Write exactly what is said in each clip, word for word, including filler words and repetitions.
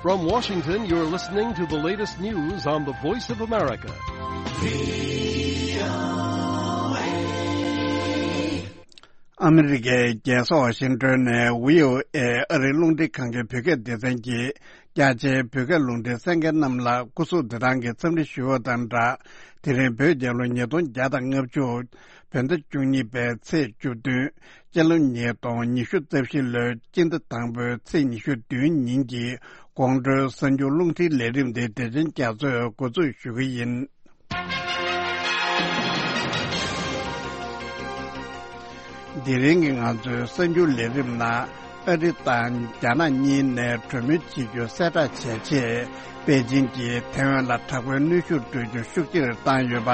From Washington, you're listening to the latest news on the Voice of America. ཨ་མི་རི་ཀའི་རྒྱལ་ས་ཝ་ཤིང་ཏོན་ནས་བྷི་ཨོ་ཨེ་ཨ་རིའི་རླུང་འཕྲིན་ཁང་གི་བོད་སྐད་སྡེ་ཚན་གྱིས་རྒྱ་ཆེའི་བོད་སྐད་རླུང་འཕྲིན་གསན་མཁན་རྣམས་ལ་སྐུ་གཟུགས་བདེ་ཐང་གི་འཚམས་འདྲི་ཞུ་བ་དང་སྦྲགས། དེ་རིང་བོད་རྒྱལ་ལོ་ཉིས་སྟོང་བརྒྱ་དང་ལྔ་བཅུ། བོད་ཟླ་བཅུ་གཉིས་པའི་ཚེས་བཅུ་བདུན། སྤྱི་ལོ་ཉིས་སྟོང་ཉི་ཤུ་རྩ་བཞི་ལོའི་སྤྱི་ཟླ་དང་པོའི་ཚེས་ཉི་ཤུ་བདུན་ཉིན་གྱི་དགོང་དྲོའི་གསར་འགྱུར་རླུང་འཕྲིན་ལས་རིམ་དེ་བདེ་ཆེན་རྒྱ་མཚོས་འགོ་འཛུགས་ཞུ་གི་ཡིན། དེ་རིང་གི་ང་ཚོའི་གསར་འགྱུར་ལས་རིམ་ནང་། ཨ་རི་དང་རྒྱ་ནག་གཉིས་ནས་གྲོས་མོལ་བྱེད་རྒྱུ་གསལ་བསྒྲགས་བྱས་རྗེས། པེ་ཅིང་གིས་ཐའེ་ཝན་ལ་དྲག་པོའི་གནོན་ཤུགས་སྤྲོད་རྒྱུ་ཤུགས་ཆེར་བཏང་ཡོད་པ།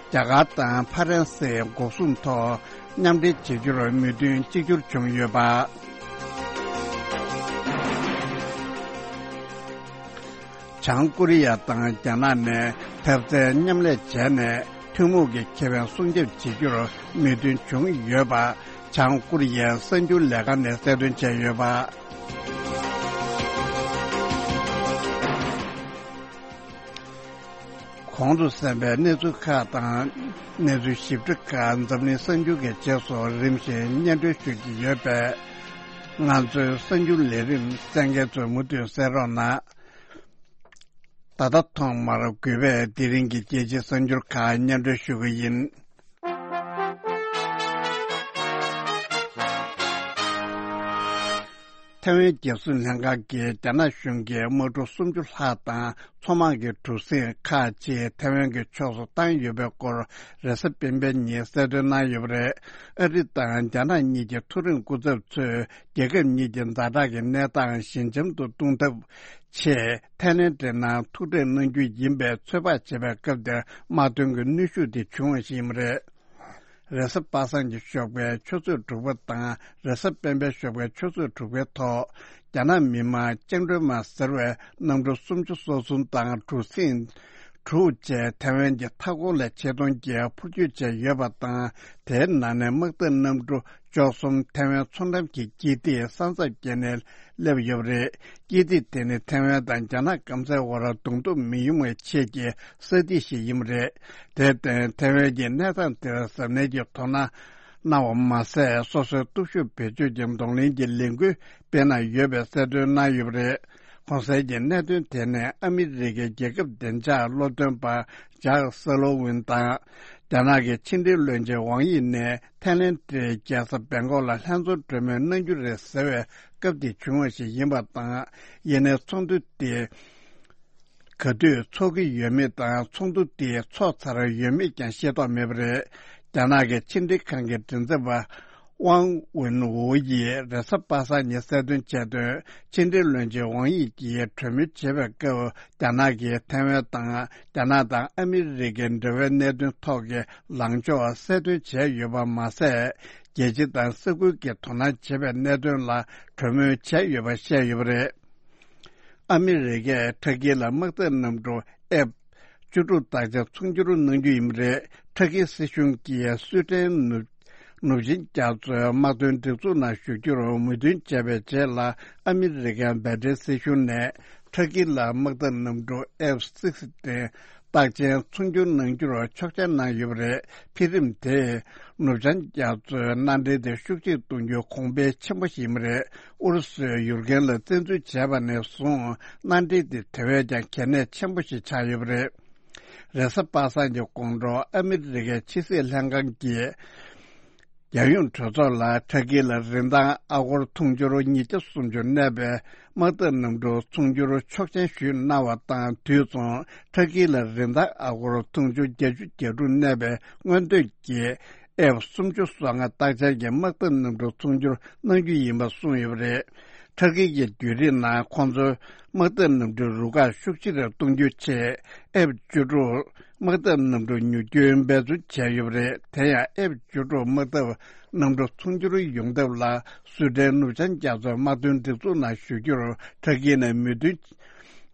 རྒྱ་གར་དང་ཧྥ་རན་སིའི་འགོག་སྲུང་ཐོག་མཉམ་འབྲེལ་བྱེད་རྒྱུར་མོས་མཐུན་གཅིག་གྱུར་བྱུང་ཡོད་པ། བྱང་ཀོ་རི་ཡ་དང་རྒྱ་ནག་ནས་འཐབ་རྩོད་མཉམ་ལས་བྱས་ནས་ཐུན་མོང་གི་ཁེ་ཕན་སྲུང་སྐྱོབ་བྱེད་རྒྱུར་མོས་མཐུན་བྱུང་ཡོད་པ། བྱང་ཀོ་རི་ཡའི་གསར་འགྱུར་ལས་ཁང་ནས་གསལ་སྟོན་བྱས་ཡོད་པ། གོང་དུ་གསན་པའི་གནས་ཚུལ་ཁག་དང་། གནས་ཚུལ་ཞིབ་ཕྲ་ཁག་འཛམ་གླིང་གསར་འགྱུར་གྱི་རྗེས་སུ་རིམ་བཞིན་སྙན་སྒྲོན་ཞུ་རྒྱུ་ཡོད་པས། ང་ཚོའི་གསར་འགྱུར་ལས་རིམ་གསན་མཁན་ཚོས་མུ་མཐུད་གསན་རོགས་གནང་། ད་ལྟ་ཐོག་མར་གུས་པས་དེ་རིང་གི་རྒྱལ་སྤྱིའི་གསར་འགྱུར་ཁག་སྙན་སྒྲོན་ཞུ་གི་ཡིན། ཐའེ་ཝན་རྒྱལ་སྲུང་ལྷན་ཁང་གིས་རྒྱ་ནག་གཞུང་གིས་དམག་འཁྲུག་སུམ་ཅུ་ལྷག་དང་མཚོ་དམག་གི་གྲུ་གཟིངས་ཁག་ཅིག་ཐའེ་ཝན་གྱི་ཕྱོགས་སུ་བཏང་ཡོད་པའི་སྐོར་རེས་གཟའ་སྤེན་པའི་ཉིན་གསལ་སྟོན་གནང་ཡོད་པ་རེད། ཨ་རི་དང་རྒྱ་ནག་གཉིས་ཀྱི་མཐོ་རིམ་སྐུ་ཚབ་ཚོས་རྒྱལ་ཁབ་གཉིས་ཀྱི་ཛ་དྲག་གི་གནས་སྟངས་ཞི་འཇམ་དུ་གཏོང་ཐབས་ཆེད་ཐའི་ལེན་ཌི་ནང་ཐུག་འཕྲད་གནང་རྒྱུ་ཡིན་པའི་ཚོད་དཔག་བྱེད་པའི་སྐབས་དེར་དམག་དོན་གྱི་གནོན་ཤུགས་དེ་བྱུང་བ་ཞིག་ཡིན་པ་རེད། རེས་གཟའ་པ་སངས་ཀྱི་ཞོགས་པའི་ཆུ་ཚོད་དྲུག་པ་དང་རེས་གཟའ་སྤེན་པའི་ཞོགས་པའི་ཆུ་ཚོད་དྲུག་པའི་ཐོག་རྒྱ་ནག་མི་དམངས་བཅིངས་འགྲོལ་དམག་ཟེར་བས་གནམ་གྲུ་སུམ་ཅུ་སོ་གསུམ་དང་གྲུ་གཟིངས་དྲུག་བཅས་ཐའེ་ཝན་གྱི་མཐའ་འཁོར་ལ་ཆེད་གཏོང་གིས་འཕུར་སྐྱོད་བྱས་ཡོད་པ་དང་། དེའི་ནང་ནས་དམག་འཐབ་གནམ་གྲུ་བཅུ་གསུམ་ཐའེ་ཝན་མཚོ་འགྲམ་གྱི་དཀྱིལ་ཐིག་ས་མཚམས་བརྒལ་ནས་སླེབས་ཡོད་པ་རེད། དཀྱིལ་ཐིག་དེ་ནི་ཐའེ་ཝན་དང་རྒྱ་ནག་སྐམ་སའི་བར་གདོང་ཐུག་མི་ཡོང་བའི་ཆེད་ཀྱི་ས་ཐིག་ཞིག་ཡིན་པ་རེད། དེར་བརྟེན་ཐའེ་ཝན་གྱིས་གནས་སྟངས་དེར་གཟབ་ནན་གྱིས་དོ་སྣང་གནང་བ་མ་ཟད། སོ་སོའི་སྟོབས་ཤུགས་བེད་སྤྱོད་ཀྱི་གདོང་ལེན་གྱི་ལས་འགུལ་སྤེལ་གནང་ཡོད་པའི་གསལ་སྟོན་གནང་ཡོད་པ་རེད། གོང་གསལ་གྱི་གནད་དོན་དེ་ནི་ཨ་མི་རི་ཀའི་རྒྱལ་ཁབ་བདེ་འཇགས་སློབ་སྟོན་པ་ཇག་སེ་ལོ་ཝིན་དང་། རྒྱ་ནག་གི་ཕྱི་འབྲེལ་བློན་ཆེན་ཝང་དབྱི་ནས་ཐའི་ལེན་ཌིའི་རྒྱལ་ས་བེང་ཀོག་ལ་ལྷན་འཛོམས་གྲོས་མོལ་གནང་རྒྱུ་རེད་ཟེར་བའི་སྐབས་དེ་བྱུང་བ་ཞིག་ཡིན་པ་དང་། ཡིན་ནའི་ཚོགས་འདུ་དེ་ག་དུས་ཚོགས་ཀྱི་ཡོད་མེད་དང་། ཚོགས་འདུ་དེ་ཚོགས་ཚར་ཡོད་མེད་ཀྱང་ཤེས་རྟོགས་མེད་པ་རེད། རྒྱ་ནག་གི་ཕྱི་འབྲེལ་ཁང་གི་མགྲིན་ཚབ་པ་ཝང་ཝུན་ཝུ་ཡིས་རེས་གཟའ་པ་སངས་ཉིན་གསལ་སྟོན་བྱས་དོན། ཕྱི་འབྲེལ་བློན་ཆེན་ཝང་དབྱི་ཡིས་གྲོས་མོལ་བྱེད་པའི་སྐབས། རྒྱ་ནག་གིས་ཐའེ་ཝན་དང་། རྒྱ་ནག་དང་ཨ་མི་རི་ཀའི་འབྲེལ་བའི་གནད་དོན་ཐོག་གི་ལངས་ཕྱོགས་གསལ་སྟོན་བྱས་ཡོད་པ་མ་ཟད། རྒྱལ་སྤྱི་དང་ས་ཁུལ་གྱི་དོ་སྣང་བྱེད་པའི་གནད་དོན་ལ་གྲོས་མོལ་བྱས་ཡོད་པ་བཤད་ཡོད་པ་རེད། ཨ་མི་རི་ཀས་ཊར་ཀི་ལ་དམག་འཐབ་གནམ་གྲུ་ཨེཕ་བཅུ་དྲུག་རྟགས་ཅན་ཚོང་སྒྱུར་གནང་རྒྱུ་ཡིན་པ་རེད། ཊར་ཀི་སྲིད་གཞུང་གིས་སུའེ་ཏེན་ནུབ་ནུབ་ཆིངས་རྒྱ་མཚོའི་དམག་དོན་སྒྲིག་འཛུགས་ནང་ཞུགས་རྒྱུར་མོས་མཐུན་བྱས་པའི་རྗེས་ལ། ཨ་མི་རི་ཀའི་བྷའི་ཌེན་སྲིད་གཞུང་ནས་ཊར་ཀི་ལ་དམག་འཐབ་གནམ་གྲུ་ཨེཕ་སིག་སི་ཊིན་རྟགས་ཅན་ཚོང་སྒྱུར་གནང་རྒྱུར་ཆོག་མཆན་གནང་ཡོད་པ་རེད། འཕེལ་རིམ་དེས་ནུབ་བྱང་རྒྱ་མཚོའི་མནའ་འབྲེལ་དེ་ཤུགས་ཆེར་གཏོང་རྒྱུའི་གོང་འཕེལ་ཆེན་པོ་ཞིག་ཡིན་པ་རེད། ཨུ་རུ་སུས་ཡུར་ཀེན་ལ་བཙན་འཛུལ་བྱས་པ་ནས་བཟུང་། མནའ་འབྲེལ་དེ་དེ་བས་ཀྱང་གལ་གནད་ཆེན་པོ་ཞིག་ཆགས་ཡོད་པ་རེད། རེས་གཟའ་པ་སངས་ཀྱི་དགོང་དྲོ་ཨ་མི་རི་ཀའི་ཕྱི་སྲིད་ལྷན་ཁང་གིས་རྒྱལ་ཡོངས་གྲོས་ཚོགས་ལ་ཊར་ཀི་ལ་རིན་ཐང་ཨ་སྒོར་འཐུང་ཆུར་ཉིས་བརྒྱ་སུམ་ཅུ་གནས་པའི་དམག་འཐབ་གནམ་གྲུ་ཚོང་སྒྱུར་ཆོག་མཆན་ཞུས་གནང་བ་དང་། དུས་མཚུངས་ཊར་ཀི་ལ་རིན་ཐང་ཨ་སྒོར་འཐུང་ཆུ་བརྒྱད་ཅུ་གྱ་དྲུག་གནས་པའི་སྔོན་ཐོན་གྱི་ཨེཕ་སུམ་ཅུ་སོ་ལྔ་རྟགས་ཅན་གྱི་དམག་འཐབ་གནམ་གྲུ་ཚོང་སྒྱུར་གནང་རྒྱུ་ཡིན་པ་གསུངས་ཡོད་པ་རེད། ཊར་ཀི་གིས་བརྒྱུད་རིམ་ནང་ཁོང་ཚོའི་དམག་འཐབ་གནམ་གྲུའི་རུ་ཁག་ཤུགས་ཆེ་རུ་གཏོང་རྒྱུའི་ཆེད། ཨེཕ་བཅུ་དྲུག་དམག་འཐབ་གནམ་གྲུ་ཉོ་རྒྱུའི་འབད་བརྩོན་བྱས་ཡོད་པ་རེད། དེ་ཡང་ཨེཕ་བཅུ་དྲུག་དམག་འཐབ་གནམ་གྲུ་ཚོང་སྒྱུར་ཡོང་ཐབས་ལ་སུའེ་ཏན་ནུབ་བྱང་རྒྱ་མཚོའི་དམག་དོན་སྒྲིག་འཛུགས་ནང་ཞུགས་རྒྱུར་ཊར་ཀི་ནས་མོས་མཐུན་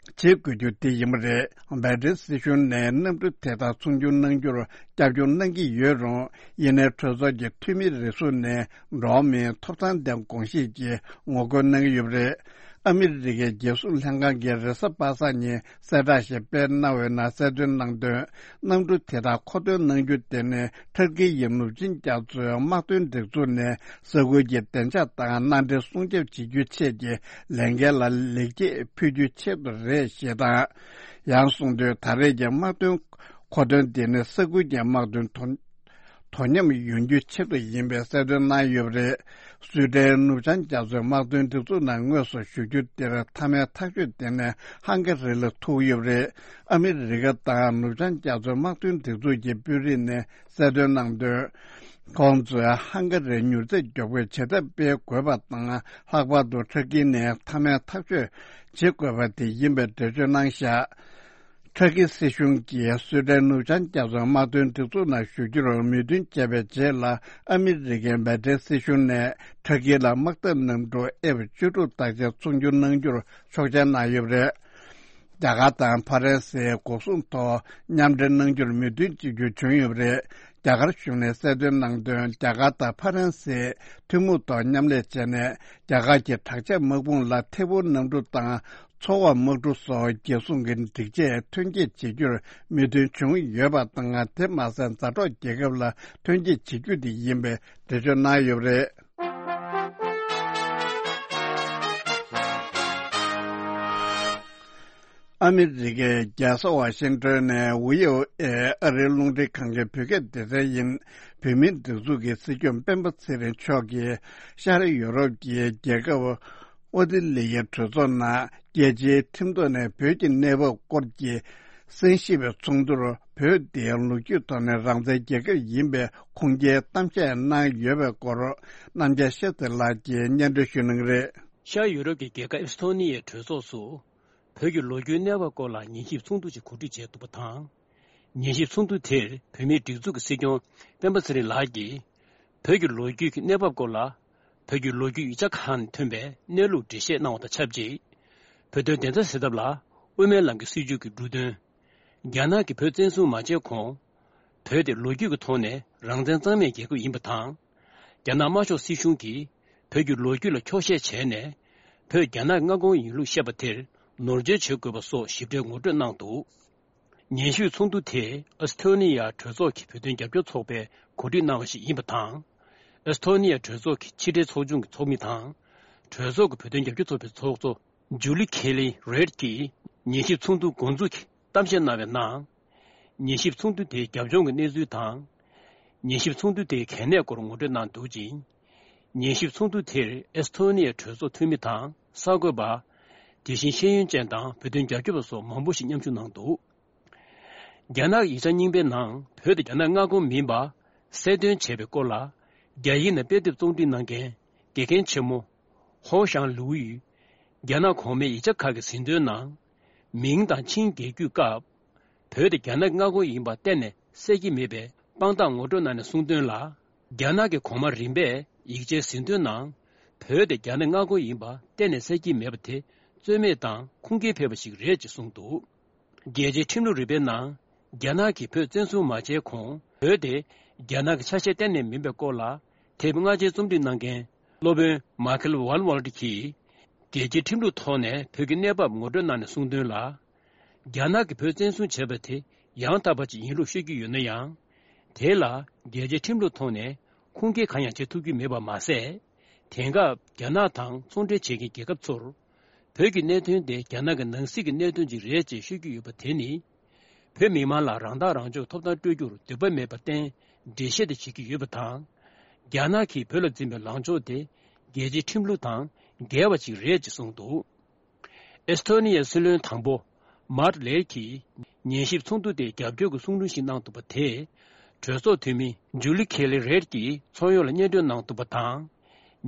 བྱེད་དགོས་རྒྱུ་དེ་ཡིན་པ་རེད། བྷེ་ཏྲིན་སྲིད་གཞུང་ནས་གནམ་གྲུ་དེ་དག་ཚོང་སྒྱུར་གནང་རྒྱུར་རྒྱབ་སྐྱོར་གནང་གི་ཡོད་རུང་། ཡིན་ནའི་གྲོས་ཚོགས་ཀྱི་འཐུས་མི་རེ་ཟུང་ནས་འགྲོ་བ་མིའི་ཐོབ་ཐང་ལྡན་དགོངས་བཞེས་ཀྱི་ངོ་རྒོལ་གནང་གི་ཡོད་པ་རེད། ཨ་མི་རི་ཀའི་རྒྱལ་སྲུང་ལྷན་ཁང་གིས་རེས་གཟའ་པ་སངས་ཉིན་གསལ་བསྒྲགས་ཤིག་སྤེལ་གནང་བའི་ནང་གསལ་སྟོན་གནང་དོན། གནམ་གྲུ་དེ་དག་མཁོ་འདོན་གནང་རྒྱུ་དེ་ནི་ཁྲ་ཀི་ཡི་ནུབ་ཆིངས་རྒྱ་མཚོའི་དམག་དོན་སྒྲིག་འཛུགས་ནས་ས་ཁུལ་གྱི་བདེ་འཇགས་དང་མནའ་འབྲེལ་སྲུང་སྐྱོབ་བྱེད་རྒྱུའི་ཆེད་ཀྱི་ལས་འགན་ལ་ལེགས་སྐྱེས་ཕུལ་རྒྱུའི་ཆེད་དུ་རེད་ཞེས་དང་། ཡང་གསུངས་དོན། ད་རེས་ཀྱི་དམག་དོན་མཁོ་འདོན་དེ་ནི་ས་ཁུལ་གྱི་དམག་དོན་དོ་དོ་མཉམ་ཡོང་རྒྱུའི་ཆེད་དུ་ཡིན་པའི་གསལ་སྟོན་གནང་ཡོད་པ་རེད། སུའེ་ཏེན་ནུབ་བྱང་རྒྱ་མཚོའི་དམག་དོན་སྒྲིག་འཛུགས་ནང་དངོས་སུ་ཞུགས་རྒྱུ་དེར་མཐའ་མའི་ཐག་གཅོད་དེ་ནི་ཧང་ག་རི་ལ་ཐུག་ཡོད་པ་རེད། ཨ་མི་རི་ཀ་དང་ནུབ་བྱང་རྒྱ་མཚོའི་དམག་དོན་སྒྲིག་འཛུགས་ཀྱི་དཔོན་རིགས་ནས་གསལ་སྟོན་གནང་དོན། ཁོང་ཚོས་ཧང་ག་རིར་མྱུར་ཚད་མགྱོགས་པོས་བྱེད་ཐབས་སྤེལ་དགོས་པ་དང་། ལྷག་པར་དུ་ཁྲ་ཀི་ནས་མཐའ་མའི་ཐག་གཅོད་བྱེད་དགོས་པ་དེ་ཡིན་པའི་འགྲེལ་བརྗོད་གནང་བཞག་ཁྲ་ཀི་སྲིད་གཞུང་གིས་སུའེ་ཏེན་ནུབ་བྱང་རྒྱ་མཚོའི་དམག་དོན་སྒྲིག་འཛུགས་ནང་ཞུགས་རྒྱུར་མོས་མཐུན་བྱས་པའི་རྗེས་ལ། ཨ་མི་རི་ཀའི་བྷེ་ཏྲིན་སྲིད་གཞུང་ནས་ཁྲ་ཀི་ལ་དམག་འཐབ་གནམ་གྲུ་ཨེཕ་བཅུ་དྲུག་དག་ཆ་ཚོང་སྒྱུར་གནང་རྒྱུར་ཆོག་མཆན་གནང་ཡོད་པ་རེད། རྒྱ་གར་དང་ཧྥ་རན་སིའི་འགོག་སྲུང་ཐོག་མཉམ་འབྲེལ་གནང་རྒྱུར་མོས་མཐུན་བྱེད་རྒྱུ་བྱུང་ཡོད་པ་རེད། རྒྱ་གར་གཞུང་ནས་གསལ་སྟོན་གནང་དོན། རྒྱ་གར་དང་ཧྥ་རན་སིས་ཐུན་མོང་ཐོག་མཉམ་ལས་བྱས་ནས། རྒྱ་གར་གྱི་དྲག་ཆས་དམག་དཔུང་ལ་ཐད་འཕུར་གནམ་གྲུ་དང་། མཚོ་འོག་དམག་གྲུ་སོགས་རྒྱལ་སྲུང་གི་སྒྲིག་ཆས་ཐོན་སྐྱེད་བྱེད་རྒྱུར་མོས་མཐུན་བྱུང་ཡོད་པ་དང་། དེ་མ་ཟད་མཛའ་གྲོགས་རྒྱལ་ཁབ་ལ་ཐོན་སྐྱེད་བྱེད་རྒྱུ་དེ་ཡིན་པའི་འགྲེལ་བརྗོད་གནང་ཡོད་པ་རེད། ཨ་མི་རི་ཀའི་རྒྱལ་ས་ཝ་ཤིང་ཏོན་ནས་ཝི་ཨོ་ཨེ་ཨ་རིའི་རླུང་འཕྲིན་ཁང་གི་བོད་སྐད་སྡེ་ཚན་ཡིན། བོད་མིའི་སྒྲིག་འཛུགས་ཀྱི་སྲིད་སྐྱོང་སྤེན་པ་ཚེ་རིང་མཆོག་གིས་ཤར་ཡུ་རོབ་ཀྱི་རྒྱལ་ཁབ་ཨོ་སྟི་ལི་ཡའི་གྲོས་ཚོགས་ནང་རྒྱལ་སྤྱིའི་ཁྲིམས་ཐོག་ནས་བོད་ཀྱི་གནས་བབ་སྐོར་གྱི་གསན་ཞིབ་པའི་ཚོགས་འདུར། བོད་དེ་ལོ་རྒྱུས་ཐོག་ནས་རང་བཙན་རྒྱལ་ཁབ་ཡིན་པའི་ཁུངས་སྐྱེལ་གཏམ་བཤད་གནང་ཡོད་པའི་སྐོར། རྣམ་རྒྱལ་ཤེས་ཚེ་ལགས་ཀྱིས་སྙན་སྒྲོན་ཞུ་གནང་གི་རེད། ཤར་ཡུ་རོབ་ཀྱི་རྒྱལ་ཁབ་ཨེ་སི་ཐོ་ནི་ཡའི་གྲོས་ཚོགས་སུ། བོད་ཀྱི་ལོ་རྒྱུས་གནས་བབ་སྐོར་ལ་ཉན་ཞིབ་ཚོགས་འདུ་ཞིག་གོ་སྒྲིག་བྱས་འདུག་པ་དང་། ཉན་ཞིབ་ཚོགས་འདུ་དེར་བོད་མིའི་སྒྲིག་འཛུགས་ཀྱི་སྲིད་སྐྱོང་སྤེན་པ་ཚེ་རིང་ལགས་ཀྱིས། བོད་ཀྱི་ལོ་རྒྱུས་ཀྱི་གནས་བབ་སྐོར་ལ། བོད་ཀྱི་ལོ་རྒྱུས་ཡིག་ཆ་ཁག་ནས་ཐོན་པའི་གནས་ལུགས་འགྲེལ་བཤད་གནང་བ་དང་ཆབས་ཅིག་བོད་དོན་བདེན་མཐའ་གསལ་ཐབས་ལ་དབུ་མའི་ལམ་གྱི་སྲིད་བྱུས་ཀྱི་འབྲུ་དོན། རྒྱ་ནག་གིས་བོད་བཙན་བཟུང་མ་བྱས་གོང་། བོད་དེ་ལོ་རྒྱུས་ཀྱི་ཐོག་ནས་རང་བཙན་གཙང་མའི་རྒྱལ་ཁབ་ཡིན་པ་དང་། རྒྱ་ནག་དམར་ཤོག་སྲིད་གཞུང་གིས་བོད་ཀྱི་ལོ་རྒྱུས་ལ་འཁྱོག་བཤད་བྱས་ནས། བོད་རྒྱ་ནག་གི་མངའ་ཁོངས་ཡིན་ལུགས་བཤད་པ་དེར་ནོར་འཛོལ་བྱེད་དགོས་པ་སོགས་ཞིབ་ཕྲའི་ངོ་སྤྲོད་གནང་འདུག་ཉན་ཞིབ་ཚོགས་འདུ་དེ་ཨོ་སི་ཐོ་ནི་ཡ་གྲོས་ཚོགས་ཀྱི་བོད་དོན་རྒྱབ་སྐྱོར་ཚོགས་པས་གོ་སྒྲིག་གནང་བ་ཞིག་ཡིན་པ་དང་། ཨོ་སི་ཐོ་ནི་ཡ་གྲོས་ཚོགས་ཀྱི་ཕྱི་དྲིལ་ཚོགས་ཆུང་གི་ཚོགས་མི་དང་། གྲོས་ཚོགས་ཀྱི་བོད་དོན་རྒྱབ་སྐྱོར་ཚོགས་པའི་ཚོགས་གཙོ་ཇུ་ལི་ཁེ་ལི་རེད་ཀྱིས་ཉན་ཞིབ་ཚོགས་འདུ་འགོ་འཛུགས་ཀྱི་གཏམ་བཤད་གནང་བའི་ནང་། ཉན་ཞིབ་ཚོགས་འདུ་དེའི་རྒྱབ་ལྗོངས་ཀྱི་གནས་ཚུལ་དང་། ཉན་ཞིབ་ཚོགས་འདུ་དེའི་གལ་གནད་སྐོར་ངོ་སྤྲོད་གནང་འདུག་ཅིང་། ཉན་ཞིབ་ཚོགས་འདུ་དེར་ཨེ་སི་ཐོ་ནི་ཡའི་གྲོས་ཚོགས་འཐུས་མི་དང་གསར་འགོད་པ། དེ་བཞིན་ཤེས་ཡོན་ཅན་དང་བོད་དོན་རྒྱབ་སྐྱོར་པ་སོགས་མང་པོ་ཞིག་མཉམ་ཞུགས་གནང་འདུག་རྒྱ་ནག་གི་ཡིག་ཆ་རྙིང་པའི་ནང་བོད་དེ་རྒྱ་ནག་མངའ་ཁོངས་མིན་པ་གསལ་སྟོན་བྱས་པའི་སྐོར་ལ། རྒྱ་ཡིག་ནས་དཔེ་དེབ་རྩོམ་སྒྲིག་གནང་མཁན་དགེ་རྒན་ཆེན་མོ་ཧོ་ཞང་ལུའུ་ཡིས། རྒྱ་ནག་གོང་མའི་ཡིག་ཆ་ཁག་གི་ཟིན་ཐོའི་ནང་། མིང་དང་ཆིང་རྒྱལ་རྒྱུད་སྐབས། བོད་དེ་རྒྱ་ནག་གི་མངའ་ཁོངས་ཡིན་པ་གཏན་ནས་གསལ་གྱི་མེད་པའི་དཔང་རྟགས་ངོ་སྤྲོད་གནང་ནས་གསུངས་དོན་ལ། རྒྱ་ནག་གི་གོང་མ་རིམ་པས་ཡིག་ཆའི་ཟིན་ཐོའི་ནང་། བོད་དེ་རྒྱ་ནག་མངའ་ཁོངས་ཡིན་པ་གཏན་ནས་གསལ་གྱི་མེད་པ་དེ་རྩོད་མེད་དང་ཁུངས་སྐྱེལ་ཕེབས་པ་ཞིག་རེད་ཅེས་གསུངས་འདུག་རྒྱལ་སྤྱིའི་ཁྲིམས་ལུགས་རིམ་པའི་ནང་། རྒྱ་ནག་གིས་བོད་བཙན་བཟུང་མ་བྱས་གོང་། བོད་དེ་རྒྱ་ནག་གི་ཆ་ཤས་གཏན་ནས་མིན་པའི་སྐོར་ལ། དེབ་སྔ་རྗེས་རྩོམ་སྒྲིག་གནང་མཁན་སློབ་དཔོན་མཱ་ཁེལ་ཝན་ཝལ་ཏི་གིས། རྒྱལ་སྤྱིའི་ཁྲིམས་ལུགས་ཐོག་ནས་བོད་ཀྱི་གནས་བབ་ངོ་སྤྲོད་གནང་ནས་གསུངས་དོན་ལ། རྒྱ་ནག་གིས་བོད་བཙན་བཟུང་བྱས་པ་དེ་ཡང་དག་པ་ཅིག་ཡིན་ལུགས་ཤོད་ཀྱི་ཡོད་ན་ཡང་། དེ་ལ་རྒྱལ་སྤྱིའི་ཁྲིམས་ལུགས་ཐོག་ནས་ཁུངས་སྐྱེལ་གང་ཡང་བྱེད་ཐུབ་ཀྱི་མེད་པ་མ་ཟད། དེང་སྐབས་རྒྱ་ནག་དང་ཚོང་འབྲེལ་བྱེད་མཁན་རྒྱལ་ཁབ་ཚོར། བོད་ཀྱི་གནད་དོན་དེ་རྒྱ་ནག་གི་ནང་སྲིད་ཀྱི་གནད་དོན་ཅིག་རེད་ཅེས་ཤོད་ཀྱི་ཡོད་པ་དེ་ནི། བོད་མི་མང་ལ་རང་ཐག་རང་གཅོད་ཐོབ་ཐང་སྤྲོད་རྒྱུར་འདོད་པ་མེད་པར་བརྟེན་འགྲེལ་བཤད་དེ་བྱེད་ཀྱི་ཡོད་པ་དང་། རྒྱ་ནག་གིས་བོད་ལ་འཛིན་པའི་ལངས་ཕྱོགས་དེ་རྒྱལ་སྤྱིའི་ཁྲིམས་ལུགས་དང་འགལ་བ་ཅིག་རེད་ཅེས་གསུངས་འདུག་ཨེ་སི་ཐོ་ནི་ཡའི་སྲིད་བློན་དང་པོ་མཱར་ལེར་གྱིས་ཉན་ཞིབ་ཚོགས་འདུ་དེ་རྒྱབ་སྐྱོར་གྱི་གསུང་དྲུང་ཞིག་གནང་འདུག་པ་དེས། གྲོས་ཚོགས་འཐུས་མི་ཇུ་ལི་ཁེ་ལི་རེད་ཀྱིས་ཚོགས་ཡོངས་ལ་སྙན་སྒྲོན་གནང་འདུག་པ་དང་།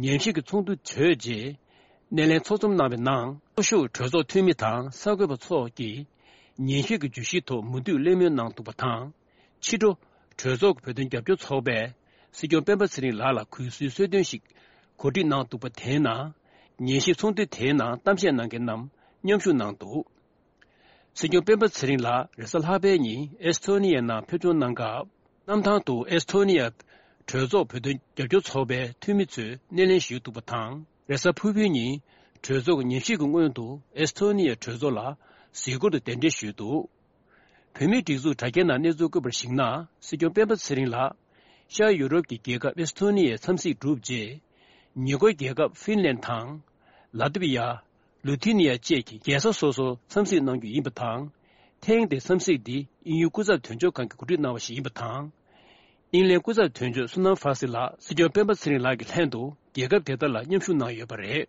ཉན་ཞིབ་ཀྱི་ཚོགས་འདུ་གྲོལ་རྗེས། སྣེ་ལེན་ཚོགས་འཛོམས་གནང་བའི་ནང་། ཚོགས་ཞུགས་གྲོས་ཚོགས་འཐུས་མི་དང་གསར་འགོད་པ་ཚོགས་ཀྱིས། ཉན་ཞིབ་ཀྱི་བརྗོད་གཞིའི་ཐོག་མུ་མཐུད་གླེང་མོལ་གནང་འདུག་པ་དང་། ཕྱི་དྲོ། གྲོས་ཚོགས་ཀྱི་བོད་དོན་རྒྱབ་སྐྱོར་ཚོགས་པས། སྲིད་སྐྱོང་སྤེན་པ་ཚེ་རིང་ལགས་ལ་གུས་བསུའི་གསོལ་སྟོན་ཞིག་གོ་སྒྲིག་གནང་འདུག་པ་དེའི་ནང་། ཉན་ཞིབ་ཚོགས་འདུ་དེའི་ནང་གཏམ་བཤད་གནང་མཁན་རྣམས་མཉམ་ཞུགས་གནང་འདུག་སྲིད་སྐྱོང་སྤེན་པ་ཚེ་རིང་ལགས་རེས་གཟའ་ལྷག་པའི་ཉིན་ཨེས་ཐོ་ནི་ཡའི་ནང་ཕེབས་འབྱོར་གནང་སྐབས། གནམ་ཐང་དུ་ཨེས་ཐོ་ནི་ཡ་གྲོས་ཚོགས་བོད་དོན་རྒྱབ་སྐྱོར་ཚོགས་པའི་འཐུས་མི་ཚོས་སྣེ་ལེན་ཞུས་འདུག་པ་དང་། རེས་གཟའ་ཕུར་བུའི་ཉིན་གྲོས་ཚོགས་ཉམས་ཞིབ་ཀྱི་སྔོན་དུ་ཨེས་ཐོ་ནི་ཡའི་གྲོས་ཚོགས་ལ་གཟིགས་སྐོར་དུ་གདན་འདྲེན་ཞུས་འདུག་བོད་མིའི་སྒྲིག་འཛུགས་དྲ་རྒྱའི་ནང་གནས་ཚུལ་བཀོད་པར་གཞིགས་ན། སྲིད་སྐྱོང་སྤེན་པ་ཚེ་རིང་ལགས་ཤར་ཡུ་རོབ་ཀྱི་རྒྱལ་ཁབ་ཨེས་ཐོ་ནི་ཡའི་འཚམས་གཟིགས་གྲུབ་རྗེས། ཉེ་འཁོར་རྒྱལ་ཁབ་ཧྥིན་ལན་དང་། ལ་ཏི་བི་ཡ། ལུ་ཐི་ནི་ཡ་བཅས་ཀྱི་རྒྱལ་ས་སོ་སོར་འཚམས་གཟིགས་གནང་རྒྱུ་ཡིན་པ་དང་། ཐེངས་འདིའི་འཚམས་གཟིགས་འདི་དབྱིན་ཡུལ་སྐུ་ཚབ་དོན་གཅོད་ཁང་གིས་གོ་སྒྲིག་གནང་བ་ཞིག་ཡིན་པ་དང་། དབྱིན་ལན་སྐུ་ཚབ་དོན་གཅོད་སུ་ནམ་ཧྥ་སི་ལགས་སྲིད་སྐྱོང་སྤེན་པ་ཚེ་རིང་ལགས་ཀྱི་ལྷན་དུ་རྒྱལ་ཁབ་དེ་དག་ལ་མཉམ་ཞུགས་གནང་ཡོད་པ་རེད།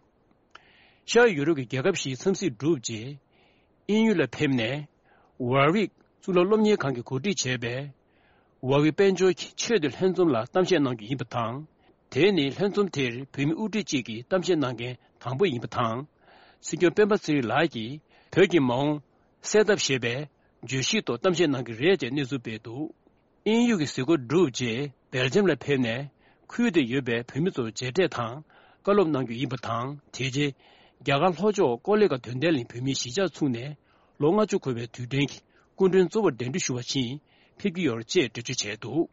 ཤར་ཡུ་རོབ་ཀྱི་རྒྱལ་ཁབ་བཞིའི་འཚམས་གཟིགས་གྲུབ་རྗེས། དབྱིན་ཡུལ་ལ་ཕེབས་ནས། ཝར་ཝིག་གཙུག་ལག་སློབ་གཉེར་ཁང་གིས་གོ་སྒྲིག་བྱས་པའི། ཝར་ཝིག་དཔལ་འབྱོར་གྱི་ཆེས་མཐོའི་ལྷན་འཛོམས་ལ་གཏམ་བཤད་གནང་རྒྱུ་ཡིན་པ་དང་། དེ་ནི་ལྷན་འཛོམས་དེར་བོད་མི་དབུ་ཁྲིད་ཅིག་གིས་གཏམ་བཤད་གནང་མཁན་དང་པོ་ཡིན་པ་དང་། སྲིད་སྐྱོང་སྤེན་པ་ཚེ་རིང་ལགས་ཀྱིས་བོད་ཀྱི་མ་འོངས་གསལ་ཐབས་ཞེས་པའི་བརྗོད་གཞིའི་ཐོག་གཏམ་བཤད་གནང་གི་རེད་ཅེས་གནས་ཚུལ་སྤེལ་འདུག་དབྱིན་ཡུལ་གྱི་གཟིགས་སྐོར་གྲུབ་རྗེས་སྦེལ་ཇམ་ལ་ཕེབས་ནས། ཁུལ་དེར་ཡོད་པའི་བོད་མི་ཚོར་མཇལ་འཕྲད་དང་བཀའ་སློབ་གནང་རྒྱུ་ཡིན་པ་དང་། དེ་རྗེས་རྒྱ་གར་ལྷོ་ཕྱོགས་ཀོ་ལི་གྷལ་དོན་ལྡན་གླིང་བོད་མིའི་གཞིས་ཆགས་ཚུགས་ནས་ལོ་ལྔ་བཅུ་འཁོར་བའི་དུས་དྲན་གྱི་སྐུ་མགྲོན་གཙོ་བོར་གདན་འདྲེན་ཞུ་བ་ཕྱིན་ཕེབས་ཀྱི་ཡོད་ཅེས་འགྲེལ་བརྗོད་བྱས་འདུག་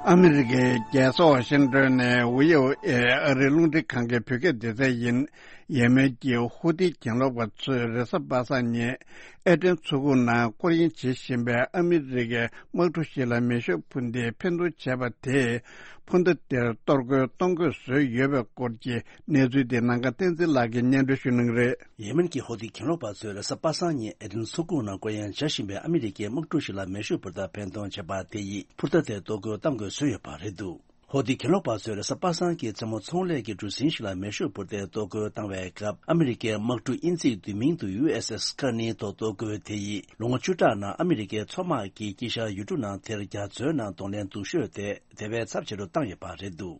ཨ་མི་རི་ཀའི་རྒྱལ་ས་ཝ་ཤིང་ཏོན་ནས་ཝི་ཨོ་ཨེ་ཨ་རིའི་རླུང་འཕྲིན་ཁང་གི་བོད་སྐད་སྡེ་ཚན་ཡིན། ཡེ་མེན་གྱི་ཧུ་ཐི་གྱེན་ལོག་པ་ཚོས་རེས་གཟའ་པ་སངས་ཉིན་ཨེ་ཏན་མཚོ་ཁུག་ནང་སྐོར་གཡེང་བྱེད་བཞིན་པའི་ཨ་མི་རི་ཀའི་དམག་གྲུ་ཞིག་ལ་མེ་ཤུགས་འཕུར་མདེལ་འཕེན་གཏོང་བྱས་པ་དེས། འཕུར་མདའ་དེར་གཏོར་རྒོལ་གཏོང་དགོས་བཟོས་ཡོད་པའི་སྐོར་གྱི་གནས་ཚུལ་དེ་ནམ་མཁའ་བསྟན་འཛིན་ལགས་ཀྱིས་སྙན་སྒྲོན་ཞུ་གནང་གི་རེད། ཡེ་མེན་གྱི་ཧོ་ཐི་གྱེན་ལོག་པ་ཚོས་རེས་གཟའ་པ་སངས་ཉིན་ཨེ་ཏན་མཚོ་ཁུག་ནང་སྐོར་གཡེང་བྱ་བཞིན་པའི་ཨ་མི་རི་ཀའི་དམག་གྲུ་ཞིག་ལ་མེ་ཤུགས་འཕུར་མདའ་འཕེན་གཏོང་བྱས་པ་དེ་ཡིས་འཕུར་མདའ་དེར་གཏོར་རྒོལ་གཏང་དགོས་བཟོས་ཡོད་པ་རེད་འདུག་ཧོ་ཐི་གྱེན་ལོག་པ་ཚོས་རེས་གཟའ་པ་སངས་ཀྱི་མཚན་མོ་ཚོང་ལས་ཀྱི་གྲུ་གཟིངས་ཤིག་ལ་མེ་ཤུགས་འཕུར་མདའི་གཏོར་རྒོལ་བཏང་བའི་སྐབས། ཨ་མི་རི་ཀའི་དམག་གྲུ་དབྱིན་ཇིའི་བསྡུས་མིང་དུ་ཡུ་ཨེས་ཨེས་ཀར་ནི་ཐོག་གཏོར་རྒོལ་དེ་ཡིས་ལོ་ངོ་བཅུ་ཕྲག་ནང་ཨ་མི་རི་ཀའི་མཚོ་དམག་གིས་དཀྱིལ་ཤར་ཡུལ་གྲུ་ནང་དེར་རྒྱ་མཚོའི་ནང་གདོང་ལེན་སྡུག་ཤོས་དེ་དེ་བས་ཚབས་ཆེ་རུ་བཏང་ཡོད་པ་རེད་འདུག་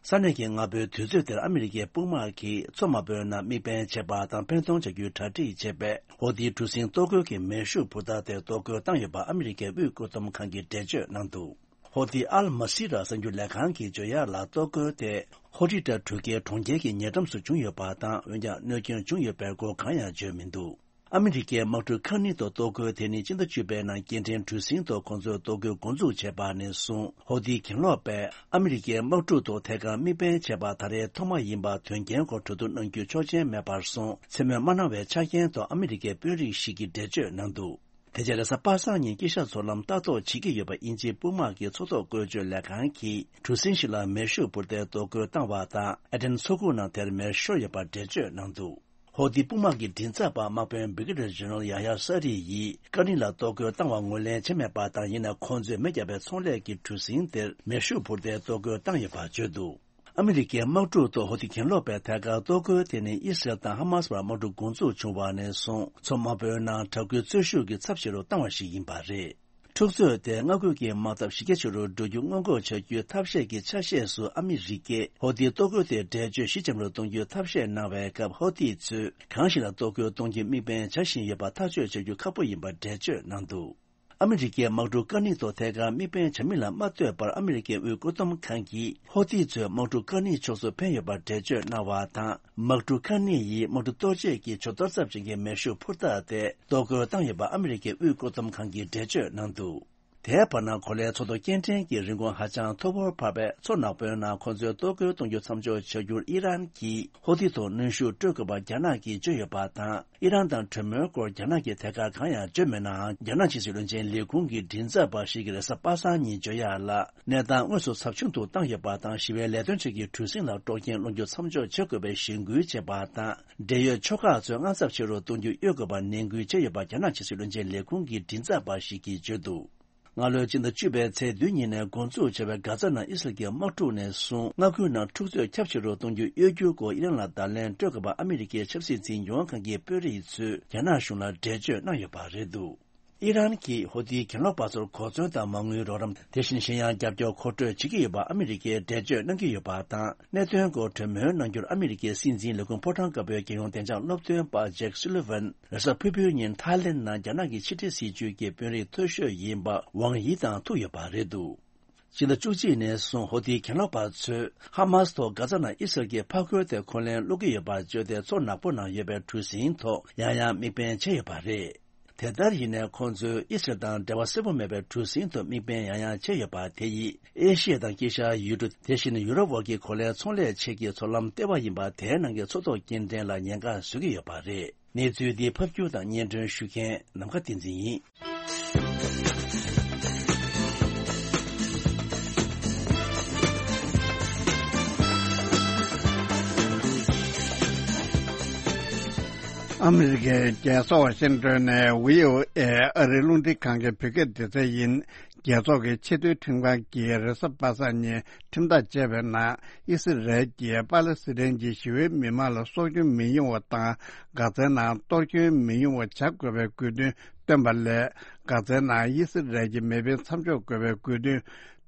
ས་གནས་ཀྱི་སྔ་པོའི་དུས་ཚོད་དེར་ཨ་མི་རི་ཀའི་དཔུང་དམག་གིས་མཚོ་དམའ་པོའི་ནང་དམིགས་འབེན་བྱས་པ་དང་འཕེན་གཏོང་བྱ་རྒྱུའི་གྲ་སྒྲིག་བྱས་པའི་ཧོ་ཐིའི་གྲུ་གཟིངས་གཏོར་རྒོལ་གྱི་མེ་ཤུགས་འཕུར་མདའ་དེར་གཏོར་རྒོལ་བཏང་ཡོད་པ་ཨ་མི་རི་ཀའི་དབུས་བཀོད་འདོམས་ཁང་གིས་འགྲེལ་བརྗོད་གནང་འདུག་ཧོ་ཐི་ཨལ་མ་སི་ར་གསར་འགྱུར་ལས་ཁང་གིས་བརྗོད་ཡག་ལ། གཏོར་རྒོལ་དེ་ཧོ་ཏི་ཏྲ་གྲུ་ཁའི་གྲོང་ཁྱེར་གྱི་ཉེ་འགྲམ་སུ་བྱུང་ཡོད་པ་དང་། འོན་ཀྱང་གནོད་སྐྱོན་བྱུང་ཡོད་པའི་སྐོར་གང་ཡང་བརྗོད་མི་འདུག་ཨ་མི་རི་ཀའི་དམག་གྲུ་ཁ་ནི་ཐོག་གཏོར་རྒོལ་དེ་ནི་སྤྱི་ཟླ་བཅུ་པའི་ནང་སྐྱེལ་འདྲེན་གྲུ་གཟིངས་ཐོག་ཁོང་ཚོས་གཏོར་རྒོལ་འགོ་འཛུགས་བྱས་པ་ནས་བཟུང་། ཧོ་ཐི་གྱེན་ལོག་པས་ཨ་མི་རི་ཀའི་དམག་གྲུ་ཐོག་ཐད་ཀར་དམིགས་འབེན་བྱས་པ་ད་རེས་ཐོག་མ་ཡིན་པ་དོན་རྐྱེན་སྐོར་གྲོས་བསྡུར་གནང་རྒྱུ་ཆོག་མཆན་མེད་པར་སོང་། མཚན་སྨོས་མ་གནང་བའི་ཆ་རྐྱེན་ཐོག་ཨ་མི་རི་ཀའི་དཔོན་རིགས་ཤིག་གིས་འགྲེལ་བརྗོད་གནང་འདུག་དེ་རྗེས་རེས་གཟའ་པ་སངས་ཉིན་དཀྱིལ་ཤར་མཚོ་ལམ་ལྟ་རྟོག་བྱེད་ཀྱི་ཡོད་པ་དབྱིན་ཇིའི་དཔུང་དམག་གི་མཚོ་ཐོག་བཀོལ་སྤྱོད་ལས་ཁང་གིས་གྲུ་གཟིངས་ཤིག་ལ་མེ་ཤུགས་འཕུར་མདའི་གཏོར་རྒོལ་བཏང་བ་དང་། ཨེ་ཏན་མཚོ་ཁུག་ནང་དེར་མེ་ཤོར་ཡོད་པར་འགྲེལ་བརྗོད་གནང་འདུག་ཧོ་ཐི་དཔུང་དམག་གི་མགྲིན་ཚབ་པ་དམག་དཔོན་བྷི་གེ་ཏར་ཇེ་ནེ་རལ་ཡ་ཡ་ས་རི་ཡིས་ཀ་ནི་ལ་གཏོར་རྒོལ་བཏང་བ་ངོས་ལེན་བྱས་མེད་པ་དང་། ཡིན་ནའང་ཁོང་ཚོས་མེ་བརྒྱབ་པའི་ཚོང་ལས་ཀྱི་གྲུ་གཟིངས་དེར་མེ་ཤུགས་འཕུར་མདའི་གཏོར་རྒོལ་བཏང་ཡོད་པར་བརྗོད་འདུག་ཨ་མི་རི་ཀའི་དམག་གྲུ་ཐོག་ཧོ་ཐི་གྱེན་ལོག་པས་ཐད་ཀར་གཏོར་རྒོལ་དེ་ནི་ཨི་སི་རལ་དང་ཧ་མ་སི་བར་དམག་འཁྲུག་འགོ་འཛུགས་བྱུང་བ་ནས་བཟུང་། མཚོ་དམའ་པོའི་ནང་དྲག་རྒོལ་རྩོད་ཤུགས་ཀྱིས་ཚབས་ཆེ་རུ་བཏང་བ་ཞིག་ཡིན་པ་རེད། འཁྲུག་རྩོད་དེ་མངའ་ཁུལ་གྱི་དམག་འཐབ་གཞི་རྒྱ་ཆེ་རུ་འགྲོ་རྒྱུ་སྔོན་འགོག་བྱ་རྒྱུའི་ཐབས་ཤེས་ཀྱི་ཆ་ཤས་སུ་ཨ་མི་རི་ཀས་ཧོ་ཐིའི་གཏོར་རྒོལ་དེར་འགྲེལ་བརྗོད་ཞི་འཇམ་རུ་གཏོང་རྒྱུའི་ཐབས་ཤེས་གནང་བའི་སྐབས། ཧོ་ཐི་ཚོས་གང་ཞིག་ལ་གཏོར་རྒོལ་གཏོང་རྒྱུའི་དམིགས་འབེན་བྱ་བཞིན་ཡོད་པ་ཐག་གཅོད་བྱ་རྒྱུ་ཁག་པོ་ཡིན་པར་འགྲེལ་བརྗོད་གནང་འདུག་ཨ་མི་རི་ཀའི་དམག་གྲུ་ཀ་ནི་ཐོག་ཐད་ཀར་དམིགས་འབེན་བྱ་མིན་ལ་མ་ལྟོས་པར། ཨ་མི་རི་ཀའི་དབུས་བཀོད་འདོམས་ཁང་གིས་ཧོ་ཐི་ཚོས་དམག་གྲུ་ཀ་ནི་ཕྱོགས་སུ་འཕེན་ཡོད་པར་འགྲེལ་བརྗོད་གནང་བ་དང་། དམག་གྲུ་ཀ་ནི་ཡིས་དམག་གྲུ་གཏོར་བྱེད་ཀྱི་ཇོ་གཏོར་ཚབས་ཆེན་གྱི་མེ་ཤུགས་འཕུར་མདའ་དེ་གཏོར་རྒོལ་བཏང་ཡོད་པ་ཨ་མི་རི་ཀའི་དབུས་བཀོད་འདོམས་ཁང་གིས་འགྲེལ་བརྗོད་གནང་འདུག་དེའི་བར་ན། གོ་ལའི་མཚོ་ཐོག་སྐྱེལ་འདྲེན་གྱི་རིན་གོང་ཧ་ཅང་མཐོ་བོར་འཕར་བས། མཚོ་ནག་པོའི་ནང་ཁོང་ཚོས་གཏོར་རྒོལ་གཏོང་རྒྱུ་མཚམས་འཇོག་བྱ་རྒྱུར་ཨི་རན་གྱིས་ཧོ་ཐི་ཐོག་གནོན་ཤུགས་སྤྲོད་དགོས་པ་རྒྱ་ནག་གིས་བརྗོད་ཡོད་པ་དང་། ཨི་རན་དང་གྲོས་མོལ་སྐོར་རྒྱ་ནག་གིས་ཐད་ཀར་གང་ཡང་བརྗོད་མེད་ནའང་། རྒྱ་ནག་ཕྱི་སྲིད་བློན་ཆེན་ལས་ཁུངས་ཀྱི་མགྲིན་ཚབ་པ་ཞིག་གིས་རེས་གཟའ་པ་སངས་ཉིན་བརྗོད་ཡག་ལ། གནས་སྟངས་དངོས་སུ་ཚབས་ཆུང་དུ་བཏང་ཡོད་པ་དང་། ཞི་བའི་ལས་དོན་ཆེད་ཀྱི་གྲུ་གཟིངས་ལ་དཀྲོག་རྐྱེན་སློང་རྒྱུ་མཚམས་འཇོག་བྱེད་དགོས་པའི་གཞེན་སྐུལ་བྱས་པ་དང་། འབྲེལ་ཡོད་ཕྱོགས་ཁག་ཚོས་དངངས་འཚབ་ཆེ་རུ་གཏོང་རྒྱུ་གཡོལ་དགོས་པར་ནན་སྐུལ་བྱས་ཡོད་པ་རྒྱ་ནག་ཕྱི་སྲིད་བློན་ཆེན་ལས་ཁུངས་ཀྱི་མགྲིན་ཚབ་པ་ཞིག་གིས་བརྗོད་འདུག་སྔ་ལོའི་སྤྱི་ཟླ་བཅུ་པའི་ཚེས་བདུན་ཉིན་ནས་འགོ་འཛུགས་བྱས་པའི་གྷ་ཛ་ནང་ཨི་སི་རལ་གྱི་དམག་འཁྲུག་ནས་བཟུང་། མངའ་ཁུལ་ནང་འཁྲུག་རྩོད་ཁྱབ་ཆེ་རུ་གཏོང་རྒྱུ་གཡོལ་རྒྱུའི་སྐོར་ཨི་རན་ལ་བརྡ་ལན་སྤྲོད་དགོས་པ་ཨ་མི་རི་ཀའི་ཆབ་སྲིད་འཛིན་སྐྱོང་ཁང་གི་དཔོན་རིགས་ཚོས་རྒྱ་ནག་གཞུང་ལ་འགྲེལ་བརྗོད་གནང་ཡོད་པ་རེད་འདུག་ཨི་རན་གྱིས་ཧོ་ཐིའི་གྱེན་ལོག་པ་ཚོར་གོ་མཚོན་དང་མ་དངུལ་རོགས་རམ། དེ་བཞིན་གཞན་ཡང་རྒྱབ་སྐྱོར་མཁོ་སྤྲོད་བྱེད་ཀྱི་ཡོད་པ་ཨ་མི་རི་ཀས་འགྲེལ་བརྗོད་གནང་གི་ཡོད་པ་དང་། གནད་དོན་སྐོར་གྲོས་མོལ་གནང་རྒྱུར་ཨ་མི་རི་ཀའི་སྲིད་འཛིན་ལས་ཁུངས་ཕོ་བྲང་དཀར་པོའི་རྒྱལ་ཡོངས་བདེ་འཇགས་སློབ་སྟོན་པ་ཇེག་སུ་ལི་ཝན། རེས་གཟའ་ཕུར་བུའི་ཉིན་ཐའི་ལེན་ནང་རྒྱ་ནག་གི་ཕྱི་འབྲེལ་སྲིད་ཇུས་ཀྱི་དཔོན་རིགས་མཐོ་ཤོས་ཡིན་པ་ཝང་ཡི་དང་ཐུག་ཡོད་པ་རེད་འདུག་ཕྱི་ཟླ་བཅུ་གཅིག་ནས་བཟུང་ཧོ་ཐིའི་གྱེན་ལོག་པ་ཚོས་ཧ་མཱས་ཐོག་གྷ་ཛ་ནང་ཨི་སི་རལ་གྱི་འཕགས་རྒོད་དེ་འཁོན་ལན་སློག་གི་ཡོད་པ་བརྗོད་དེ། མཚོ་ནག་པོ་ནང་ཡོད་པའི་གྲུ་གཟིངས་ཐོག་ཡང་ཡང་དམིགས་འབེན་བྱས་ཡོད་པ་རེད། དེ་ལྟར་ཡིན་ནའི་ཁོང་ཚོས་ཨི་སི་རལ་དང་འབྲེལ་བ་གསལ་པོ་མེད་པའི་གྲུ་གཟིངས་ཐོག་དམིགས་འབེན་ཡང་ཡང་བྱས་ཡོད་པ་དེ་ཡིས་ཨེ་ཤི་ཡ་དང་དཀྱིལ་ཤར་ཡུལ་གྲུ། དེ་བཞིན་ཡུ་རོབ་འོག་གི་གོ་ལའི་ཚོང་ལས་ཆེད་ཀྱི་མཚོ་ལམ་ལྟེ་བ་ཡིན་པ། དེའི་ནང་གི་མཚོ་ཐོག་སྐྱེལ་འདྲེན་ལ་ཉེན་ཁ་བཟོ་གི་ཡོད་པ་རེད། གནས་ཚུལ་འདི་ཕབ་སྒྱུར་དང་སྙན་སྒྲོན་ཞུ་མཁན་ནམ་མཁའ་བསྟན་འཛིན་ཡིན། ཨ་མི་རི་ཀའི་རྒྱལ་ས་ཝ་ཤིང་ཏོན་ནས་བྷི་ཨོ་ཨེ་ཨ་རིའི་རླུང་འཕྲིན་ཁང་གི་བོད་སྐད་སྡེ་ཚན་ཡིན། རྒྱལ་ཚོགས་ཀྱི་ཆེས་མཐོའི་ཁྲིམས་ཁང་གིས་རེས་གཟའ་པ་སངས་ཉིན་ཁྲིམས་ཐག་བཅད་པའི་ནང་། ཨི་སི་རལ་གྱིས་པ་ལེ་སི་ཐན་གྱི་ཞི་བའི་མི་མང་ལ་སྲོག་སྐྱོན་མི་ཡོང་བ་དང་། གྷ་ཛའི་ནང་གཏོར་སྐྱོན་མི་ཡོང་བ་བྱ་དགོས་པའི་དགོས་འདུན་བཏོན་པ་ལས། གྷ་ཛའི་ནང་ཨི་སི་རལ་གྱི་མེ་འཕེན་མཚམས་འཇོག་དགོས་པའི་དགོས་འདུན་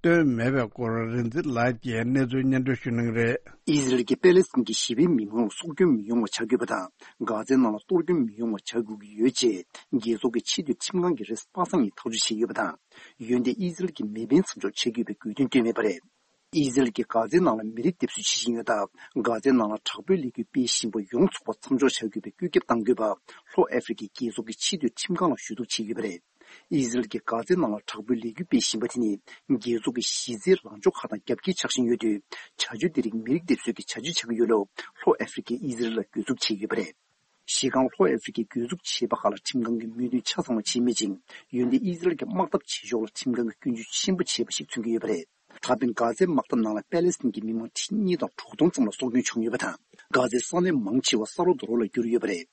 བཏོན་མེད་པའི་སྐོར། རིག་འཛིན་ལགས་ཀྱིས་གནས་ཚུལ་སྙན་སྒྲོན་ཞུ་གནང་གི་རེད། ཨི་སི་རལ་གྱིས་པེ་ལེ་སི་ཐན་གྱི་ཞི་བའི་མི་མང་ལ་སྲོག་སྐྱོན་མི་ཡོང་བ་བྱ་དགོས་པ་དང་། གྷ་ཛའི་ནང་ལ་གཏོར་སྐྱོན་མི་ཡོང་བ་བྱ་དགོས་ཀྱི་ཡོད་ཅེས། རྒྱལ་ཚོགས་ཀྱི་ཆེས་མཐོའི་ཁྲིམས་ཁང་གིས་རེས་གཟའ་པ་སངས་ཉིན་ཐག་གཅོད་བྱས་ཡོད་པ་དང་། འོན་ཏེ་ཨི་སི་རལ་གྱིས་མེ་འཕེན་མཚམས་འཇོག་བྱེད་དགོས་པའི་དགོས་འདུན་བཏོན་མེད་པ་རེད། ཨི་སི་རལ་གྱིས་གྷ་ཛའི་ནང་ལ་མི་རིགས་སྡེབ་གསོད་བྱེད་བཞིན་ཡོད་སྟབས། གྷ་ཛའི་ནང་ལ་དྲག་པོའི་ལས་འགུལ་སྤེལ་བཞིན་པ་ཡོངས་རྫོགས་པ་མཚམས་འཇོག་བྱ་དགོས་པའི་བཀོད་ཁྱབ་གཏང་དགོས་པ། ལྷོ་ཨ་ཧྥེ་རི་ཁའི་རྒྱལ་ཚོགས་ཀྱི་ཆེས་མཐོའི་ཁྲིམས་ཁང་ལ་ཞུ་གཏུག་བྱས་ཡོད་པ་རེད། ཨི་སི་རལ་གྱིས་གྷ་ཛའི་ནང་ལ་དྲག་པོའི་ལས་འགུལ་སྤེལ་བཞིན་པ་དེ་ནི། རྒྱལ་ཚོགས་ཀྱི་གཞི་རྩའི་ལངས་ཕྱོགས་ཁག་དང་རྒྱབ་འགལ་ཆགས་བཞིན་ཡོད་དུས། བྱ་སྤྱོད་དེ་རིགས་མི་རིགས་སྡེབ་གསོད་ཀྱི་བྱ་སྤྱོད་ཆགས་ཀྱི་ཡོད་ལུགས། ལྷོ་ཨ་ཧྥེ་རི་ཁས་ཨི་སི་རལ་ལ་གྱོད་འཛུགས་བྱས་ཡོད་པ་རེད། གཞི་རྐང་ལྷོ་ཨ་ཧྥེ་རི་ཁས་གྱོད་འཛུགས་བྱས་པ་ཁག་ལ་ཁྲིམས་ཁང་གིས་མོས་མཐུན་ཆ་ཚང་བ་བྱས་མེད་ཅིང་། འོན་ཏེ་ཨི་སི་རལ་གྱི་དམག་འཐབ་བྱེད་ཕྱོགས་ལ་ཁྲིམས་ཁང་གིས་སྐྱོན་བརྗོད་ཆེན་པོ་བྱས་པ་ཞིག་མཚོན་གྱི་ཡོད་པ་རེད། ད་ཕན་གྷ་ཛའི་དམག་འཐབ་ནང་ལ་པེ་ལེ་སི་ཐན་གྱི་མི་མང་ཁྲི་གཉིས་དང་དྲུག་སྟོང་ཙམ་ལ་སྲོག་སྐྱོན་བྱུང་ཡོད་པ་དང་། གྷ་ཛའི་ས་གནས་མང་ཆེ་བ་ས་རོ་རྡོ་རོ་ལ་གྱུར་ཡོད་པ་རེད།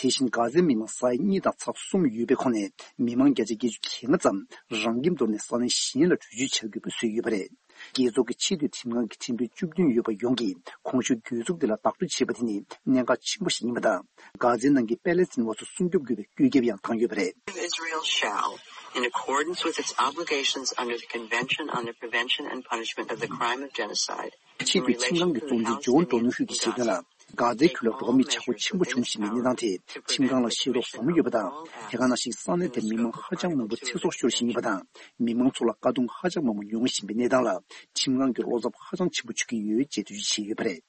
དེ་བཞིན་གྷ་ཛའི་མི་མང་ས་ཡ་གཉིས་དང་ཚེག་གསུམ་ཡོད་པའི་ཁོངས་ནས་མི་མང་བརྒྱ་ཆ་བརྒྱད་ཅུ་གྱ་ལྔ་ཙམ་རང་ཁྱིམ་དོར་ནས་ས་གནས་གཞན་ལ་བྲོས་བྱོལ་བྱ་དགོས་པ་བཟོས་ཡོད་པ་རེད། རྒྱལ་ཚོགས་ཀྱི་ཆེས་མཐོའི་ཁྲིམས་ཁང་གི་ཁྲིམས་དཔོན་བཅུ་བདུན་ཡོད་པ་ཡོངས་ཀྱིས་གོང་ཞུས་གྱོད་འཛུགས་དེ་ལ་བདག་སྤྲོད་བྱས་པ་དེ་ནི་གནད་འགག་ཆེན་པོ་ཞིག་ཡིན་པ་དང་། གྷ་ཛའི་ནང་གི་པེ་ལེ་སི་ཐན་པ་ཚོ་སྲུང་སྐྱོབ་དགོས་པའི་བཀོད་ཁྱབ་ཡང་བཏང་ཡོད་པ་རེད། Israel shall, in accordance with its obligations under the Convention on the Prevention and Punishment of the Crime of Genocide, ཆེས་མཐོའི་ཁྲིམས་ཁང་གི་གཙོ་འཛིན་ཇོན་ཌོ་ནོ་ཧུ་གྱིས་བཤད་དོན་ལ། གྷ་ཛའི་ཁུལ་ལ་འགྲོ་བ་མིའི་བྱ་སྒོ་ཆེན་པོ་འབྱུང་བཞིན་པའི་གནས་སྟངས་དེ་ཁྲིམས་ཁང་ལ་ཤེས་རྟོགས་ཟབ་མོ་ཡོད་པ་དང་། དེ་ག་ནང་བཞིན་ས་གནས་དེར་མི་མང་ཧ་ཅང་མང་པོ་ཚེ་སྲོག་ཤོར་བཞིན་ཡོད་པ་དང་། མི་མང་ཚོ་ལ་དཀའ་སྡུག་ཧ་ཅང་མང་པོ་མྱོང་བཞིན་པའི་གནས་སྟངས་ལ། ཁྲིམས་ཁང་གི་བློ་འཚབ་ཧ་ཅང་ཆེན་པོ་བྱུང་གི་ཡོད་ཅེས་འགྲེལ་བརྗོད་བྱས་ཡོད་པ་རེད།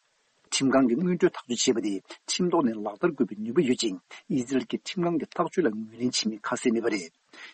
ཁྲིམས་ཁང་གིས་སྔོན་འགྲོའི་ཐག་གཅོད་བྱས་པ་དེ་ཁྲིམས་ཐོག་ནས་ལག་བསྟར་དགོས་པའི་ནུས་པ་ཡོད་ཅིང་། ཨི་ཟི་རལ་གྱི་ཁྲིམས་ཁང་གི་ཐག་གཅོད་ལ་ངོས་ལེན་བྱེད་མིན་ཁ་གསལ་མེད་པ་རེད།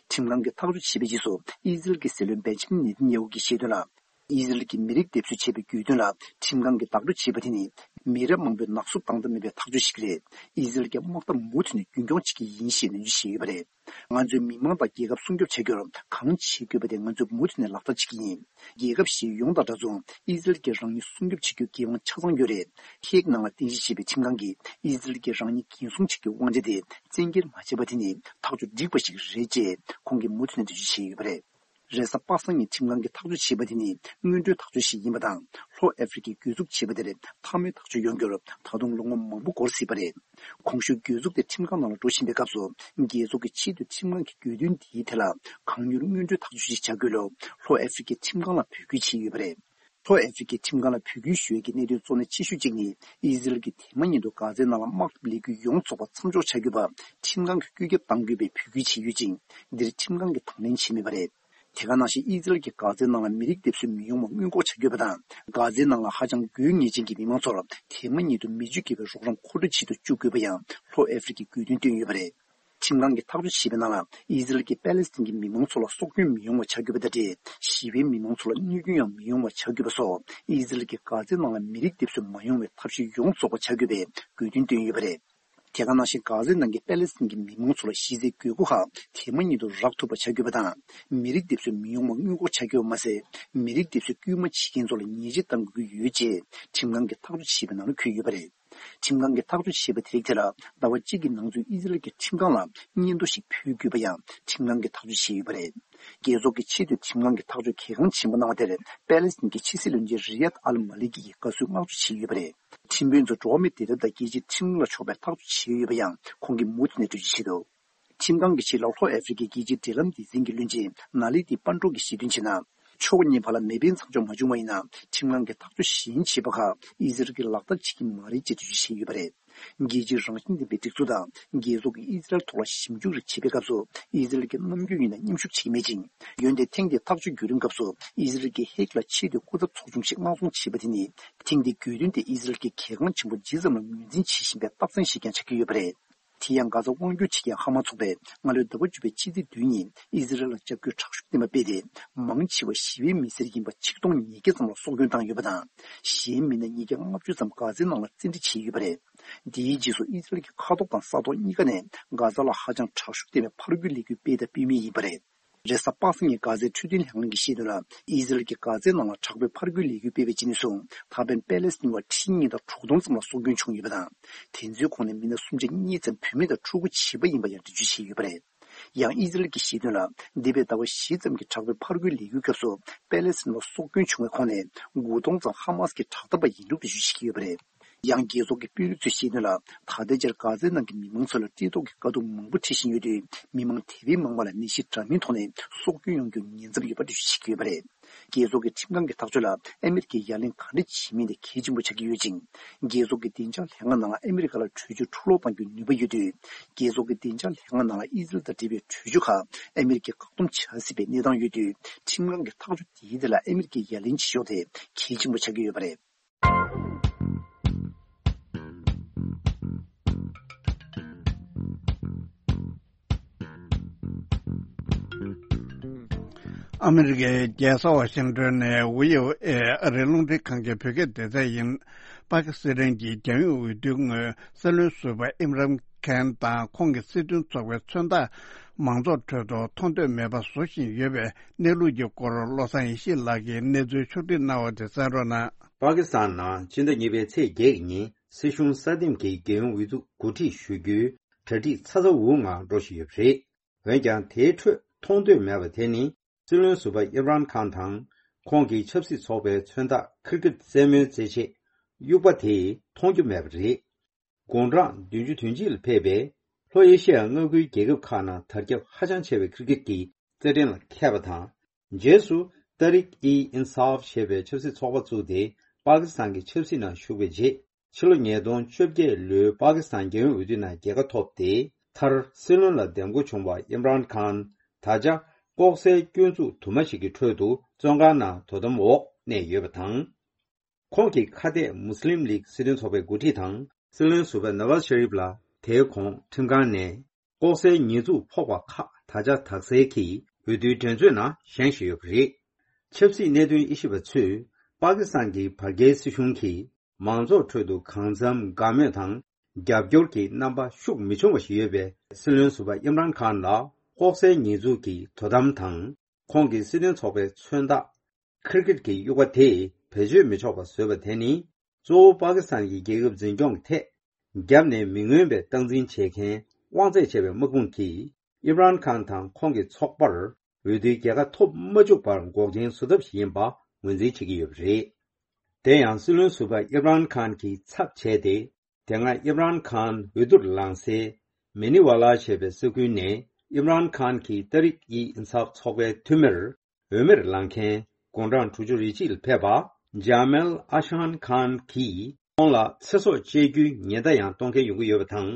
ཁྲིམས་ཁང་གིས་ཐག་གཅོད་བྱས་པའི་རྗེས་སུ་ཨི་ཟི་རལ་གྱི་སྲིད་བློན་བེན་ཇི་མིན་ནེ་ཐན་ཡ་ཧུ་གྱིས་བཤད་དོན་ལ། ཨི་ཟི་རལ་གྱིས་མི་རིགས་སྡེབ་གསོད་བྱས་པའི་གྱོད་དོན་ལ་ཁྲིམས་ཁང་གིས་བདག་སྤྲོད་བྱས་པ་དེ་ནི་མི་རབས་མང་པོའི་ནག་བསུབ་བཏང་ཐབས་མེད་པའི་ཐག་གཅོད་ཞིག་རེད། ཨི་ཟི་རལ་གྱི་དམག་འཐབ་མུ་མཐུད་ནས་རྒྱུན་འཁྱོངས་བྱེད་ཀྱི་ཡིན་ཞེས་ནན་བརྗོད་བྱས་ཡོད་པ་རེད། ང་ཚོས་མི་མང་དང་རྒྱལ་ཁབ་སྲུང་སྐྱོབ་བྱ་རྒྱུར་གང་བྱེད་དགོས་པ་དེ་ང་ཚོས་མུ་མཐུད་ནས་ལག་བསྟར་བྱེད་ཀྱི་ཡིན། རྒྱལ་ཁབ་གཞན་ཡོངས་དང་འདྲ་མཚུངས་ཨི་ཟི་རལ་གྱིས་རང་ཉིད་སྲུང་སྐྱོབ་བྱེད་རྒྱུའི་འགན་དབང་ཆ་ཚང་ཡོད་རེད། ཧེག་ནང་ལ་རྟེན་གཞི་བྱས་པའི་ཁྲིམས་ཁང་གིས་ཨི་ཟི་རལ་གྱིས་རང་ཉིད་འགན་སྲུང་བྱེད་རྒྱུའི་དབང་ཆ་དེ་བཙན་འགེལ་མ་བྱས་པ་དེ་ནི་ཐག་གཅོད་འགྲིག་པ་ཞིག་རེད་ཅེས་ཁོང་གིས་མུ་མཐུད་ནས་འགྲེལ་བརྗོད་བྱས་ཡོད་པ་རེད། རེས་གཟའ་པ་སངས་ཉིན་ཁྲིམས་ཁང་གིས་ཐག་གཅོད་བྱས་པ་དེ་ནི་སྔོན་འགྲོའི་ཐག་གཅོད་ཞིག་ཡིན་པ་དང་། ལྷོ་ཨ་ཧྥེ་རི་ཁས་གྱོད་འཛུགས་བྱས་པ་དེར་མཐའ་མའི་ཐག་གཅོད་ཡོང་རྒྱུར་ད་དུང་ལོ་ངོ་མང་པོ་འགོར་སྲིད་པ་རེད། གོང་ཞུས་གྱོད་འཛུགས་དེ་ཁྲིམས་ཁང་ནང་ལ་འགྲོ་བཞིན་པའི་སྐབས་སུ། རྒྱལ་ཚོགས་ཀྱི་ཆེས་མཐོའི་ཁྲིམས་ཁང་གིས་གྱོད་དོན་འདིའི་ཐད་ལ་གང་མྱུར་སྔོན་འགྲོའི་ཐག་གཅོད་ཞིག་བྱ་དགོས་ལུགས་ལྷོ་ཨ་ཧྥེ་རི་ཁའི་ཁྲིམས་ཁང་ལ་འབོད་སྐུལ་བྱས་ཡོད་པ་རེད། ལྷོ་ཨ་ཧྥེ་རི་ཁའི་ཁྲིམས་ཁང་ལ་འབོད་སྐུལ་ཞུ་ཡས་ཀྱི་གནད་དོན་གཙོ་གནད་ཆེ་ཤོས་གཅིག་ནི། ཨི་ཟི་རལ་གྱིས་དེ་མ་ཉིད་དུ་གྷ་ཛའི་ནང་ལ་དམག་འཐབ་ལས་འགུལ་ཡོངས་རྫོགས་པ་མཚམས་འཇོག་བྱ་དགོས་པ་ཁྲིམས་ཁང་གིས་བཀོད་ཁྱབ་གཏང་དགོས་པའི་འབོད་སྐུལ་བྱས་ཡོད་ཅིང་། འདིར་ཁྲིམས་ཁང་གིས་དང་ལེན་བྱས་མེད་པ་རེད། དེ་ག་ནང་བཞིན་ཨི་ཟི་རལ་གྱིས་གྷ་ཛའི་ནང་ལ་མི་རིགས་སྡེབ་གསོད་མི་ཡོང་བ་སྔོན་འགོག་བྱ་དགོས་པ་དང་། གྷ་ཛའི་ནང་ལ་ཧ་ཅང་དགོས་ངེས་ཅན་གྱི་མི་མང་ཚོར་དེ་མ་ཉིད་དུ་མི་སྤྱོད་བགྱིད་པའི་རོགས་རམ་མཁོ་སྤྲོད་བྱེད་དུ་བཅུག་དགོས་པ་ཡང་ལྷོ་ཨ་ཧྥེ་རི་ཁས་དགོས་འདུན་བཏོན་ཡོད་པ་རེད། ཁྲིམས་ཁང་གིས་ཐག་གཅོད་བྱས་པའི་ནང་ལ། ཨི་ཟི་རལ་གྱིས་པ་ལེ་སི་ཐན་གྱི་མི་མང་ཚོ་ལ་སྲོག་སྐྱོན་མི་ཡོང་བ་བྱ་དགོས་པ་དང་འབྲེལ། ཞི་བའི་མི་མང་ཚོ་ལ་གནོད་སྐྱོན་ཡང་མི་ཡོང་བ་བྱ་དགོས་པ་སོགས། ཨི་ཟི་རལ་གྱིས་གྷ་ཛའི་ནང་ལ་མི་རིགས་སྡེབ་གསོད་མ་ཡོང་བའི་ཐབས་ཤེས་ཡོངས་རྫོགས་པ་བྱ་དགོས་པའི་དགོས་འདུན་བཏོན་ཡོད་པ་རེད། དེ་ག་ནང་བཞིན་གྷ་ཛའི་ནང་གི་པ་ལེ་སི་ཐན་གྱི་མི་མང་ཚོ་ལ་གཞི་རྩའི་དགོས་མཁོ་ཁག་དེ་མ་ཉིད་དུ་རག་ཐུབ་པ་བྱ་དགོས་པ་དང་། མི་རིགས་སྡེབ་གསོད་མི་ཡོང་བ་སྔོན་འགོག་བྱ་དགོས་པ་མ་ཟད། མི་རིགས་སྡེབ་གསོད་སྐུལ་མ་བྱེད་མཁན་ཚོ་ལ་ཉེས་ཆད་གཏང་དགོས་ཀྱི་ཡོད་ཅེས་ཁྲིམས་ཁང་གིས་ཐག་གཅོད་བྱས་པའི་ནང་ལ་འཁོད་ཡོད་པ་རེད། ཁྲིམས་ཁང་གིས་ཐག་གཅོད་བྱས་པ་དེ་རིགས་དེ་ལ་ཟླ་བ་གཅིག་གི་ནང་ཚུད་ཨི་ཟི་རལ་གྱི་ཁྲིམས་ཁང་ལ་སྙན་ཐོ་ཞིག་ཕུལ་དགོས་པ་ཡང་ཁྲིམས་ཁང་གིས་ཐག་གཅོད་བྱས་ཡོད་པ་རེད། རྒྱལ་ཚོགས་ཀྱི་ཆེས་མཐོའི་ཁྲིམས་ཁང་གིས་ཐག་གཅོད་གལ་འགངས་ཆེན་པོ་གནང་བ་དེར་པ་ལེ་སི་ཐན་གྱི་ཕྱི་སྲིད་བློན་ཆེན་རི་ཡད་ཨལ་མ་ལི་ཀི་ཡིས་དགའ་བསུའི་བསྔགས་བརྗོད་བྱས་ཡོད་པ་རེད། ཁྲིམས་དཔོན་ཚོས་འགྲོ་བ་མིའི་བདེ་ཐབས་དང་རྒྱལ་སྤྱིའི་ཁྲིམས་ལུགས་ལ་ཕྱོགས་པའི་ཐག་གཅོད་བྱས་ཡོད་པ་ཡང་ཁོང་གིས་མུ་མཐུད་ནས་འགྲེལ་བརྗོད་བྱས་འདུག་ཁྲིམས་ཁང་གི་ཆེད་ལ་ལྷོ་ཨ་ཧྥེ་རི་ཁའི་རྒྱལ་སྤྱིའི་འབྲེལ་ལམ་སྡེ་ཚན་གྱི་བློན་ཆེན་ན་ལི་ཏི་པན་ཀྲོ་གིས་ཞལ་འདོན་བྱས་ན། ཕྱོགས་གཉིས་བར་ལ་མེ་འཕེན་མཚམས་འཇོག་མ་བྱུང་བ་ཡིན་ན། ཁྲིམས་ཁང་གིས་ཐག་གཅོད་གཞན་བྱེད་པ་ཁག་ཨི་ཟི་རལ་གྱིས་ལག་བསྟར་བྱེད་ཀྱི་མ་རེད་ཅེས་འགྲེལ་བརྗོད་བྱས་ཡོད་པ་རེད། རྒྱལ་སྤྱིའི་རང་བཞིན་ལྡན་པའི་སྒྲིག་འཛུགས་དང་རྒྱལ་ཚོགས་ཀྱིས་ཨི་ཟི་རལ་ཐོག་ལ་ཞིབ་འཇུག་རེ་བྱེད་པའི་སྐབས་སུ་ཨི་ཟི་རལ་གྱིས་ནམ་རྒྱུན་ཡིན་ན་མཉམ་ཞུགས་བྱེད་ཀྱི་མེད་ཅིང་། འོན་ཏེ་ཐེངས་འདིའི་ཐག་གཅོད་བརྒྱུད་རིམ་སྐབས་སུ་ཨི་ཟི་རལ་གྱིས་ཧེག་ལ་ཆེས་མཐོའི་སྐུ་ཚབ་ཚོགས་ཆུང་ཞིག་མངགས་གཏོང་བྱས་པ་དེ་ནི། ཐེངས་འདིའི་རྒྱུད་དོན་དེ་ཨི་ཟི་རལ་གྱིས་གལ་འགངས་ཆེན་པོ་ཇི་ཙམ་ལ་ངོས་འཛིན་བྱེད་བཞིན་པའི་རྟགས་མཚན་ཞིག་ཀྱང་ཆགས་ཀྱི་ཡོད་པ་རེད། དེ་ཡང་གྷ་ཛ་དབང་སྒྱུར་བྱེད་མཁན་ཧ་མ་ཚོགས་པས་སྔ་ལོའི་ཟླ་བ་བཅུ་པའི་ཕྱི་ཚེས་བདུན་ཉིན་ཨི་ཟི་རལ་ལ་འཇབ་རྒོལ་དྲག་ཤུགས་བསྟན་པ་སྤེལ་ཏེ། མང་ཆེ་བ་ཞི་བའི་མི་སེར་ཡིན་པ་ཆིག་སྟོང་ཉིས་བརྒྱ་ཙམ་ལ་སྲོག་སྐྱོན་བཏང་ཡོད་པ་དང་། གཞན་མི་སྣ་ཉིས་བརྒྱ་ལྔ་བཅུ་ཙམ་གྷ་ཛའི་ནང་ལ་བཙན་ཁྲིད་བྱས་ཡོད་པ་རེད། དེའི་རྗེས་སུ་ཨི་ཟི་རལ་གྱི་མཁའ་ཐོག་དང་ས་ཐོག་གཉིས་ཀ་ནས་གྷ་ཛ་ལ་ཧ་ཅང་དྲག་ཤུགས་ལྡན་པའི་ཕར་རྒོལ་ལས་འགུལ་སྤེལ་དང་སྤེལ་མུས་ཡིན་པ་རེད། རེས་གཟའ་པ་སངས་ཉིན་གྷ་ཛའི་འཕྲོད་བསྟེན་ལྷན་ཁང་གིས་བཤད་དོན་ལ། ཨི་ཟི་རལ་གྱིས་གྷ་ཛའི་ནང་ལ་དྲག་པོའི་ཕར་རྒོལ་ལས་འགུལ་སྤེལ་བའི་རྗེས་ནས་བཟུང་ད་ཕན་པེ་ལེ་སི་ཐན་བ་ཁྲི་གཉིས་དང་དྲུག་སྟོང་ཙམ་ལ་སྲོག་སྐྱོན་བྱུང་ཡོད་པ་དང་། དེ་ཚོའི་ཁོངས་ནས་མི་སྣ་སུམ་ཆ་གཉིས་ཙམ་བུད་མེད་དང་ཕྲུ་གུ་བྱིས་པ་ཡིན་པ་ཡང་འགྲེལ་བརྗོད་བྱས་ཡོད་པ་རེད། ཡང་ཨི་ཟི་རལ་གྱིས་བཤད་དོན་ལ། འདས་པའི་ཟླ་བ་བཞི་ཙམ་གྱི་དྲག་པོའི་ཕར་རྒོལ་ལས་འགུལ་སྐབས་སུ་པེ་ལེ་སི་ཐན་བ་སྲོག་སྐྱོན་བྱུང་བའི་ཁོངས་ནས་དགུ་སྟོང་ཙམ་ཧ་མ་སི་གི་དྲག་འཐབ་པ་ཡིན་ལུགས་འགྲེལ་བརྗོད་བྱེད་ཀྱི་ཡོད་པ་རེད། ཡང་རྒྱལ་ཚོགས་ཀྱི་དཔོན་རིགས་ཚོས་བཤད་དོན་ལ། ད་ལྟའི་ཆར་གྷ་ཛའི་ནང་གི་མི་མང་ཚོ་ལ་བཀྲེས་ལྟོགས་ཀྱི་དཀའ་སྡུག་མང་པོ་འཕྲད་བཞིན་ཡོད་དུས། མི་མང་དེ་བས་མང་བ་ལ་ནད་གཞི་འདྲ་མིན་ཐོག་ནས་སྲོག་སྐྱོན་ཡོང་རྒྱུར་ཉེན་ཚབས་ཡོད་པ་འགྲེལ་བརྗོད་བྱེད་ཀྱི་ཡོད་པ་རེད། རྒྱལ་ཚོགས་ཀྱི་ཁྲིམས་ཁང་གི་ཐག་གཅོད་ལ་ཨ་མི་རི་ཀས་ཡ་ལན་ག་འདྲ་བྱེད་མིན་དེ་གལ་ཆེན་པོ་ཆགས་ཀྱི་ཡོད་ཅིང་། རྒྱལ་ཚོགས་ཀྱི་བདེ་འཇགས་ལྷན་ཁང་ནང་ལ་ཨ་མི་རི་ཀ་ལ་གྲོས་ཆོད་འཕྲོ་སློག་གཏང་རྒྱུའི་ནུས་པ་ཡོད་དུས། རྒྱལ་ཚོགས་ཀྱི་བདེ་འཇགས་ལྷན་ཁང་ནང་ལ་ཨི་ཟི་རལ་དང་འབྲེལ་བའི་གྲོས་ཆོད་ཁག་ཨ་མི་རི་ཀས་བཀག་སྡོམ་བྱ་སྲིད་པའི་གནས་སྟངས་ཡོད་དུས། ཁྲིམས་ཁང་གི་ཐག་གཅོད་དེའི་ཐད་ལ་ཨ་མི་རི་ཀས་ཡ་ལན་བྱེད་ཕྱོགས་དེ་གལ་ཆེན་པོ་ཆགས་ཀྱི་ཡོད་པ་རེད། ཨ་མི་རི་ཀའི་རྒྱལ་ས་ཝ་ཤིང་ཏོན་ནས་ཝི་ཨོ་ཨེ་ཨ་རིའི་རླུང་འཕྲིན་ཁང་གི་བོད་སྐད་སྡེ་ཚན་ཡིན། པ་ཀི་སི་ཐན་གྱི་རྒྱལ་ཡོངས་འོས་བསྡུའི་སྔོན་སྲིད་བློན་ཟུར་པ་ཨིམ་རན་ཁན་དང་ཁོང་གི་སྲིད་དོན་ཚོགས་པའི་མཚོན་རྟགས་མང་ཚོགས་ཁྲོད་དུ་མཐོང་ཐོས་མེད་པ་བཟོ་བཞིན་ཡོད་པའི་གནས་ལུགས་ཀྱི་སྐོར་བློ་བཟང་ཡེ་ཤེས་ལགས་ཀྱིས་གནས་ཚུལ་ཕྱོགས་སྒྲིག་གནང་བ་དེ་གསན་རོགས་གནང་། པ་ཀི་སི་ཐན་ནང་ཕྱི་ཟླ་གཉིས་པའི་ཚེས་བརྒྱད་ཀྱི་ཉིན་སྲིད་གཞུང་གསར་འདེམས་ཀྱི་རྒྱལ་ཡོངས་འོས་བསྡུ་གོ་སྒྲིག་ཞུ་རྒྱུའི་གྲ་སྒྲིག་ཚ་ཚ་འུར་འུར་ངང་འགྲོ་བཞིན་ཡོད་པ་རེད། འོན་ཀྱང་དེའི་ཁྲོད་མཐོང་ཐོས་མེད་པ་དེ་ནི་སྲིད་བློན་ཟུར་པ་ཨིམ་རན་ཁཱན་དང་ཁོང་གི་ཆབ་སྲིད་ཚོགས་པའི་མཚོན་རྟགས་ཁིར་གིད་རྩེད་མོའི་རྩེད་ཆས་དབྱུག་པ་དེ་མཐོང་རྒྱུ་མེད་པ་རེད། དགུང་གྲངས་བདུན་ཅུ་དོན་གཅིག་ལ་ཕེབས་པའི་ལྷོ་ཨེ་ཤི་ཡ་མངའ་ཁུལ་རྒྱལ་ཁབ་ཁག་ནང་དར་ཁྱབ་ཧ་ཅང་ཆེ་བའི་ཁིར་གིད་ཀྱི་རྩེད་འགྲན་ལ་མཁས་པ་དང་། རྗེས་སུ་ཏཱ་རིག་ཨི་ཨིན་སཱབ་ཞེས་པའི་ཆབ་སྲིད་ཚོགས་པ་བཙུགས་ཏེ་པ་ཀི་སི་ཐན་གྱི་ཆབ་སྲིད་ནང་ཞུགས་པའི་རྗེས། ཕྱི་ལོ་ཉིས་སྟོང་བཅོ་བརྒྱད་ལོའི་པ་ཀི་སི་ཐན་རྒྱལ་ཡོངས་འོས་བསྡུ་ནང་རྒྱལ་ཁ་ཐོབ་སྟེ། མཐར་སྲིད་བློན་ལ་འདེམས་བསྐོ་བྱུང་བ་ཨིམ་རན་ཁཱན། ད་ཆ་ལྐོག་ཟའི་སྐྱོན་འཛུགས་དུ་མ་ཞིག་གི་ཁྲོད་དུ་བཙོན་ཁང་ནང་དོ་དམ་འོག་གནས་ཡོད་པ་དང་། ཁོང་གི་ཁ་གཏད་མུ་སི་ལིམ་ལིག་སྲིད་དོན་ཚོགས་པའི་འགོ་ཁྲིད་དང་སྲིད་བློན་ཟུར་པ་ནཱ་ཝཱ་ཛ་ཤ་རིབ་ལ་དེའི་གོང་ཁྲིམས་ཁང་ནས་ལྐོག་ཟའི་ཉེས་འཛུགས་ཕོག་པ་ཁག་ད་ཆ་དག་སེལ་གྱིས་འོས་བསྡུའི་འགྲན་རྩོད་ནང་ཞེན་བཞིན་ཡོད་པ་རེད། ཆབ་སྲིད་གནད་དོན་དབྱེ་ཞིབ་པ་ཚོས་པ་ཀི་སི་ཐན་གྱི་བར་བརྒལ་སྲིད་གཞུང་གིས་མང་ཚོགས་ཁྲོད་དུ་གང་འཚམ་དགའ་མོས་དང་རྒྱབ་སྐྱོར་གྱི་རྣམ་པ་ཤུགས་མི་ཆུང་བ་ཞིག་ཡོད་པའི་སྲིད་བློན་ཟུར་པ་ཨིམ་རན་ཁཱན་ལ་ལྐོག་ཟའི་ཉེས་འཛུགས་ཀྱི་དོ་དམ་དང་། ཁོང་གི་སྲིད་དོན་ཚོགས་པའི་མཚོན་རྟགས་ཁིར་གིད་ཀྱི་དབྱུག་པ་དེ་བེད་སྤྱོད་མི་ཆོག་པ་བཟོས་པ་དེ་ནི། གཙོ་བོ་པ་ཀི་སི་ཐན་གྱི་རྒྱལ་ཁབ་འཛིན་སྐྱོང་གི་ཐད། རྒྱབ་ནས་མི་མངོན་པའི་སྟངས་འཛིན་བྱེད་མཁན་དབང་ཚད་ཆེ་བའི་དམག་དཔུང་གིས་ཨིམ་རན་ཁཱན་དང་ཁོང་གི་ཚོགས་པར་འོས་བསྡུའི་རྒྱལ་ཁ་ཐོབ་མ་བཅུག་པར་འགོག་རྐྱེན་བཟོ་ཐབས་ཤིག་ཡིན་པ་ངོས་འཛིན་བྱེད་ཀྱི་ཡོད་པ་རེད། དེ་ཡང་སྲིད་བློན་ཟུར་པ་ཨིམ་རན་ཁཱན་གྱི་ཚབ་བྱས་ཏེ། དེ་སྔ་ཨིམ་རན་ཁཱན་འོས་བསྡུར་ལངས་སའི་མེ་ནི་ཝ་ལ་ཞེས་པའི་ས་ཁུལ་ནས་ཨིམ་རན་ཁཱན་གྱི་ཏཱ་རིག་ཨི་ཨིན་སཱབ་ཚོགས་པའི་འཐུས་མིར་འོས་མིར་ལངས་མཁན་དགུང་གྲངས་དྲུག་ཅུ་རེ་གཅིག་ལ་ཕེབས་པ་ཇཱ་མེལ་ཨ་ཤཱན་ཁཱན་གྱིས་ཁོང་ལ་ཚེ་སྲོག་བཅད་རྒྱུའི་ཉེན་བརྡ་ཡང་གཏོང་མཁན་ཡོང་གི་ཡོད་པ་དང་།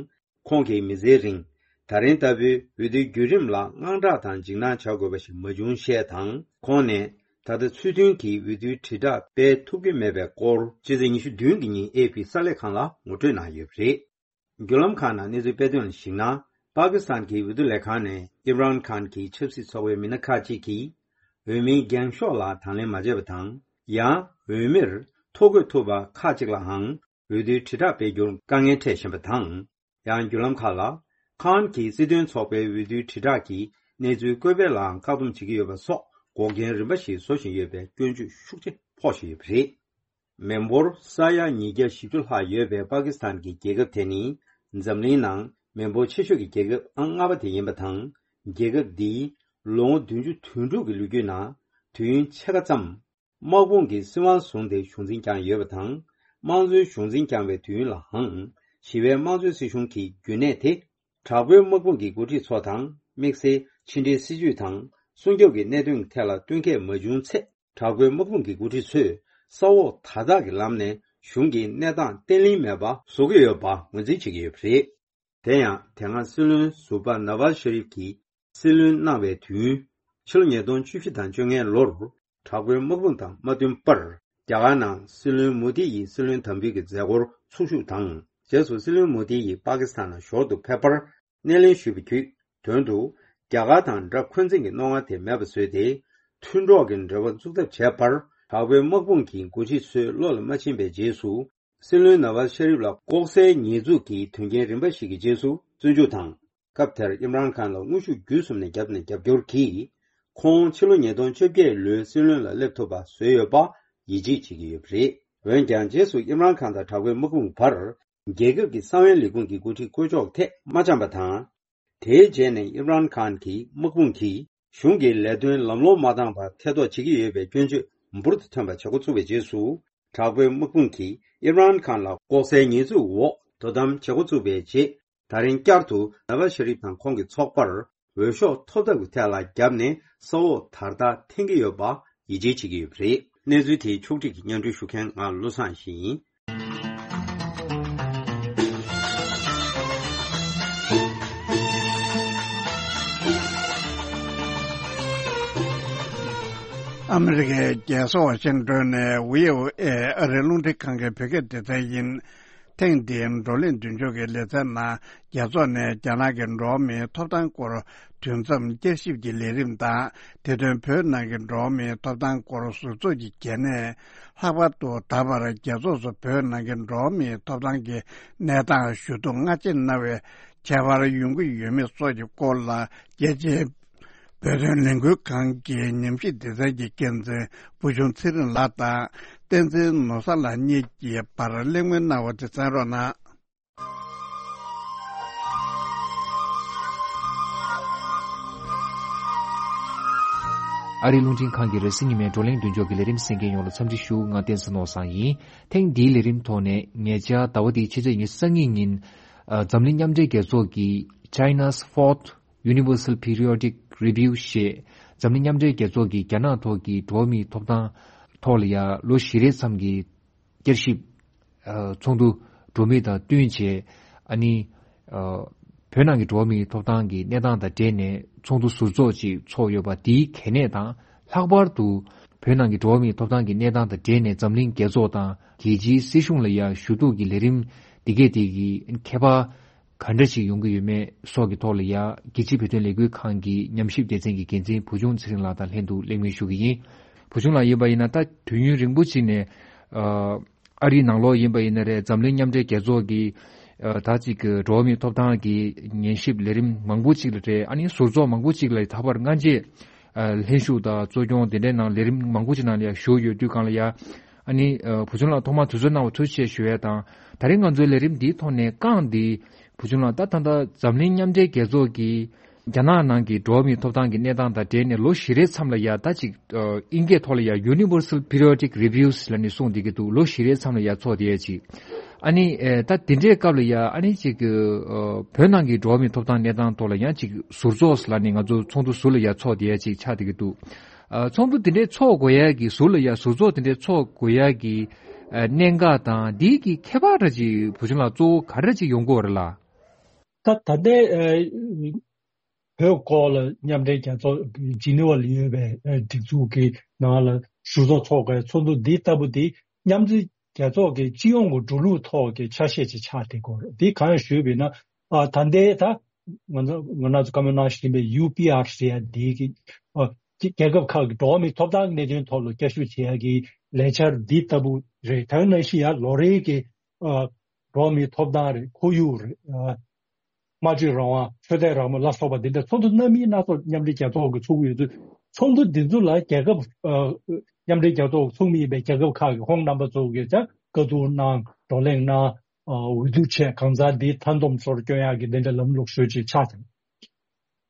ཁོང་གིས་མི་ཚེའི་རིང་ད་རིང་ལྟ་བུའི་འོས་བསྡུའི་བརྒྱུད་རིམ་ལ་དངངས་སྐྲག་དང་འཇིགས་སྣང་བྱ་དགོས་པ་ཞིག་མ་བྱུང་ཞེས་དང་། ཁོང་ནས་ད་ལྟ་ཚུལ་མཐུན་གྱིས་འོས་བསྡུའི་དྲིལ་བསྒྲགས་སྤེལ་ཐུབ་ཀྱི་མེད་པའི་སྐོར་ཕྱི་ཚེས་ཉི་ཤུ་བདུན་གྱི་ཉིན་ཨེ་ཕི་གསར་ལས་ཁང་ལ་ངོ་སྤྲོད་གནང་ཡོད་པ་རེད། བརྒྱུད་ལམ་ཁག་ནང་གནས་ཚུལ་སྤེལ་དོན་ལ་གཞིགས་ན། པ་ཀི་སི་ཐན་གྱི་འོས་བསྡུ་ལས་ཁང་ནས་ཨིམ་རན་ཁཱན་གྱི་ཆབ་སྲིད་ཚོགས་པའི་མི་སྣ་ཁག་ཅིག་གིས་འོས་མིའི་འགེངས་ཤོག་ལ་དང་ལེན་མ་བྱས་པ་དང་། ཡང་འོས་མིར་ཐོ་འགོད་ཐུབ་པ་ཁག་ཅིག་ལའང་འོས་བསྡུའི་དྲིལ་བསྒྲགས་སྤེལ་རྒྱུར་དཀའ་ངལ་འཕྲད་བཞིན་པ་དང་། ཡང་བརྒྱུད་ལམ་ཁག་ལ། ཁཱན་གྱིས་སྲིད་དོན་ཚོགས་པའི་འོས་བསྡུའི་དྲིལ་བསྒྲགས་ཀྱི་གནས་ཚུལ་བཀོད་སྤེལ་ལའང་བཀག་སྡོམ་བྱེད་ཀྱི་ཡོད་པ་སོགས་འགོག་རྐྱེན་རིམ་པ་ཞིག་བཟོ་བཞིན་ཡོད་པའི་སྐྱོན་བརྗོད་ཤུགས་ཆེ་ཕོག་བཞིན་ཡོད་པ་རེད། མི་འབོར་ས་ཡ་ཉིས་བརྒྱ་བཞི་བཅུ་ལྷག་ཡོད་པའི་པ་ཀི་སི་ཐན་གྱི་རྒྱལ་ཁབ་དེ་ནི་འཛམ་གླིང་ནང་མི་འབོར་ཆེ་ཤོས་ཀྱི་རྒྱལ་ཁབ་ཨང་ལྔ་པ་དེ་ཡིན་པ་དང་། རྒྱལ་ཁབ་འདིའི་ལོ་ངོ་བདུན་ཅུ་དོན་དྲུག་གི་ལོ་རྒྱུས་ནང་དུས་ཡུན་ཕྱེད་ཀ་ཙམ་དམག་དཔུང་གིས་སྲིད་དབང་བཟུང་སྟེ་གཞུང་འཛིན་བསྐྱངས་ཡོད་པ་དང་། དམངས་གཙོའི་གཞུང་འཛིན་བསྐྱངས་པའི་དུས་ཡུན་ལའང་ཞི་བའི་དམངས་གཙོའི་སྲིད་གཞུང་གི་རྒྱུན་གནས་དེ་ དྲག་པོའི་དམག་དཔུང་གི་འགོ་ཁྲིད་ཚོ་དང་དམིགས་བསལ་ཕྱི་འབྲེལ་སྲིད་ཇུས་དང་སྲུང་སྐྱོབ་ཀྱི་གནད་དོན་ཐད་ལ་བསྟུན་མཁས་མ་བྱུང་ཚེ། དྲག་པོའི་དམག་དཔུང་གི་འགོ་ཁྲིད་ཚོས་ས་འོག་དར་ཐག་གི་ལམ་ནས་གཞུང་གི་གནས་སྟངས་བརྟན་ལྷིང་མེད་པ་བཟོ་གི་ཡོད་པ་ངོས་འཛིན་བྱེད་ཀྱི་ཡོད་པ་རེད། དེ་ཡང་དེ་སྔ་སྲིད་བློན་ཟུར་པ་ནཱ་ཝཱ་ཤ་རིབ་ཀྱིས་སྲིད་བློན་གནང་བའི་དུས་ཡུན་ཕྱི་ལོ་ཉིས་སྟོང་བཅུ་བཞི་དང་བཅོ་ལྔའི་ལོར་དྲག་པོའི་དམག་དཔུང་དང་མ་བསྟུན་པར་རྒྱ་གར་ནང་སྲིད་བློན་མོ་དི་ཡིས་སྲིད་བློན་དམ་འབུལ་གྱི་མཛད་སྒོར་ཚོགས་ཞུགས་དང་། རྗེས་སུ་སྲིད་བློན་མོ་དི་ཡིས་པ་ཀི་སི་ཐན་ལ་ཞོར་དུ་ཕེབས་པར་སྣེ་ལེན་ཞུས་པ་བརྒྱུད་དོན་དུ་རྒྱ་གར་དང་དགྲ་འཁོན་འཛིན་གྱི་རྣོ་ངར་དེ་མེད་པ་བཟོས་ཏེ། མཐུན་གྲོགས་ཀྱི་འབྲེལ་བ་འཛུགས་ཐབས་བྱས་པར་དྲག་པོའི་དམག་དཔུང་གི་འགོ་ཁྲིད་ཚོའི་བློ་ལ་མ་ཕྱིན་པའི་རྗེས་སུ། སྲིད་བློན་ནཱ་ཝཱ་ཤ་རིབ་ལ་ལྐོག་ཟའི་ཉེས་འཛུགས་ཀྱི་དོན་རྐྱེན་རིམ་པ་ཞིག་གི་རྗེས་སུ་བཙོན་འཇུག་དང་། སྐབས་དེར་ཨིམ་རཱན་ཁཱན་ལ་དངོས་ཤུགས་བརྒྱུད་གསུམ་ནས་རྒྱབ་ནས་རྒྱབ་སྐྱོར་གྱིས། ཁོང་ཕྱི་ལོ་ཉིས་སྟོང་བཅོ་བརྒྱད་ལོའི་སྲིད་བློན་ལ་སླེབས་ཐུབ་པ་བཟོས་ཡོད་པ་ཡིད་ཆེས་བྱེད་ཀྱི་ཡོད་པ་རེད། འོན་ཀྱང་རྗེས་སུ་ཨིམ་རཱན་ཁཱན་དང་དྲག་པོའི་དམག་དཔུང་བར་རྒྱལ་ཁབ་ཀྱི་གསང་བའི་ལས་ཁུངས་ཀྱི་འགོ་ཁྲིད་བསྐོ་གཞག་ཐད་མ་འཆམ་པ་དང་། དེའི་རྗེས་ནས་ཨིམ་རཱན་ཁཱན་གྱི་དམག་དཔུང་གིས་གཞུང་གི་ལས་དོན་ལམ་ལྷོང་མ་བཏང་བར་ཐེ་གཏོགས་བྱེད་ཀྱི་ཡོད་པའི་སྐྱོན་བརྗོད་འབུར་དུ་ཐོན་པ་བྱེད་འགོ་ཚུགས་པའི་རྗེས་སུ། དྲག་པོའི་དམག་དཔུང་གིས་ཨིམ་རཱན་ཁཱན་ལ་ལྐོག་ཟའི་ཉེས་འཛུགས་འོག་དོ་དམ་བྱེད་འགོ་ཚུགས་པའི་རྗེས། ད་རིང་བསྐྱར་དུ་ནཱ་ཝཱ་ཤ་རིབ་དང་ཁོང་གི་ཚོགས་པར་འོས་ཤོག་ཐོབ་ཐབས་ཀྱི་ཐད་ལ་བརྒྱབ་ནས་ས་འོག་དར་ཐག་འཐེན་གྱི་ཡོད་པ་ཡིད་ཆེས་བྱེད་ཀྱི་ཡོད་པ་རེད། གནས་ཚུལ་དེའི་ཕྱོགས་བསྒྲིགས་ཀྱིས་སྙན་སྒྲོན་ཞུ་མཁན་ང་བློ་བཟང་ཡེ་ཤེས་ཡིན། ཨ་མི་རི་ཀའི་རྒྱལ་ས་ཝ་ཤིང་ཏོན་ནས་བྷི་ཨོ་ཨེ་ཨ་རིའི་རླུང་འཕྲིན་ཁང་གི་བོད་སྐད་སྡེ་ཚན་ཡིན། ཐེངས་འདིའི་བགྲོ་གླེང་མདུན་ལྕོག་གི་ལེ་ཚན་ནང་རྒྱ་ཚོགས་ནས་རྒྱ་ནག་གི་འགྲོ་བ་མིའི་ཐོབ་ཐང་སྐོར་དུས་མཚམས་བསྐྱར་ཞིབ་ཀྱི་ལས་རིམ་དང་། དེ་དོན་བོད་ནང་གི་འགྲོ་བ་མིའི་ཐོབ་ཐང་སྐོར་ཟུར་ཚོགས་ཀྱི་གལ་གནད། ལྷག་པར་དུ་ད་བར་རྒྱལ་ཚོགས་སུ་བོད་ནང་གི་འགྲོ་བ་མིའི་ཐོབ་ཐང་གི་གནས་སྟངས་ཞུ་གཏུག་སྔ་རྗེས་གནང་བའི་ཁྱད་པར་ཡོང་གི་ཡོད་མེད་སོགས་ཀྱི་སྐོར་ལ། རྒྱལ་སྤྱིའི་བོད་དོན་ལས་འགུལ་ཁང་གི་ཉམས་ཞིབ་སྡེ་ཚན་གྱི་འགན་འཛིན་བུ་ཆུང་ཚེ་རིང་ལགས་དང་། བསྟན་འཛིན་ནོར་བཟང་ལགས་གཉིས་ཀྱི་བར་གླེང་མོལ་གནང་བ་དེ་གསན་རོགས་གནང་། ཨ་རིའི་རླུང་འཕྲིན་ཁང་གི་རེས་གཟའ་ཉི་མའི་བགྲོ་གླེང་མདུན་ལྕོག་གི་ལས་རིམ་གསན་མཁན་ཡོངས་ལ་འཚམས་འདྲི་ཞུ། ང་བསྟན་འཛིན་ནོར་བཟང་ཡིན། ཐེངས་འདིའི་ལས་རིམ་ཐོག་ནས་ཉེ་ཆར་ཟླ་བ་འདིའི་ཕྱི་ཚེས་ཉི་ཤུ་རྩ་གཉིས་ཉིན། ཨ། འཛམ་གླིང་མཉམ་འབྲེལ་རྒྱལ་ཚོགས་ཀྱི་China's Fourth Universal Periodic Review ཞེས་འཛམ་གླིང་མཉམ་འབྲེལ་རྒྱལ་ཚོགས་ཀྱི་རྒྱ་ནག་ཐོག་གི་འགྲོ་བ་མིའི་ཐོབ་ཐང་ཐོག་ལ་ཡ་ལོ་བཞི་རེའི་མཚམས་ཀྱི་བསྐྱར་ཞིབ། ཨ། ཚོགས་འདུ་འགྲོ་མུས་དང་བསྟུན་བྱས། ཨ་ནི། ཨ། བོད་ནང་གི་འགྲོ་བ་མིའི་ཐོབ་ཐང་གི་གནས་སྟངས་དང་འབྲེལ་ནས་ཚོགས་འདུ་ཟུར་ཚོགས་ཅིག་ཚོགས་ཡོད་པ་དེའི་གལ་གནད་དང་། ལྷག་པར་དུ་བོད་ནང་གི་འགྲོ་བ་མིའི་ཐོབ་ཐང་གི་གནས་སྟངས་དང་འབྲེལ་ནས་འཛམ་གླིང་རྒྱལ་ཚོགས་དང་རྒྱལ་སྤྱིའི་སྲིད་གཞུང་ལ་ཡ་ཞུ་གཏུག་གི་ལས་རིམ་འདི་གས་དེ་གི་ཁྱད་པར་ག་འདྲ་ཞིག་ཡོང་གི་ཡོད་མེད་སོགས་ཀྱི་ཐོག་ལ་ཡ་རྒྱལ་སྤྱིའི་བོད་དོན་ལས་འགུལ་ཁང་གི་ཉམས་ཞིབ་སྡེ་ཚན་གྱི་འགན་འཛིན་བུ་ཆུང་ཚེ་རིང་ལགས་དང་ལྷན་དུ་གླེང་མོལ་ཞུ་གི་ཡིན། བུ་ཆུང་ལགས་ཡིན་པ་ཡིན་ན་ད་དུས་ཡུན་རིང་པོ་ཅིག་ནས། ཨ། ཨ་རིའི་ནང་ལོགས་ཡིན་པ་ཡིན་ན་རེད། འཛམ་གླིང་མཉམ་འབྲེལ་རྒྱལ་ཚོགས་ཀྱི། ཨ། ད་ཅིག་གི་འགྲོ་བ་མིའི་ཐོབ་ཐང་གི་ཉན་ཞིབ་ལས་རིམ་མང་པོ་ཅིག་ལ་རེད། ཨ་ནི་ཟུར་ཚོགས་མང་པོ་ཅིག་ལ་ད་བར་སྔ་རྗེས། ཨ། ལྷན་ཞུགས་དང་གཙོ་སྐྱོང་དེ་འདྲའི་ནང་ལས་རིམ་མང་པོ་ཅིག་ནང་ལ་ཡ་ཞུགས་ཡོད་དུས་སྒང་ལ་ཡ། ཨ་ནི། ཨ། བུ་ཆུང་ལགས་ཐོག་མར་དུས་ཚོད་གནང་བ་ཐུགས་རྗེ་ཆེ་ཞུ་ཡས་དང་། ད་རིང་ང་ཚོའི་ལས་རིམ་འདིའི་ཐོག་ནས་རྐང་འདི། བུ་ཆུང་ལགས་ད་ད་ལྟ་འཛམ་གླིང་མཉམ་འབྲེལ་རྒྱལ་ཚོགས་ཀྱི་རྒྱ་ནག་ནང་གི་འགྲོ་བ་མིའི་ཐོབ་ཐང་གི་གནས་སྟངས་དང་འབྲེལ་ནས་ལོ་བཞི་རེའི་མཚམས་ལ་ཡ་ད་ཅིག་ཨ། དབྱིན་སྐད་ཐོག་ལ་ཡ་Universal Periodic Reviews ལབ་ནས་གསུངས་བསྡད་ཀྱི་འདུག་ལོ་བཞི་རེའི་མཚམས་ལ་ཡ་ཚོགས་བསྡད་ཡ་ཅིག་ཨ་ནི། ཨེ། ད་དེ་འདྲའི་སྐབས་ལ་ཡ་ཨ་ནི་ཅིག་ཨ། བོད་ནང་གི་འགྲོ་བ་མིའི་ཐོབ་ཐང་གནས་སྟངས་ཐོག་ལ་ཡང་ཅིག་ཟུར་ཚོགས་ལབ་ནས་ང་ཚོ་ཚོགས་འདུ་ཟུར་ལ་ཡ་ཚོགས་བསྡད་ཡ་ཅིག་ཆགས་བསྡད་ཀྱི་འདུག་ཨ། ཚོགས་འདུ་དེ་འདྲའི་ཚོགས་དགོས་ཡ་གི་ཟུར་ལ་ཡ་ཟུར་ཚོགས་དེ་འདྲའི་ཚོགས་དགོས་ཡ་གི། ཨ། གནད་འགག་དང་འདི་གི་ཁྱད་པར་འདྲ་ཅིག་བུ་ཆུང་ལགས་གཙོ་བོ་ག་འདྲ་ཅིག་ཡོང་གི་ཡོད་རེད་ལགས། ད་ད་ལྟའི་ཨ། བོད་སྐོར་ལ་མཉམ་འབྲེལ་རྒྱལ་ཚོགས་ཇི་ནི་ཝ་ལ་ཡོད་པའི་ཨ། སྒྲིག་འཛུགས་ཀྱི་ནང་ལ་ཟུར་ཚོགས་ཚོགས་དགོས་ཚོགས་འདུ་འདི་ལྟ་བུ་འདི་མཉམ་འབྲེལ་རྒྱལ་ཚོགས་ཀྱི་སྤྱི་ཡོངས་ཀྱི་འགྲོ་ལུགས་ཐོག་གི་ཆ་ཤས་ཅིག་ཆགས་བསྡད་ཀྱི་ཡོད་རེད། འདི་གང་ཡིན་ཞུས་པ་ཡིན་ན། ཨ། ད་ལྟའི་ད་ང་ཚོ་ང་རང་ཚོ་བཀའ་མོལ་གནང་བཞིན་པའི་ཡུ་པི་ཨར་ཟེར་ཡ་འདི་གི། ཨ། རྒྱལ་ཁབ་ཁག་གི་འགྲོ་བ་མིའི་ཐོབ་ཐང་གི་གནད་དོན་ཐོག་ལ་བསྐྱར་ཞིབ་བྱེད་ཡ་གི་ལས་འཆར་འདི་ལྟ་བུ་རེད། དེ་ནང་བཞིན་ཡང་ལོ་རེའི་གི། ཨ། འགྲོ་བ་མིའི་ཐོབ་ཐང་རེད། ཁོར་ཡུག་རེད། ཨ། སྨྲ་བརྗོད་རང་དབང་། ཆོས་དད་རང་མོས་ལ་སོགས་པ་འདི་འདྲ་ཚོགས་འདུ་སྣ་མིན་སྣ་ཚོགས་མཉམ་འབྲེལ་རྒྱལ་ཚོགས་ཀྱིས་ཚོགས་ཀྱི་ཡོད་དུས། ཚོགས་འདུ་འདི་ཚོ་ལ་རྒྱལ་ཁབ། ཨ། མཉམ་འབྲེལ་རྒྱལ་ཚོགས་ཀྱིས་ཚོགས་མི་ཡིན་པའི་རྒྱལ་ཁབ་ཁག་གི་ཁོང་རྣམ་པ་ཚོ་གིས་ཀྱང་བཀའ་བསྡུར་གནང་། བགྲོ་གླེང་གནང་། ཨ། འོས་བསྡུ་བྱས། གང་ཟག་འདི་མཐའ་སྡོམ་ཚོར་སྐྱོན་ཡག་གི་འདི་འདྲ་ལམ་ལུགས་ཤོས་ཅིག་ཆགས་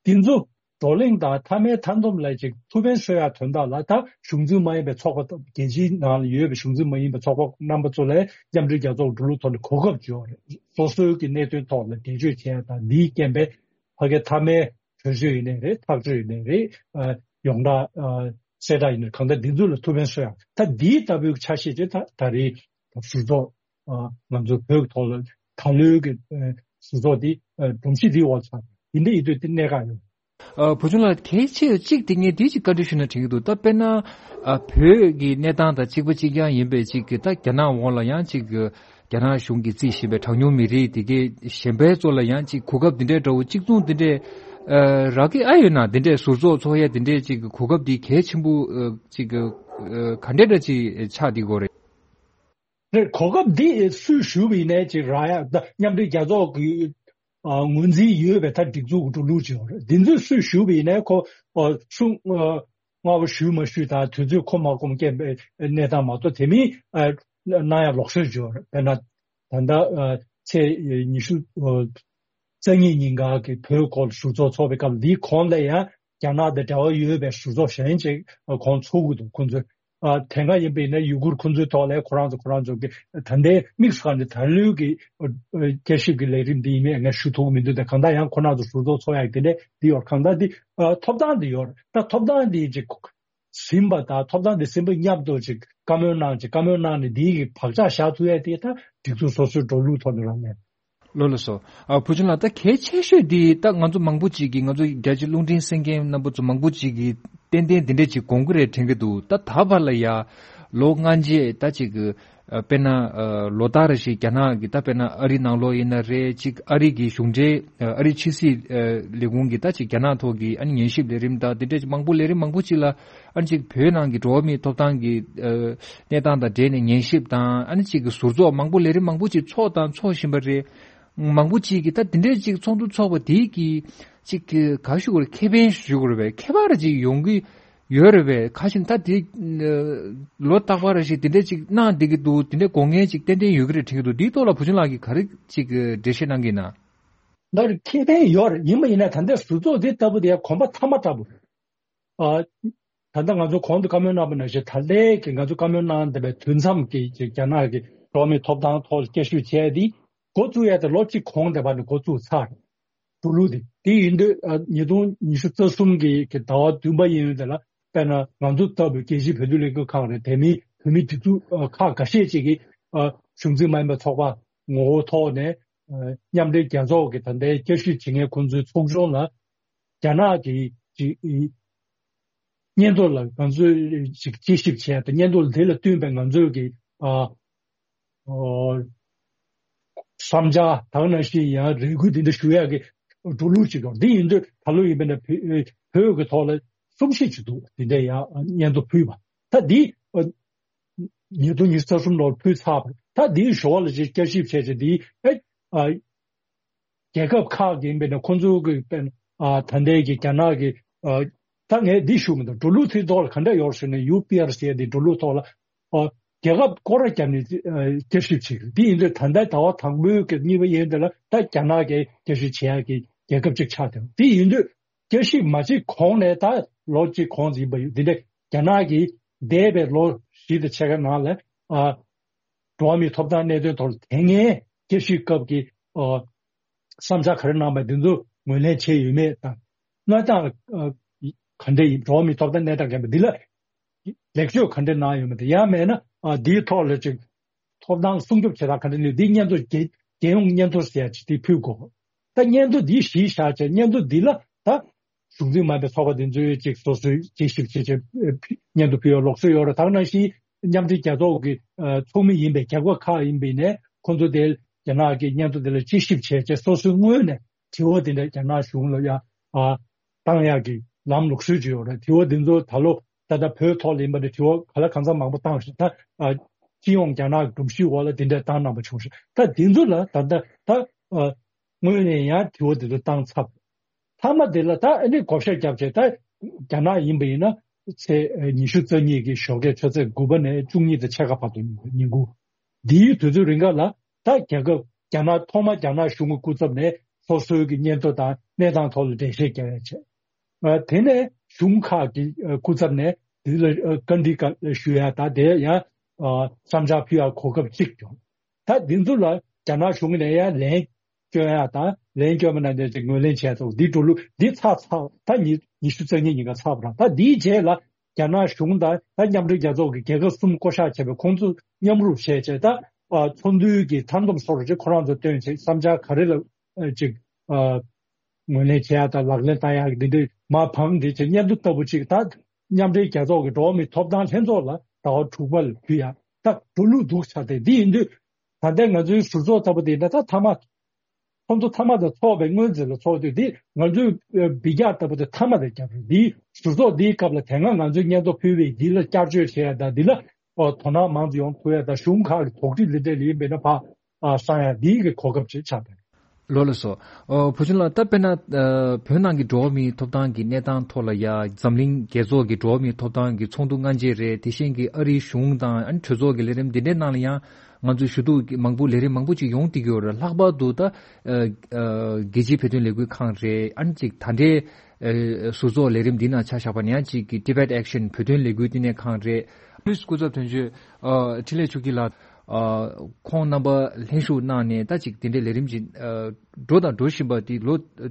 ཀྱི་འདུག་འདི་ཚོ་ བགྲོ་གླེང་དང་མཐའ་མའི་མཐའ་སྡོམ་ལ་ཅིག་ཐུགས་ཕན་གསོས་ཡག་དོན་དག་ལ། ད་གཞུང་འཛིན་མ་ཡིན་པའི་ཚོགས་པ་དང་། རྒྱལ་སྤྱིའི་ནང་ལ་ཡོད་པའི་གཞུང་འཛིན་མ་ཡིན་པའི་ཚོགས་པ་རྣམ་པ་ཚོ་ལ་མཉམ་འབྲེལ་རྒྱལ་ཚོགས་འགྲོ་ལུགས་ཐོག་ནས་གོ་སྐབས་བྱོས་རེད། སོ་སོའི་གི་གནད་དོན་ཐོག་ལ་འགྲེལ་བརྗོད་བྱེད་ཡག་དང་། འདིའི་རྐྱེན་པས་ཕ་གའི་མཐའ་མའི་གྲོས་ཆོད་ཡིན་ནའི་རེད། ཐག་གཅོད་ཡིན་ནའི་རེད། ཨ། ཡོངས་གྲགས། ཨ། གསལ་བསྒྲགས་ཡིན་ནའི། གང་ལྟར་འདི་ཚོ་ལ་ཐུགས་ཕན་གསོས་ཡག་ད་འདིའི་ལྟ་བུའི་ཆ་ཤས་ཅིག་ད་ད་རེས་ཞུ་ཚོགས། ཨ། ང་ཚོ་བོད་ཀྱི་ཐོག་ལ་ད་ལོའི་གི། ཨ། ཞུ་ཚོགས་འདི། ཨ། སྒྲོམ་གཞི་འདིའི་འོག་ཚང་འདི་འདྲ་ཡིན་དུས་འདི་གནད་འགག་ཡོད། ཨ། བུ་ཆུང་ལགས། གལ་ཆེ་གཅིག་དེ་ངས་འདི་ཅིག་བཀའ་འདྲི་ཞུ་ན་དྲན་གྱི་འདུག་ད་དཔེར་ན། ཨ། བོད་ཀྱི་གནས་སྟངས་དང་གཅིག་པ་གཅིག་རྐྱང་ཡིན་པའི་ཅིག་གི། ད་རྒྱ་ནག་འོག་ལ་ཡང་ཅིག་གི་རྒྱ་ནག་གཞུང་གིས་རྩིས་བཞིན་པའི་གྲངས་ཉུང་མི་རིགས་དེ་གའི་གཞན་པའི་ཚོ་ལ་ཡང་ཅིག་གོ་སྐབས་འདི་འདྲའི་འདྲ་བོ་གཅིག་མཚུངས་འདི་འདྲའི། ཨ། རག་གི་ཨ་ཡོད་ན། འདི་འདྲའི་ཟུར་ཚོགས་ཚོགས་ཡ་འདི་འདྲའི་ཅིག་གི་གོ་སྐབས་འདི་གལ་ཆེན་པོ། ཨ། ཅིག་གི། ཨ། ག་འདྲ་འདྲ་ཅིག་ཆགས་འདི་གོ་རེད། རེད། གོ་སྐབས་འདི་སུས་ཞུས་པ་ཡིན་ནའི་ཅིག་རག་ཡ། ད་མཉམ་འབྲེལ་རྒྱལ་ཚོགས་ཀྱི། ཨ། ངོས་འཛིན་ཡོད་པའི་ད་སྒྲིག་འཛུགས་ཀྱི་འགྲོ་ལུགས་ཅིག་ཡོད་རེད། འདི་ཚོས་སུས་ཞུས་པ་ཡིན་ནའི་ཁོ། ཨ། ཆུང་། ཨ། སྔ་པོ་ཞུས་མ་ཞུས་དང་། དུས་ཚོད་ཁོམ་མ་ཁོམ་སྐྱེས་པའི་གནས་སྟངས་མ་གཏོགས། དེ་མིན། ཨ། གནང་ཡ་ལོགས་སུ་འབྱོར་བས་ན། ད་ལྟ། ཨ། ཚེས་ཉི་ཤུ། ཨ། རྩ་གཉིས་ཉིན་ག་གི་བོད་སྐོར་ཞུ་ཚོགས་ཚོགས་པའི་སྐབས། འདིའི་གོང་ལ་ཡང་རྒྱ་ནག་དང་འབྲེལ་བ་ཡོད་པའི་ཞུ་ཚོགས་གཞན་ཅིག་གོང་ཚོགས་ཀྱི་འདུག་ཁོང་ཚོས། ཨ། དེ་སྔ་ཡིན་པ་ཡིན་ན་ཡུ་གུར་ཁོང་ཚོའི་ཐོག་ལ་ཁོ་རང་ཚོ་ཁོ་རང་ཚོ་གི། ད་ལྟའི་དམིགས་སུ་བཀར་ནས་ད་ལོའི་གི། ཨ། བསྐྱར་ཞིབ་ཀྱི་ལས་རིམ་འདི་ཡིན་མིན་ངས་ཞུ་ཐུབ་ཀྱི་མི་འདུག་དེ་གང་ལྟར་ཡང་ཁོ་རང་ཚོ་ཞུ་ཚོགས་ཚོགས་ཡག་དེ་འདྲ་འདི་ཡོད། གང་ལྟར་འདི། ཨ། ཐོབ་ཐང་འདི་ཡོད་རེད། ད་ཐོབ་ཐང་འདི་ཅིག་ཟིན་པ་དང་། ཐོབ་ཐང་འདི་ཟིན་པ་མཉམ་དུ་ཅིག་བཀའ་མོལ་གནང་། ཅིག་བཀའ་མོལ་གནང་ནས་འདིའི་གི་བག་ཆགས་བཞག་ཐུབ་ཡ་དེ་ད་སྒྲིག་འཛུགས་སོ་སོའི་འགྲོ་ལུགས་ཐོག་ནས་རང་ལས། ལགས་ལགས་སོ། ཨ། བུ་ཆུང་ལགས། ད་གལ་ཆེ་ཤོས་འདི་ད་ང་ཚོ་མང་པོ་ཅིག་གིས། ང་ཚོ་རྒྱལ་སྤྱི་རླུང་འཕྲིན་གསན་མཁན་རྣམ་པ་ཚོ་མང་པོ་ཅིག་གིས་ཏན་ཏན་འདི་འདྲས་ཅིག་དགོངས་ཀྱི་རེད་དྲན་གྱི་འདུག་ད་ད་བར་ལ་ཡ་ལོ་ལྔ་རྗེས་ད་ཅིག་གི། ཨ། དཔེར་ན། ཨ། ལོ་ལྟར་རེ་བཞིན་རྒྱ་ནག་གི། ད་དཔེར་ན་ཨ་རི་ནང་ལོགས་ཡིན་ན་རེད། ཅིག་ཨ་རི་གི་གཞུང་འབྲེལ། ཨ། ཨ་རི་ཕྱི་སྲིད། ཨ། ལས་ཁུངས་ཀྱིས་ད་ཅིག་རྒྱ་ནག་ཐོག་གི། ཨ་ནི་ཉན་ཞིབ་ལས་རིམ་དང་འདི་འདྲས་ཅིག་མང་པོ། ལས་རིམ་མང་པོ་ཅིག་ལ། ཨ་ནི་ཅིག་བོད་ནང་གི་འགྲོ་བ་མིའི་ཐོབ་ཐང་གི། ཨ། གནས་སྟངས་དང་འབྲེལ་ནས་ཉན་ཞིབ་དང་། ཨ་ནི་ཅིག་གི་ཟུར་ཚོགས་མང་པོ། ལས་རིམ་མང་པོ་ཅིག་ཚོགས་དང་ཚོགས་བཞིན་པ་རེད། མང་པོ་ཅིག་གིས་ད་འདི་འདྲའི་ཅིག་ཚོགས་འདུ་ཚོགས་པ་དེ་གིས་ཅིག་གི་ག་ཞུ་དགོས་རེད། ཁེ་ཕན་ཞུ་དགོས་རེད་པས། ཁྱད་པར་ཅིག་ཡོང་གི་ཡོད་རེད་པས། ཁ་ཤས་ད་དེ། ཨ། ལོ་རྟག་པར་རེ་བཞིན་དེ་འདྲ་ཅིག་གནང་བསྡད་ཀྱི་འདུག་དེ་འདྲ་དགོས་ངེས་ཅིག་ཏན་ཏན་ཡོད་ཀྱི་རེད་དྲན་གྱི་འདུག་འདིའི་ཐོག་ལ་བུ་ཆུང་ལགས་ཀྱིས་ག་རེ་ཅིག་འགྲེལ་བཤད་གནང་གི་ཡིན་ན། ལར་ཁེ་ཕན་ཡོད་རེད། ཡིན་པ་ཡིན་ན་ད་ལྟའི་ཟུར་ཚོགས་འདི་ལྟ་བུ་དེ་གོམ་པ་མཐའ་མ་ལྟ་བུ། ཨ། ད་ལྟ་ང་ཚོ་གོང་དུ་བཀའ་མོལ་གནང་བ་ནང་བཞིན། ད་ལྟའི་གི་ང་ཚོ་བཀའ་མོལ་གནང་བསྡད་པའི་དུས་མཚམས་ཀྱི་རྒྱ་ནག་གི་འགྲོ་བ་མིའི་ཐོབ་ཐང་ཐོག་བསྐྱར་ཞིབ་བྱས་ཏེ་འགོ་བཙུགས་ཡ་དེ་ལོ་གཅིག་གོང་དེ་བར་ནས་འགོ་བཙུགས་ཚར། འགྲོ་ལུགས་དེ། དེ་ཡིན་དུས། ཨ། ཉིས་སྟོང་ཉི་ཤུ་རྩ་གསུམ་གི་གི་ཟླ་བ་བདུན་པ་ཡིན་དུས་ལ། དཔེར་ན་ང་ཚོ་ལྟ་བུའི་རྒྱལ་སྤྱིའི་བོད་དོན་ལས་འགུལ་ཁང་རེད། དེ་མིན་བོད་མིའི་སྒྲིག་འཛུགས། ཨ། ཁག་འགའ་ཤས་ཅིག་གིས། ཨ། གཞུང་འཛིན་མ་ཡིན་པའི་ཚོགས་པ་ངོ་བོ་ཐོག་ནས། ཨ། མཉམ་འབྲེལ་རྒྱལ་ཚོགས་ཀྱི་ད་ལྟའི་བསྐྱར་ཞིབ་བྱེད་མཁན་ཁོང་ཚོའི་ཚོགས་ཆུང་ལ་རྒྱ་ནག་གི་ཅིག་སྙན་ཐོ་ལ་ང་ཚོས་ཅིག་དཔྱད་ཞིབ་བྱས་ཏེ། སྙན་ཐོ་དེ་ལ་བསྟུན་པའི་ང་ཚོས་ཀྱི། ཨ། ཨོ། བསམ་འཆར་དང་ནང་བཞིན་ཡང་རེ་སྐུལ་དེ་འདྲ་ཞུ་ཡག་གི་འགྲོ་ལུགས་ཅིག་ཡོད། འདི་ཡིན་དུས་ད་ལོ་ཡིན་པ་ན་བོད་བོད་ཀྱི་ཐོག་ལ་གསུམ་བཞི་ཅིག་འདུག་དེ་འདྲ་ཡང་སྙན་ཐོ་ཕུལ་བ། ད་འདི། ཨ། ཉིས་སྟོང་ཉི་ཤུ་རྩ་གསུམ་ལོར་ཕུལ་ཚར་བ། ད་འདིའི་ཞོར་ལ་ཅིག་བསྐྱར་ཞིབ་བྱས་ཏེ། འདི། ཨ། ཨ། རྒྱལ་ཁབ་ཁག་གི་ཡིན་པ་ན་ཁོང་ཚོ་གི་དཔེར་ན། ཨ། ད་ལྟའི་གི་རྒྱ་ནག་གི། ཨ། ད་ངས་འདི་ཞུ་མི་འདུག་འགྲོ་ལུགས་དེའི་ཐོག་ལ་ག་འདྲ་ཡོད་ཟེར་ན། ཡུ་པི་ཨར་ཟེར་ཡ་དེ་འགྲོ་ལུགས་ཐོག་ལ། ཨ། རྒྱལ་ཁབ་སྐོར་ར་བརྒྱབ་ནས། ཨ། བསྐྱར་ཞིབ་བྱེད་ཀྱི། འདི་ཡིན་དུས་ད་ལྟ་ཟླ་བ་དང་པོའི་གི་གཉིས་པ་ཡིན་དུས་ལ། ད་རྒྱ་ནག་གིས་བསྐྱར་ཞིབ་བྱེད་ཡག་གི་རྒྱལ་ཁབ་ཅིག་ཆགས་བསྡད། འདི་ཡིན་དུས་བསྐྱར་ཞིབ་མ་བྱེད་གོང་ནས། ད་ལོ་གཅིག་གོང་ཡིན་པ་ཡོད། འདི་འདྲ་རྒྱ་ནག་གིས་འདས་པའི་ལོ་བཞི་དང་ཕྱེད་ཀ་ནང་ལ། ཨ། འགྲོ་བ་མིའི་ཐོབ་ཐང་གནད་དོན་ཐོག་ལ་དེ་སྔའི་བསྐྱར་ཞིབ་སྐབས་ཀྱི། ཨ། བསམ་འཆར་ག་རེ་གནང་པ་འདི་ཚོ་ངོས་ལེན་བྱས་ཡོད་མེད་དང་། གནས་སྟངས། ཨ། ག་འདྲ་ཡིན། འགྲོ་བ་མིའི་ཐོབ་ཐང་གནས་སྟངས་ག་འདྲ། འདི་ལ་ལེགས་བཅོས་ག་འདྲ་གནང་ཡོད་མེད་དང་། ཡང་མིན་ན། ཨ། འདིའི་ཐོག་ལ་ཅིག་ཐོབ་ཐང་སྲུང་སྐྱོབ་བྱེད་སྟངས་ག་འདྲ་ཡིན། འདི་སྙན་ཐོ་རྒྱལ་རྒྱལ་ཡོངས་སྙན་ཐོ་ཟེར་ཡ་ཅིག་དེ་ཕུལ་དགོས། ད་སྙན་ཐོ་འདི་གཞི་བཞག་བྱས། སྙན་ཐོ་འདི་ལ་ད་གཞུང་འཛིན་མ་ཡིན་པའི་ཚོགས་པ་དེ་ཚོས་ཅིག་སོ་སོའི་དཔྱད་ཞིབ་བྱེད་བྱེད་སྙན་ཐོ་ཕུལ་ཡ་ལུགས་སྲོལ་ཡོད་རེད། ད་ག་ནང་བཞིན་མཉམ་འབྲེལ་རྒྱལ་ཚོགས་ཀྱི། ཨ། ཚོགས་མི་ཡིན་པའི་རྒྱལ་ཁབ་ཁག་ཡིན་པ་ཡིན་ནའི་ཁོང་ཚོ་དེ་རྒྱ་ནག་གི་སྙན་ཐོ་དེ་ལ་དཔྱད་ཞིབ་བྱས་བྱས། སོ་སོའི་ངོས་ནས་དྲི་བ་དེ་འདྲ་རྒྱ་ནག་གཞུང་ལ་ཡ། ཨ། བཏང་ཡག་གི་ལམ་ལུགས་སྲོལ་ཅིག་ཡོད་རེད། དྲི་བ་འདི་ཚོ་ད་ལོ་ད་ལྟ་བོད་ཐོག་ལ་ཡིན་པ་འདྲ། དྲི་བ་ག་ལ་གང་འཚམ་མང་པོ་བཏང་ཞིང་། ད། ཨ། སྤྱི་ཡོངས་རྒྱ་ནག་གི་སྒྲོམ་གཞིའི་འོག་ལ་དེ་འདྲ་བཏང་གནང་པ་བྱུང་ཞིང་། ད་འདི་ཚོ་ལ་ད་ལྟ་ད། ཨ། ངོས་ནས་ཡང་དྲི་བ་འདི་ཚོ་བཏང་ཚར། མཐའ་མ་དེ་ལ་ད་ཨ་ནི་བགོ་བཤའ་བརྒྱབ་བྱས། ད་རྒྱ་ནག་ཡིན་པ་ཡིན་ན་ཚེས་ཉི་ཤུ་རྩ་གཉིས་ཀྱི་ཞོགས་ཀས་ཆུ་ཚོད་དགུ་པ་ནས་བཅུ་གཉིས་དང་ཕྱེད་ཀ་བར་དུ་ཡིན་པ། ཉིན་གུང་འདིའི་དུས་ཚོད་རིང་ག་ལ། ད་རྒྱལ་ཁབ་རྒྱ་ནག་ཐོག་མ་རྒྱ་ནག་གཞུང་གི་སྐུ་ཚབ་ནས་སོ་སོའི་གི་སྙན་ཐོ་དང་གནས་སྟངས་ཐོག་ལ་འགྲེལ་བཤད་རྒྱག་ཡ་བྱས། ཨ་དེ་ནས་གཞུང་ཁག་གི་ཨ་སྐུ་ཚབ་ནས་འདི་ལ་ཨ་བཀའ་འདྲི་བཀའ་ཞུ་ཡ་དང་དེ་ཡང་ཨ་བསམ་འཆར་ཕུལ་ཡ་གོ་སྐབས་གཅིག་བྱུང་། ད་འདི་ཚོ་ལ་རྒྱ་ནག་གཞུང་ནས་ཡང་ལན་སྐྱོན་ཡ་དང་ལན་སྐྱོན་མ་གནང་ནས་ཅིག་ངོས་ལེན་བྱས་ཐོག་འདི་འགྲོ་ལུགས་འདི་ཚར་ཚར་ད་ཉི་ཉི་ཤུ་རྩ་གཉིས་ཉིན་ཀ་ཚར་བ་རང་ད་འདིའི་རྗེས་ལ་རྒྱ་ནག་གཞུང་དང་ད་མཉམ་འབྲེལ་རྒྱལ་ཚོགས་ཀྱི་རྒྱལ་ཁབ་གསུམ་བསྐོ་བཞག་བྱས་པའི་ཁོང་ཚོ་མཉམ་རུབ་བྱས་བྱས་ད་ཨ་ཚོགས་འདུའི་གི་མཐའ་སྡོམ་སོགས་རུ་ཅིག་ཁོ་རང་ཚོ་བཏོན་བྱས་བསམ་འཆར་ག་རེ་ལ་ཨ་ཅིག་ཨ་ངོས་ལེན་བྱེད་ཡ་དང་ལག་ལེན་བསྟར་ཡ་གི་འདི་འདྲའི་མ་འཕངས་འདི་བྱས་སྙན་ཐོ་ལྟ་བུ་ཅིག་ད་མཉམ་འབྲེལ་རྒྱལ་ཚོགས་ཀྱི་འགྲོ་བ་མིའི་ཐོབ་ཐང་ལྷན་ཚོགས་ལ་ཟླ་བ་དྲུག་པ་ལ་ཕུལ་ཡ་ད་འགྲོ་ལུགས་འདུག་ཆགས་ཏེ་འདི་ཡིན་དུས་ད་ལྟའི་ང་ཚོའི་ཟུར་ཚོགས་ལྟ་བུ་འདི་ད་ད་མཐའ་མ་ཁོང་ཚོ་མཐའ་མ་དང་ཚོགས་པའི་སྔོན་ཚེ་ལ་ཚོགས་དུས་འདི་ང་ཚོའི་ཨ་འབུད་རྒྱག་ལྟ་བུ་དེ་མཐའ་མ་དང་རྒྱབ་རེད། འདིའི་ཟུར་ཚོགས་འདིའི་སྐབས་ལ་དེ་སྔ་ང་ཚོའི་སྙན་ཐོ་ཕུལ་བའི་འདི་ལ་བསྐྱར་བཅོས་བྱེད་ཡ་དང་འདི་ལ་ཨ་དོ་སྣང་མང་དུ་ཡོང་ཐུབ་ཡ་དང་གཞུང་ཁག་གི་དོགས་འདྲི་འདི་འདྲ་ལ་ཡིན་པས་ན་ཕ་ཨ་བསམ་ཡ་འདིའི་གི་གོ་སྐབས་ཅིག་ཆགས་པ་རེད། ལོ་ལ་སོ། ཨོ་བུ་ཆུང་ལགས་ད་དཔེར་ན་ཨ་བོད་ནང་གི་འགྲོ་བ་མིའི་ཐོབ་ཐང་གི་གནས་སྟངས་ཐོག་ལ་ཡ་འཛམ་གླིང་རྒྱལ་ཚོགས་ཀྱི་འགྲོ་བ་མིའི་ཐོབ་ཐང་གི་ཚོགས་འདུ་སྔ་རྗེས་རེད། དེ་བཞིན་གྱི་ཨ་རིའི་གཞུང་དང་ཨ་ནི་གྲོས་ཚོགས་ཀྱི་ལས་རིམ་འདི་འདྲའི་ནང་ལ་ཡང་ང་ཚོས་ཞུ་གཏུག་མང་པོ་ལས་རིམ་མང་པོ་ཅིག་ཡོང་བསྡད་ཀྱི་ཡོད་རེད། ལྷག་པར་དུ་ད་ཨ་ཨ་རྒྱལ་སྤྱིའི་བོད་དོན་ལས་འགུལ་ཁང་རེད། ཨ་ནི་ཅིག་ད་ལྟའི་ཨ་ཟུར་ཚོགས་ལས་རིམ་འདི་ནང་ཆ་བཞག་པ་ན་ཡང་ཅིག་གི་Tibet Action བོད་དོན་ལས་འགུལ་བསྟི་གནས་ཁང་རེད། ཕུ་ལིས་སྐུ་ཚབ་དོན་གཅོད་ཨ་འཕྲིན་ལས་ཆོས་སྐྱིད་ལགས་ཨ་ཁོང་རྣམ་པ་ལྷན་ཞུགས་གནང་ནས་ད་ཅིག་དེ་འདྲའི་ལས་རིམ་ཅིག་ཨ་འགྲོ་དང་འགྲོ་བཞིན་པ་དེ་ལོ་ཨ་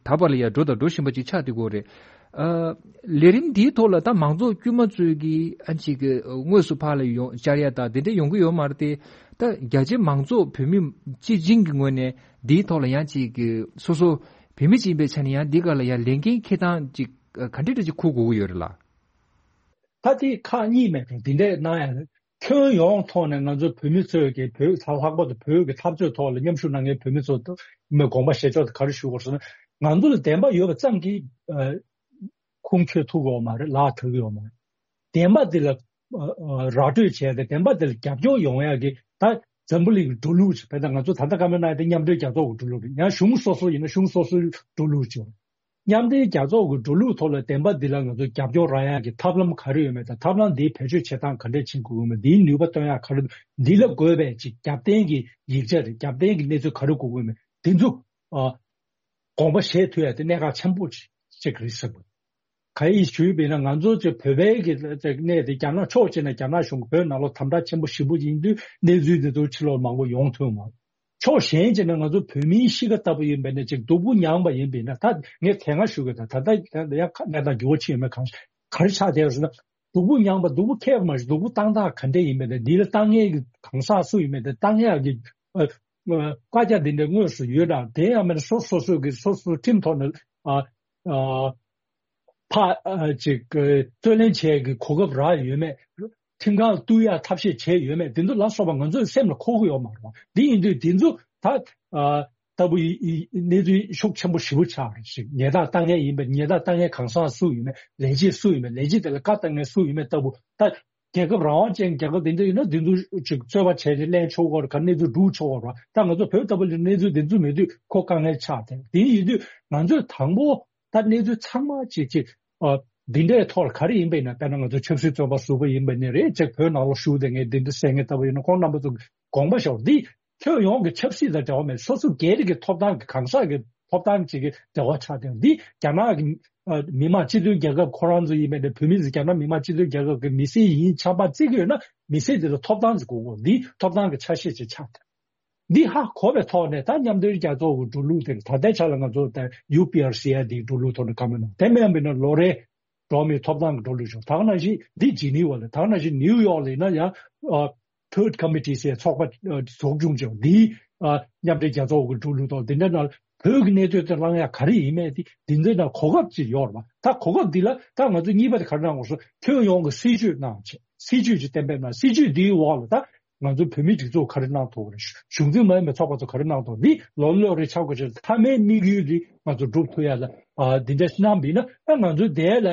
ད་བར་ལ་ཡང་འགྲོ་དང་འགྲོ་བཞིན་པ་ཅིག་ཆགས་བསྡད་ཀྱི་ཡོད་རེད། ཨ་ལས་རིམ་འདིའི་ཐོག་ལ་ད་མང་ཚོགས་དཀྱུས་མ་ཚོས་ཀྱིས་ཨ་ཅིག་གི་དངོས་སུ་ཕར་ལ་ཡོང་བཅར་ཡ་དང་དེ་འདྲ་ཡོང་གི་ཡོད་མ་རེད་དེ། ད་རྒྱ་ཆེ་མང་ཚོགས་བོད་མི་སྤྱི་བྱིངས་ཀྱི་ངོས་ནས་འདིའི་ཐོག་ལ་ཡང་ཅིག་གི་སོ་སོ་བོད་མི་ཅིག་ཡིན་པའི་ཆ་ནས་ཡང་འདི་ག་ལ་ཡང་ལས་འགན་འཁྱེར་སྟངས་ཅིག་ག་འདྲ་འདྲ་ཅིག་འཁུར་དགོས་ཀྱི་ཡོད་རེད་ལ། ད་དེ་ཁག་གཉིས་མེད་དོ་འདི་འདྲས་གནང་ཡ་ཁྱོན་ཡོངས་ཐོག་ནས་ང་ཚོ་བོད་མི་ཚོས་ཀྱི་བོད་ལྷག་པར་དུ་བོད་ཀྱི་འཐབ་རྩོད་ཐོག་ལ་མཉམ་ཞུགས་གནང་མཁན་བོད་མི་ཚོ་མི་དགོངས་པ་བཞེས་ཕྱོགས་དེ་ག་རེ་ཞུ་དགོས་ཟེར་ན་ང་ཚོ་ལ་བདེན་པ་ཡོད་པ་ཙམ་གྱིས་ཁུངས་འཁྱོལ་ཐུབ་ཡོད་མ་རེད། ལག་ཐུབ་ཡོད་མ་རེད། བདེན་པ་འདི་ལ་ཨ་ཨ་ར་སྤྲོད་བྱས་ཏེ་བདེན་པ་འདི་ལ་རྒྱབ་སྐྱོར་ཡོང་ཡག་གི་ད་འཛམ་བུ་གླིང་གི་འགྲོ་ལུགས་ཅིག་བས་ད་ང་ཚོ་ད་ལྟ་བཀའ་མོལ་གནང་ཡག་དེ་མཉམ་འབྲེལ་རྒྱལ་ཚོགས་ཀྱི་འགྲོ་ལུགས་རེད། ཡང་གཞུང་སོ་སོ་ཡིན་ན་གཞུང་སོ་སོའི་འགྲོ་ལུགས་ཅིག་ཡོད། མཉམ་འབྲེལ་རྒྱལ་ཚོགས་ཀྱི་འགྲོ་ལུགས་ཐོག་ལ་བདེན་པ་འདི་ལ་ང་ཚོ་རྒྱབ་སྐྱོར་རག་ཡག་གི་ཐབས་ལམ་ག་རེ་ཡོད་མེད་དང་ཐབས་ལམ་འདིའི་བེད་སྤྱོད་བྱེད་སྟངས་ག་འདྲས་བྱེད་དགོས་ཀྱི་ཡོད་མེད་འདིའི་ནུས་པ་བཏོན་ཡག་ག་རེ་འདི་ལ་དགོས་པའི་ཅིག་རྒྱབ་རྟེན་གྱི་ཡིག་ཆ་རེད། རྒྱབ་རྟེན་གྱི་གནས་ཚུལ་ག་རེ་དགོས་ཀྱི་ཡོད་མེད་འདི་ཚོ་ཨ་དགོངས་པ་བཞེས་ཐུབ་ཡག་དེ་གནད་འགག་ཆེན་པོ་ཅིག་རེད་ཟེར་དགོས། ག་ཡིས་ཞུས་པས་ན་ང་ཚོ་ཚོ་བོད་པའི་གི་གནས་དེ་རྒྱ་ནག་ཕྱོགས་གཅིག་ནས་རྒྱ་ནག་གཞུང་གི་བོད་ནང་ལོགས་དམ་དྲག་ཆེན་པོ་ཞེ་པོ་ཡིན་དུས་གནས་ཚུལ་འདི་ཚོ་ཕྱི་ལོགས་མང་པོ་ཡོང་ཐུབ་མ་རེད། ཕྱོགས་གཞན་གཅིག་ནས་ང་ཚོ་བོད་མིའི་གཤིས་ཀ་ལྟ་བུ་ཡིན་པས་ན་ཅིག་སྡུག་པོ་མྱངས་པ་ཡིན་པས་ན་ད་ངས་དེ་སྔ་ཞུ་གི་ད་ད་ལྟ་ཡང་གནས་སྟངས་འགྱུར་བ་ཕྱིན་ཡོད་མེད་གང་ག་རེ་ཆགས་བསྡད་ཡོད་ཟེར་ན་སྡུག་པོ་མྱངས་པ་སྡུག་པོ་ཁྱེར་བ་མ་ཞིག་སྡུག་པོ་བཏང་སྟངས་ག་འདྲས་ཡིན་པས་ན་འདི་ལ་བཏང་མཁན་གྱི་གང་ཟག་སུ་ཡིན་མེད་དེ་བཏང་ཡག་གི་ཨ་ཨ་བཀའ་རྒྱ་འདི་འདྲ་དངོས་སུ་ཡོད་དང་དེ་ཡང་མིན་སོ་སོ་སོ་གི་སོ་སོའི་ཁྲིམས་ཐོག་ནས་ཨ་ཨ་ཕ་ཨ་ཅིག་རྩོད་ལེན་བྱེད་ཀྱི་གོ་སྐབས་རག་ཡོད་མེད། ཁྲིམས་ཁང་ལ་གཏུག་ཡ་ཐབས་ཤེས་བྱས་ཡོད་མེད་འདི་ཚོ་ལ་སོགས་པ་ང་ཚོའི་སེམས་ལ་འཁོར་གི་ཡོད་མ་རེད་བ། འདི་ཡིན་དུས་འདི་ཚོ་ད་ཨ་ལྟ་བུ་ཡི་ཡི་གནས་ཚུལ་ཤུགས་ཆེན་པོ་ཞེ་པོ་ཆགས་རེད་ཤིག་ཉེས་རྡུང་བཏང་མཁན་ཡིན་པས་ཉེས་རྡུང་བཏང་མཁན་གང་ཟག་སུ་ཡིན་མེད། ལས་བྱེད་སུ་ཡིན་མེད། ལས་བྱེད་དེ་ལ་བཀའ་བཏང་མཁན་སུ་ཡིན་མེད་ལྟ་བུ་ད་རྒྱལ་ཁབ་རང་དབང་ཅན་རྒྱལ་ཁབ་དེ་འདྲ་ཡིན་ན་དེ་ཚོ་ཅིག་རྩོད་པ་བྱས་ནས་གླེང་ཆོག་གི་རེད། ག་གནས་ཚུལ་སྒྲུག་ཆོག་གི་རེད། ད་ང་ཚོ་བོད་ལྟ་བུ་ལ་གནས་ཚུལ་དེ་ཚོ་མེད་དུས་ཁོ་དཀའ་ངལ་ཆགས་ཏེ་དེ་ཡིན་དུས་ང་ཚོས་དང་པོ་ད་གནས་ཚུལ་ཚང་མ་ཅིག་ཅིག་ཨ་འདི་འདྲའི་ཐོག་ལ་ག་རེ་ཡིན་པ་ཡིན་ན་དཔེར་ན་ང་ཚོ་ཆབ་སྲིད་བཙོན་པ་ཟུར་པ་ཡིན་པ་ནི་རེད། ཅིག་བོད་ནང་ལོགས་བཞུགས་བསྡད་མཁན་འདི་འདྲ་ཟེར་མཁན་ལྟ་བུ་ཡིན་ན་ཁོང་རྣམ་པ་ཚོ་དགོངས་པ་ཞོག་འདི་ཁྱོན་ཡོངས་ཀྱི་ཆབ་སྲིད་དང་འབྲེལ་བ་མེད། སོ་སོ་སྒེར་གྱི་ཐོབ་ཐང་གི་གང་ཟག་གི་ཐོབ་ཐང་ཅིག་གི་འབྲེལ་བ་ཆགས་ཏེ་འདི་རྒྱ་ནག་གི་ཨ་མི་དམངས་སྤྱི་མཐུན་རྒྱལ་ཁབ་ཁོ་རང་ཚོ་ཡིན་པས་ནས་བོད་མི་ཚོ་རྒྱ་ནག་མི་དམངས་སྤྱི་མཐུན་རྒྱལ་ཁབ་ཀྱི་མི་སེར་ཡིན་ཆགས་པ་བརྩི་གི་ཡོད་ན་མི་སེར་དེ་ལ་ཐོབ་ཐང་ཅིག་དགོས་གོ་འདི་ཐོབ་ཐང་གི་ཆ་ཤས་ཅིག་ཆགས་ཏེ། འདི་ཧ་གོ་བའི་ཐོག་ནས་ད་མཉམ་འབྲེལ་རྒྱལ་ཚོགས་ཀྱི་འགྲོ་ལུགས་དེ་ད་ལྟའི་ཆ་ལ་ང་ཚོ་ད་ཡུ་པི་ཨར་སི་ཨའི་འདིའི་འགྲོ་ལུགས་ཐོག་ནས་བཀའ་མོལ་གནང་དེ་མིན་པ་ཡིན་ན་ལོ་རེ་འགྲོ་བ་མིའི་ཐོབ་ཐང་གི་འགྲོ་ལུགས་བྱུང་། ད་ག་ནང་བཞིན་འདི་ཇི་ནི་ཝ་ལ་ད་ག་ནང་བཞིན་ནིའུ་ཡོག་ལ་ཡིན་ན་ཡང་ཨ་Third Committee ཟེར་ཚོགས་པ་ཨ་འཛུགས་སྐྱོང་བྱུང་འདིའི་ཨ་མཉམ་འབྲེལ་རྒྱལ་ཚོགས་ཀྱི་འགྲོ་ལུགས་ཐོག་འདི་འདྲ་ན་བོད་ཀྱི་གནས་ཚུལ་དེ་བླང་ཡ་ག་རེ་ཡིན་མེད་དེ་འདི་འདྲ་ན་གོ་སྐབས་ཅིག་ཡོད་རེད་པ། ད་གོ་སྐབས་འདི་ལ་ད་ང་ཚོ་གཉིས་པ་དེ་ག་རེ་གནང་དགོས་སོ་ཁྱོན་ཡོངས་ཀྱི་སྲིད་ཇུས་གནང་བྱས་སྲིད་ཇུས་ཅིག་གཏན་འབེབས་གནང་། སྲིད་ཇུས་འདིའི་འོག་ལ་ད་ང་ཚོ་བོད་མིའི་སྒྲིག་འཛུགས་ག་རེ་གནང་ཐུབ་ཀྱི་རེད། གཞུང་འཛིན་མ་ཡིན་པའི་ཚོགས་པ་ཚོ་ག་རེ་གནང་ཐུབ། འདི་ལོ་ལོ་རེ་ཆགས་དགོས་ཆེད་མཐའ་མའི་དམིགས་ཡུལ་འདི་ང་ཚོ་སྒྲུབ་ཐུབ་ཡ་ལ་ཨ་འདི་འདྲ་ཞིག་གནང་བ་ཡིན་ན་ཨ་ང་ཚོ་དེ་ལ་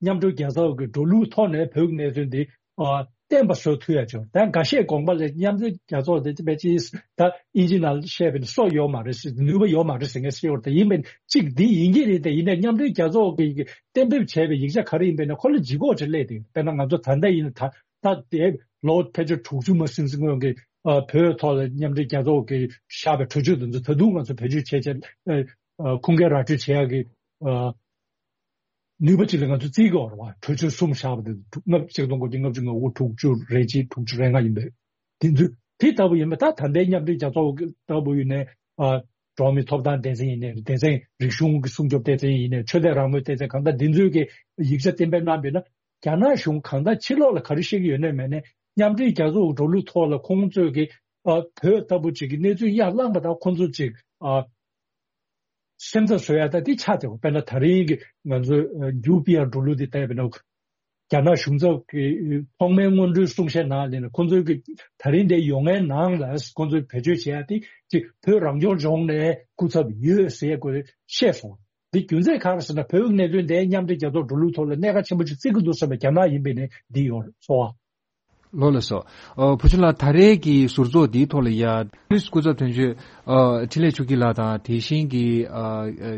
མཉམ་འབྲེལ་རྒྱལ་ཚོགས་ཀྱི་འགྲོ་ལུགས་ཐོག་ནས་བོད་ཀྱི་གནད་དོན་འདི་ཨ་བརྟན་པ་བཟོ་ཐུབ་ཡ་ཆེད་ད་འགའ་ཤས་དགོངས་པ་ལ་མཉམ་འབྲེལ་རྒྱལ་ཚོགས་དེ་དཔེ་ཅིག་ད་ཨིན་ཇི་ནང་བཤད་པའི་སྲོག་ཡོད་མ་རེད་ཟེར་ནུས་པ་ཡོད་མ་རེད་ཟེར་མཁན་ཟེར་ཡོད་རེད། ད་ཡིན་པས་གཅིག་འདི་ཡིན་གྱི་རེད། དེ་ཡིན་ནའི་མཉམ་འབྲེལ་རྒྱལ་ཚོགས་ཀྱི་གཏན་འབེབས་བྱས་པའི་ཡིག་ཆ་ག་རེ་ཡིན་པས་ན་ཁོ་ལ་ལྗིད་ཁོག་ཅིག་སླེབས་ཏེ་དཔེར་ན་ང་ཚོ་ད་ལྟ་ཡིན་ན་ད། ད་དེ་ལོ་ཕལ་ཆེར་དྲུག་ཅུ་མ་ཟིན་ཟིན་སྔོན་གྱི་ཨ་བོད་ཐོག་ལ་མཉམ་འབྲེལ་རྒྱལ་ཚོགས་ཀྱིས་བཞག་པའི་གྲོས་ཆོད་དེ་ཚོ་ད་དུང་ང་ཚོ་བེད་སྤྱོད་བྱས་བྱས་ཨ་ཁུངས་སྐྱེལ་ར་སྤྲོད་བྱེད་ཡག་གི་ཨ་ ནུས་པ་ཅིག་ལ་ང་ཚོ་བརྩི་དགོས་རེད་བ། གྲོས་ཆོད་གསུམ་བཞག་པ་དེ་ལྔ་བཅུ་ང་དགུ་ལྔ་བཅུ་ང་དགུ་དྲུག་ཅུ་རེ་གཅིག་དྲུག་ཅུ་རེ་ལྔ་ཡིན་པས། དེ་ཚོ་དེ་ལྟ་བུ་ཡིན་པ་ད་ད་ལྟའི་མཉམ་འབྲེལ་རྒྱལ་ཚོགས་ལྟ་བུ་ཡིན་ནའི་ཨ་འགྲོ་བ་མིའི་ཐོབ་ཐང་སྡེ་ཚན་ཡིན་ནའི་སྡེ་ཚན་རིག་གཞུང་གི་སྲུང་སྐྱོབ་སྡེ་ཚན་ཡིན་ནའི་ཆོས་དད་རང་མོས་སྡེ་ཚན་གང་ལྟར་འདི་ཚོས་ཀྱི་ཡིག་ཆ་གཏན་འབེབས་གནང་བ་ཡིན་ན་རྒྱ་ནག་གཞུང་གང་ལྟར་ཕྱི་ལོགས་ལ་ག་རེ་བཤད་ཀྱི་ཡོད་ནའི་མེད་ནའི་མཉམ་འབྲེལ་རྒྱལ་ཚོགས་འགྲོ་ལུགས་ཐོག་ལ་ཁོང་ཚོས་ཀྱི་ཨ་བོད་ལྟ་བུ་ཅིག་གི་གནས་ཚུལ་ཡར་བསླངས་པ་དང་ཁོང་ཚོ་ཅིག་ཨ་སེམས་འཚབ་བཟོ་ཡ་ད་འདི་ཆགས་བསྡད་པ། དཔེར་ན་ད་རིང་གི་ང་ཚོའི་ཨ་ཡུ་པི་ཨར་འགྲོ་ལུགས་འདི་ལྟ་ཡ་ཡིན་ན། རྒྱ་ནག་གཞུང་ཚབ་ཀྱི་ཐོག་མའི་སྔོན་འགྲོའི་གསུང་བཤད་ནང་ལ་ནི་ཁོང་ཚོའི་གི་ད་རིང་འདིར་ཡོང་མཁན་ནང་ལ་ཁོང་ཚོས་བེད་སྤྱོད་བྱེད་ཡ་དེ་ཅིག་བོད་རང་སྐྱོང་ལྗོངས་ནས་སྐུ་ཚབ་ཡོད་ཟེར་ཡ་ཁོས་བཤད་སོང་། འདི་རྒྱུ་མཚན་གང་རེད་ཟེར་ན་བོད་ཀྱི་གནད་དོན་དེ་མཉམ་འབྲེལ་རྒྱལ་ཚོགས་འགྲོ་ལུགས་ཐོག་ལ་གནད་འགག་ཆེན་པོ་ཅིག་བརྩི་གི་འདུག་བསམ་པའི་རྒྱ་ནག་ཡིན་པའི་ནི་འདི་ཡོད་རེད་ཚོར་བ། ལགས་སོ། ཨ་བུ་ཆུང་ལགས་ད་རེས་ཀྱི་ཟུར་ཚོགས་འདིའི་ཐོག་ལ་ཡ་ཏོག་དབྱིབས་སྐུ་ཚབ་དོན་གཅོད་ཨ་འཕྲིན་ལས་ཆོས་སྐྱིད་ལགས་དང་དེ་བཞིན་གྱི་ཨ་ཨ་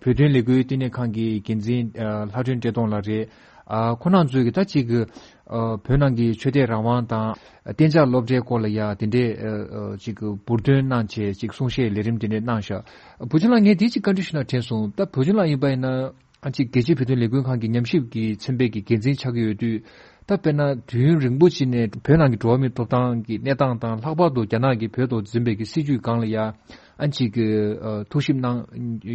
བོད་དོན་ལས་འགུལ་བསྟི་གནས་ཁང་གི་འགན་འཛིན་ཨ་ལྷ་སྒྲོན་བཀྲས་མཐོང་ལགས་རེད། ཨ་ཁོང་རྣམ་ཚོས་ཀྱི་ད་ཅིག་གི་ཨ་བོད་ནང་གི་ཆོས་དད་རང་དབང་དང་གཏན་འཇགས་སློབ་གྲྭའི་སྐོར་ལ་ཡ་དེ་འདྲའི་ཨ་ཨ་ཅིག་གི་འབུར་འདོན་གནང་བྱས་ཅིག་གསུང་བཤད་ལས་རིམ་དེ་འདྲ་གནང་ཤག་བུ་ཆུང་ལགས་ངས་དེ་ཅིག་བཀའ་འདྲི་ཞུ་ན་དྲན་སོང་། ད་བུ་ཆུང་ལགས་ཡིན་པ་ཡིན་ན། ཨ་ཅིག་རྒྱལ་སྤྱིའི་བོད་དོན་ལས་འགུལ་ཁང་གི་ཉམས་ཞིབ་ཀྱི་ཚན་པའི་གི་འགན་འཛིན་ཆགས་ཀྱི་ཡོད་དུས། ད་དཔེར་ན་དུས་ཡུན་རིང་པོ་ཅིག་ནས་བོད་ནང་གི་འགྲོ་བ་མིའི་ཐོབ་ཐང་གི་གནས་སྟངས་དང་ལྷག་པར་དུ་རྒྱ་ནག་གིས་བོད་ཐོག་འཛིན་པའི་གི་སྲིད་བྱུས་སྒང་ལ་ཡ་ཨ་ཅིག་གི་ཨ་ཐུགས་ཞིབ་གནང་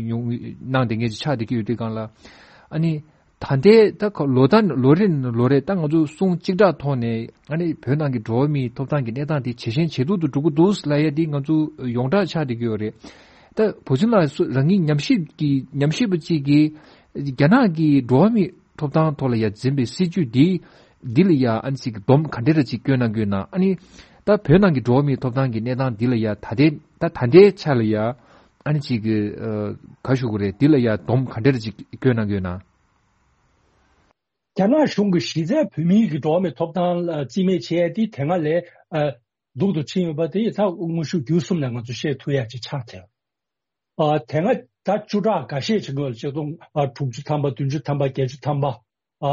མྱོང་གནང་བསྡད་མཁན་ཅིག་ཆགས་བསྡད་ཀྱི་ཡོད་དུས་སྒང་ལ། ཨ་ནི་ད་ལྟའི་ད་ཁ་ལོ་ད་ལོ་རེ་ནས་ལོ་རེ་ད་ང་ཚོ་གསུང་གཅིག་གྲགས་ཐོག་ནས་ཨ་ནི་བོད་ནང་གི་འགྲོ་བ་མིའི་ཐོབ་ཐང་གི་གནས་སྟངས་དེ་ཇེ་ཞན་ཇེ་སྡུག་ཏུ་འགྲོ་གི་འདུག་ལབ་ཡ་དེ་ང་ཚོ་ཡོངས་གྲགས་ཆགས་བསྡད་ཀྱི་ཡོད་རེད། ད་བུ་ཆུང་ལགས་སུ་རང་ཉིད་ཉམས་ཞིབ་ཀྱི་ཉམས་ཞིབ་པ་གཅིག་གིས་རྒྱ་ནག་གི་འགྲོ་བ་མིའི་ཐོབ་ཐང་ཐོག་ལ་ཡ་འཛིན་པའི་སྲིད་བྱུས་འདི་འདི་ལ་ཡ་ཨ་ནི་ཅིག་སྡོམ་ག་འདྲ་ར་ཅིག་བསྐྱོན་གནང་གི་ཡོད་ན། ཨ་ནི་ད་བོད་ནང་གི་འགྲོ་བ་མིའི་ཐོབ་ཐང་གི་གནས་སྟངས་འདི་ལ་ཡ་ད་ལྟའི་ད་ད་ལྟའི་ཆ་ལ་ཡ་ཨ་ནི་ཅིག་གི་ཨ་ག་ཞུ་དགོས་རེད། འདི་ལ་ཡ་སྡོམ་ག་འདྲ་ར་ཅིག་བསྐྱོན་གནང་གི་ཡོད་ན། རྒྱ་ནག་གཞུང་གིས་གཞི་རྩའི་བོད་མིའི་གི་འགྲོ་བ་མིའི་ཐོབ་ཐང་ལ་རྩིས་མེད་བྱས་ཏེ་དེ་སྔ་ལས་ཨ་སྡུག་ཏུ་ཕྱིན་ཡོད་པ་དེ་ད་དངོས་ཤུགས་བརྒྱུད་གསུམ་ནས་ང་ཚོ་བཤད་ཐུབ་ཡ་ཅིག་ཆགས་ཐལ། ཨ་དེ་སྔ་ད་བཅུ་ཕྲག་འགའ་ཤས་ཅིག་སྔོན་ལ་ཆིག་སྟོང་ཨ་དྲུག་ཅུ་ཐམ་པ་བདུན་ཅུ་ཐམ་པ་བརྒྱད་ཅུ་ཐམ་པ་ཨ་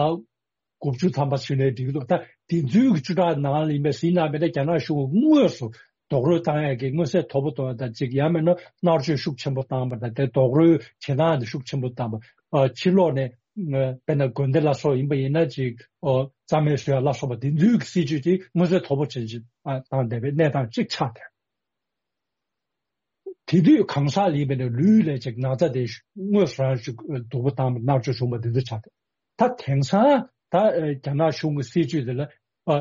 དགུ་བཅུ་ཐམ་པ་ཞུས་ནའི་འགྲིག་གི་འདུག་ད་དེ་ཚོའི་གི་བཅུ་ཕྲག་ནང་ལ་ཡིན་པའི་ཟིན་ན་མེད་ན་རྒྱ་ནག་གཞུང་གིས་དངོས་སུ་རྡོག་རོལ་བཏང་ཡ་གི་མངོན་གསལ་དོད་པོ་གཏོང་ཡ་དང་གཅིག་ཡང་མིན་ན་མནར་གཅོད་ཤུགས་ཆེན་པོ་བཏང་བ་དང་དེ་རྡོག་རོལ་བྱེད་སྟངས་དེ་ཤུགས་ཆེན་པོ་བཏང་བ། ཨ་ཕྱི་ལོགས་ནས་ཨ་དཔེར་ན་དགོན་སྡེ་ལ་སོགས་ཡིན་པ་ཡིན་ན་ཅིག་ཨོ་རྩ་མེད་བཟོ་ཡ་ལ་སོགས་པ་དེ་ཚོའི་གི་སྲིད་བྱུས་དེ་མངོན་གསལ་དོད་པོ་ཅན་ཅིག་ཨ་བཏང་བསྡད་པའི་གནས་སྟངས་གཅིག་ཆགས་ཏེ། དེ་དུས་གང་ཟག་ལ་ཡིན་པ་ཡིན་ན་ལུས་ལ་ཅིག་ན་ཚ་དེ་དངོས་སུ་རང་ཅིག་སྡུག་པོ་བཏང་བ་མནར་གཅོད་བྱུང་བ་དེ་ཚོ་ཆགས་ཏེ། ད་དེང་སང་ད་ཨ་རྒྱ་ནག་གཞུང་གི་སྲིད་བྱུས་དེ་ལ་ཨ་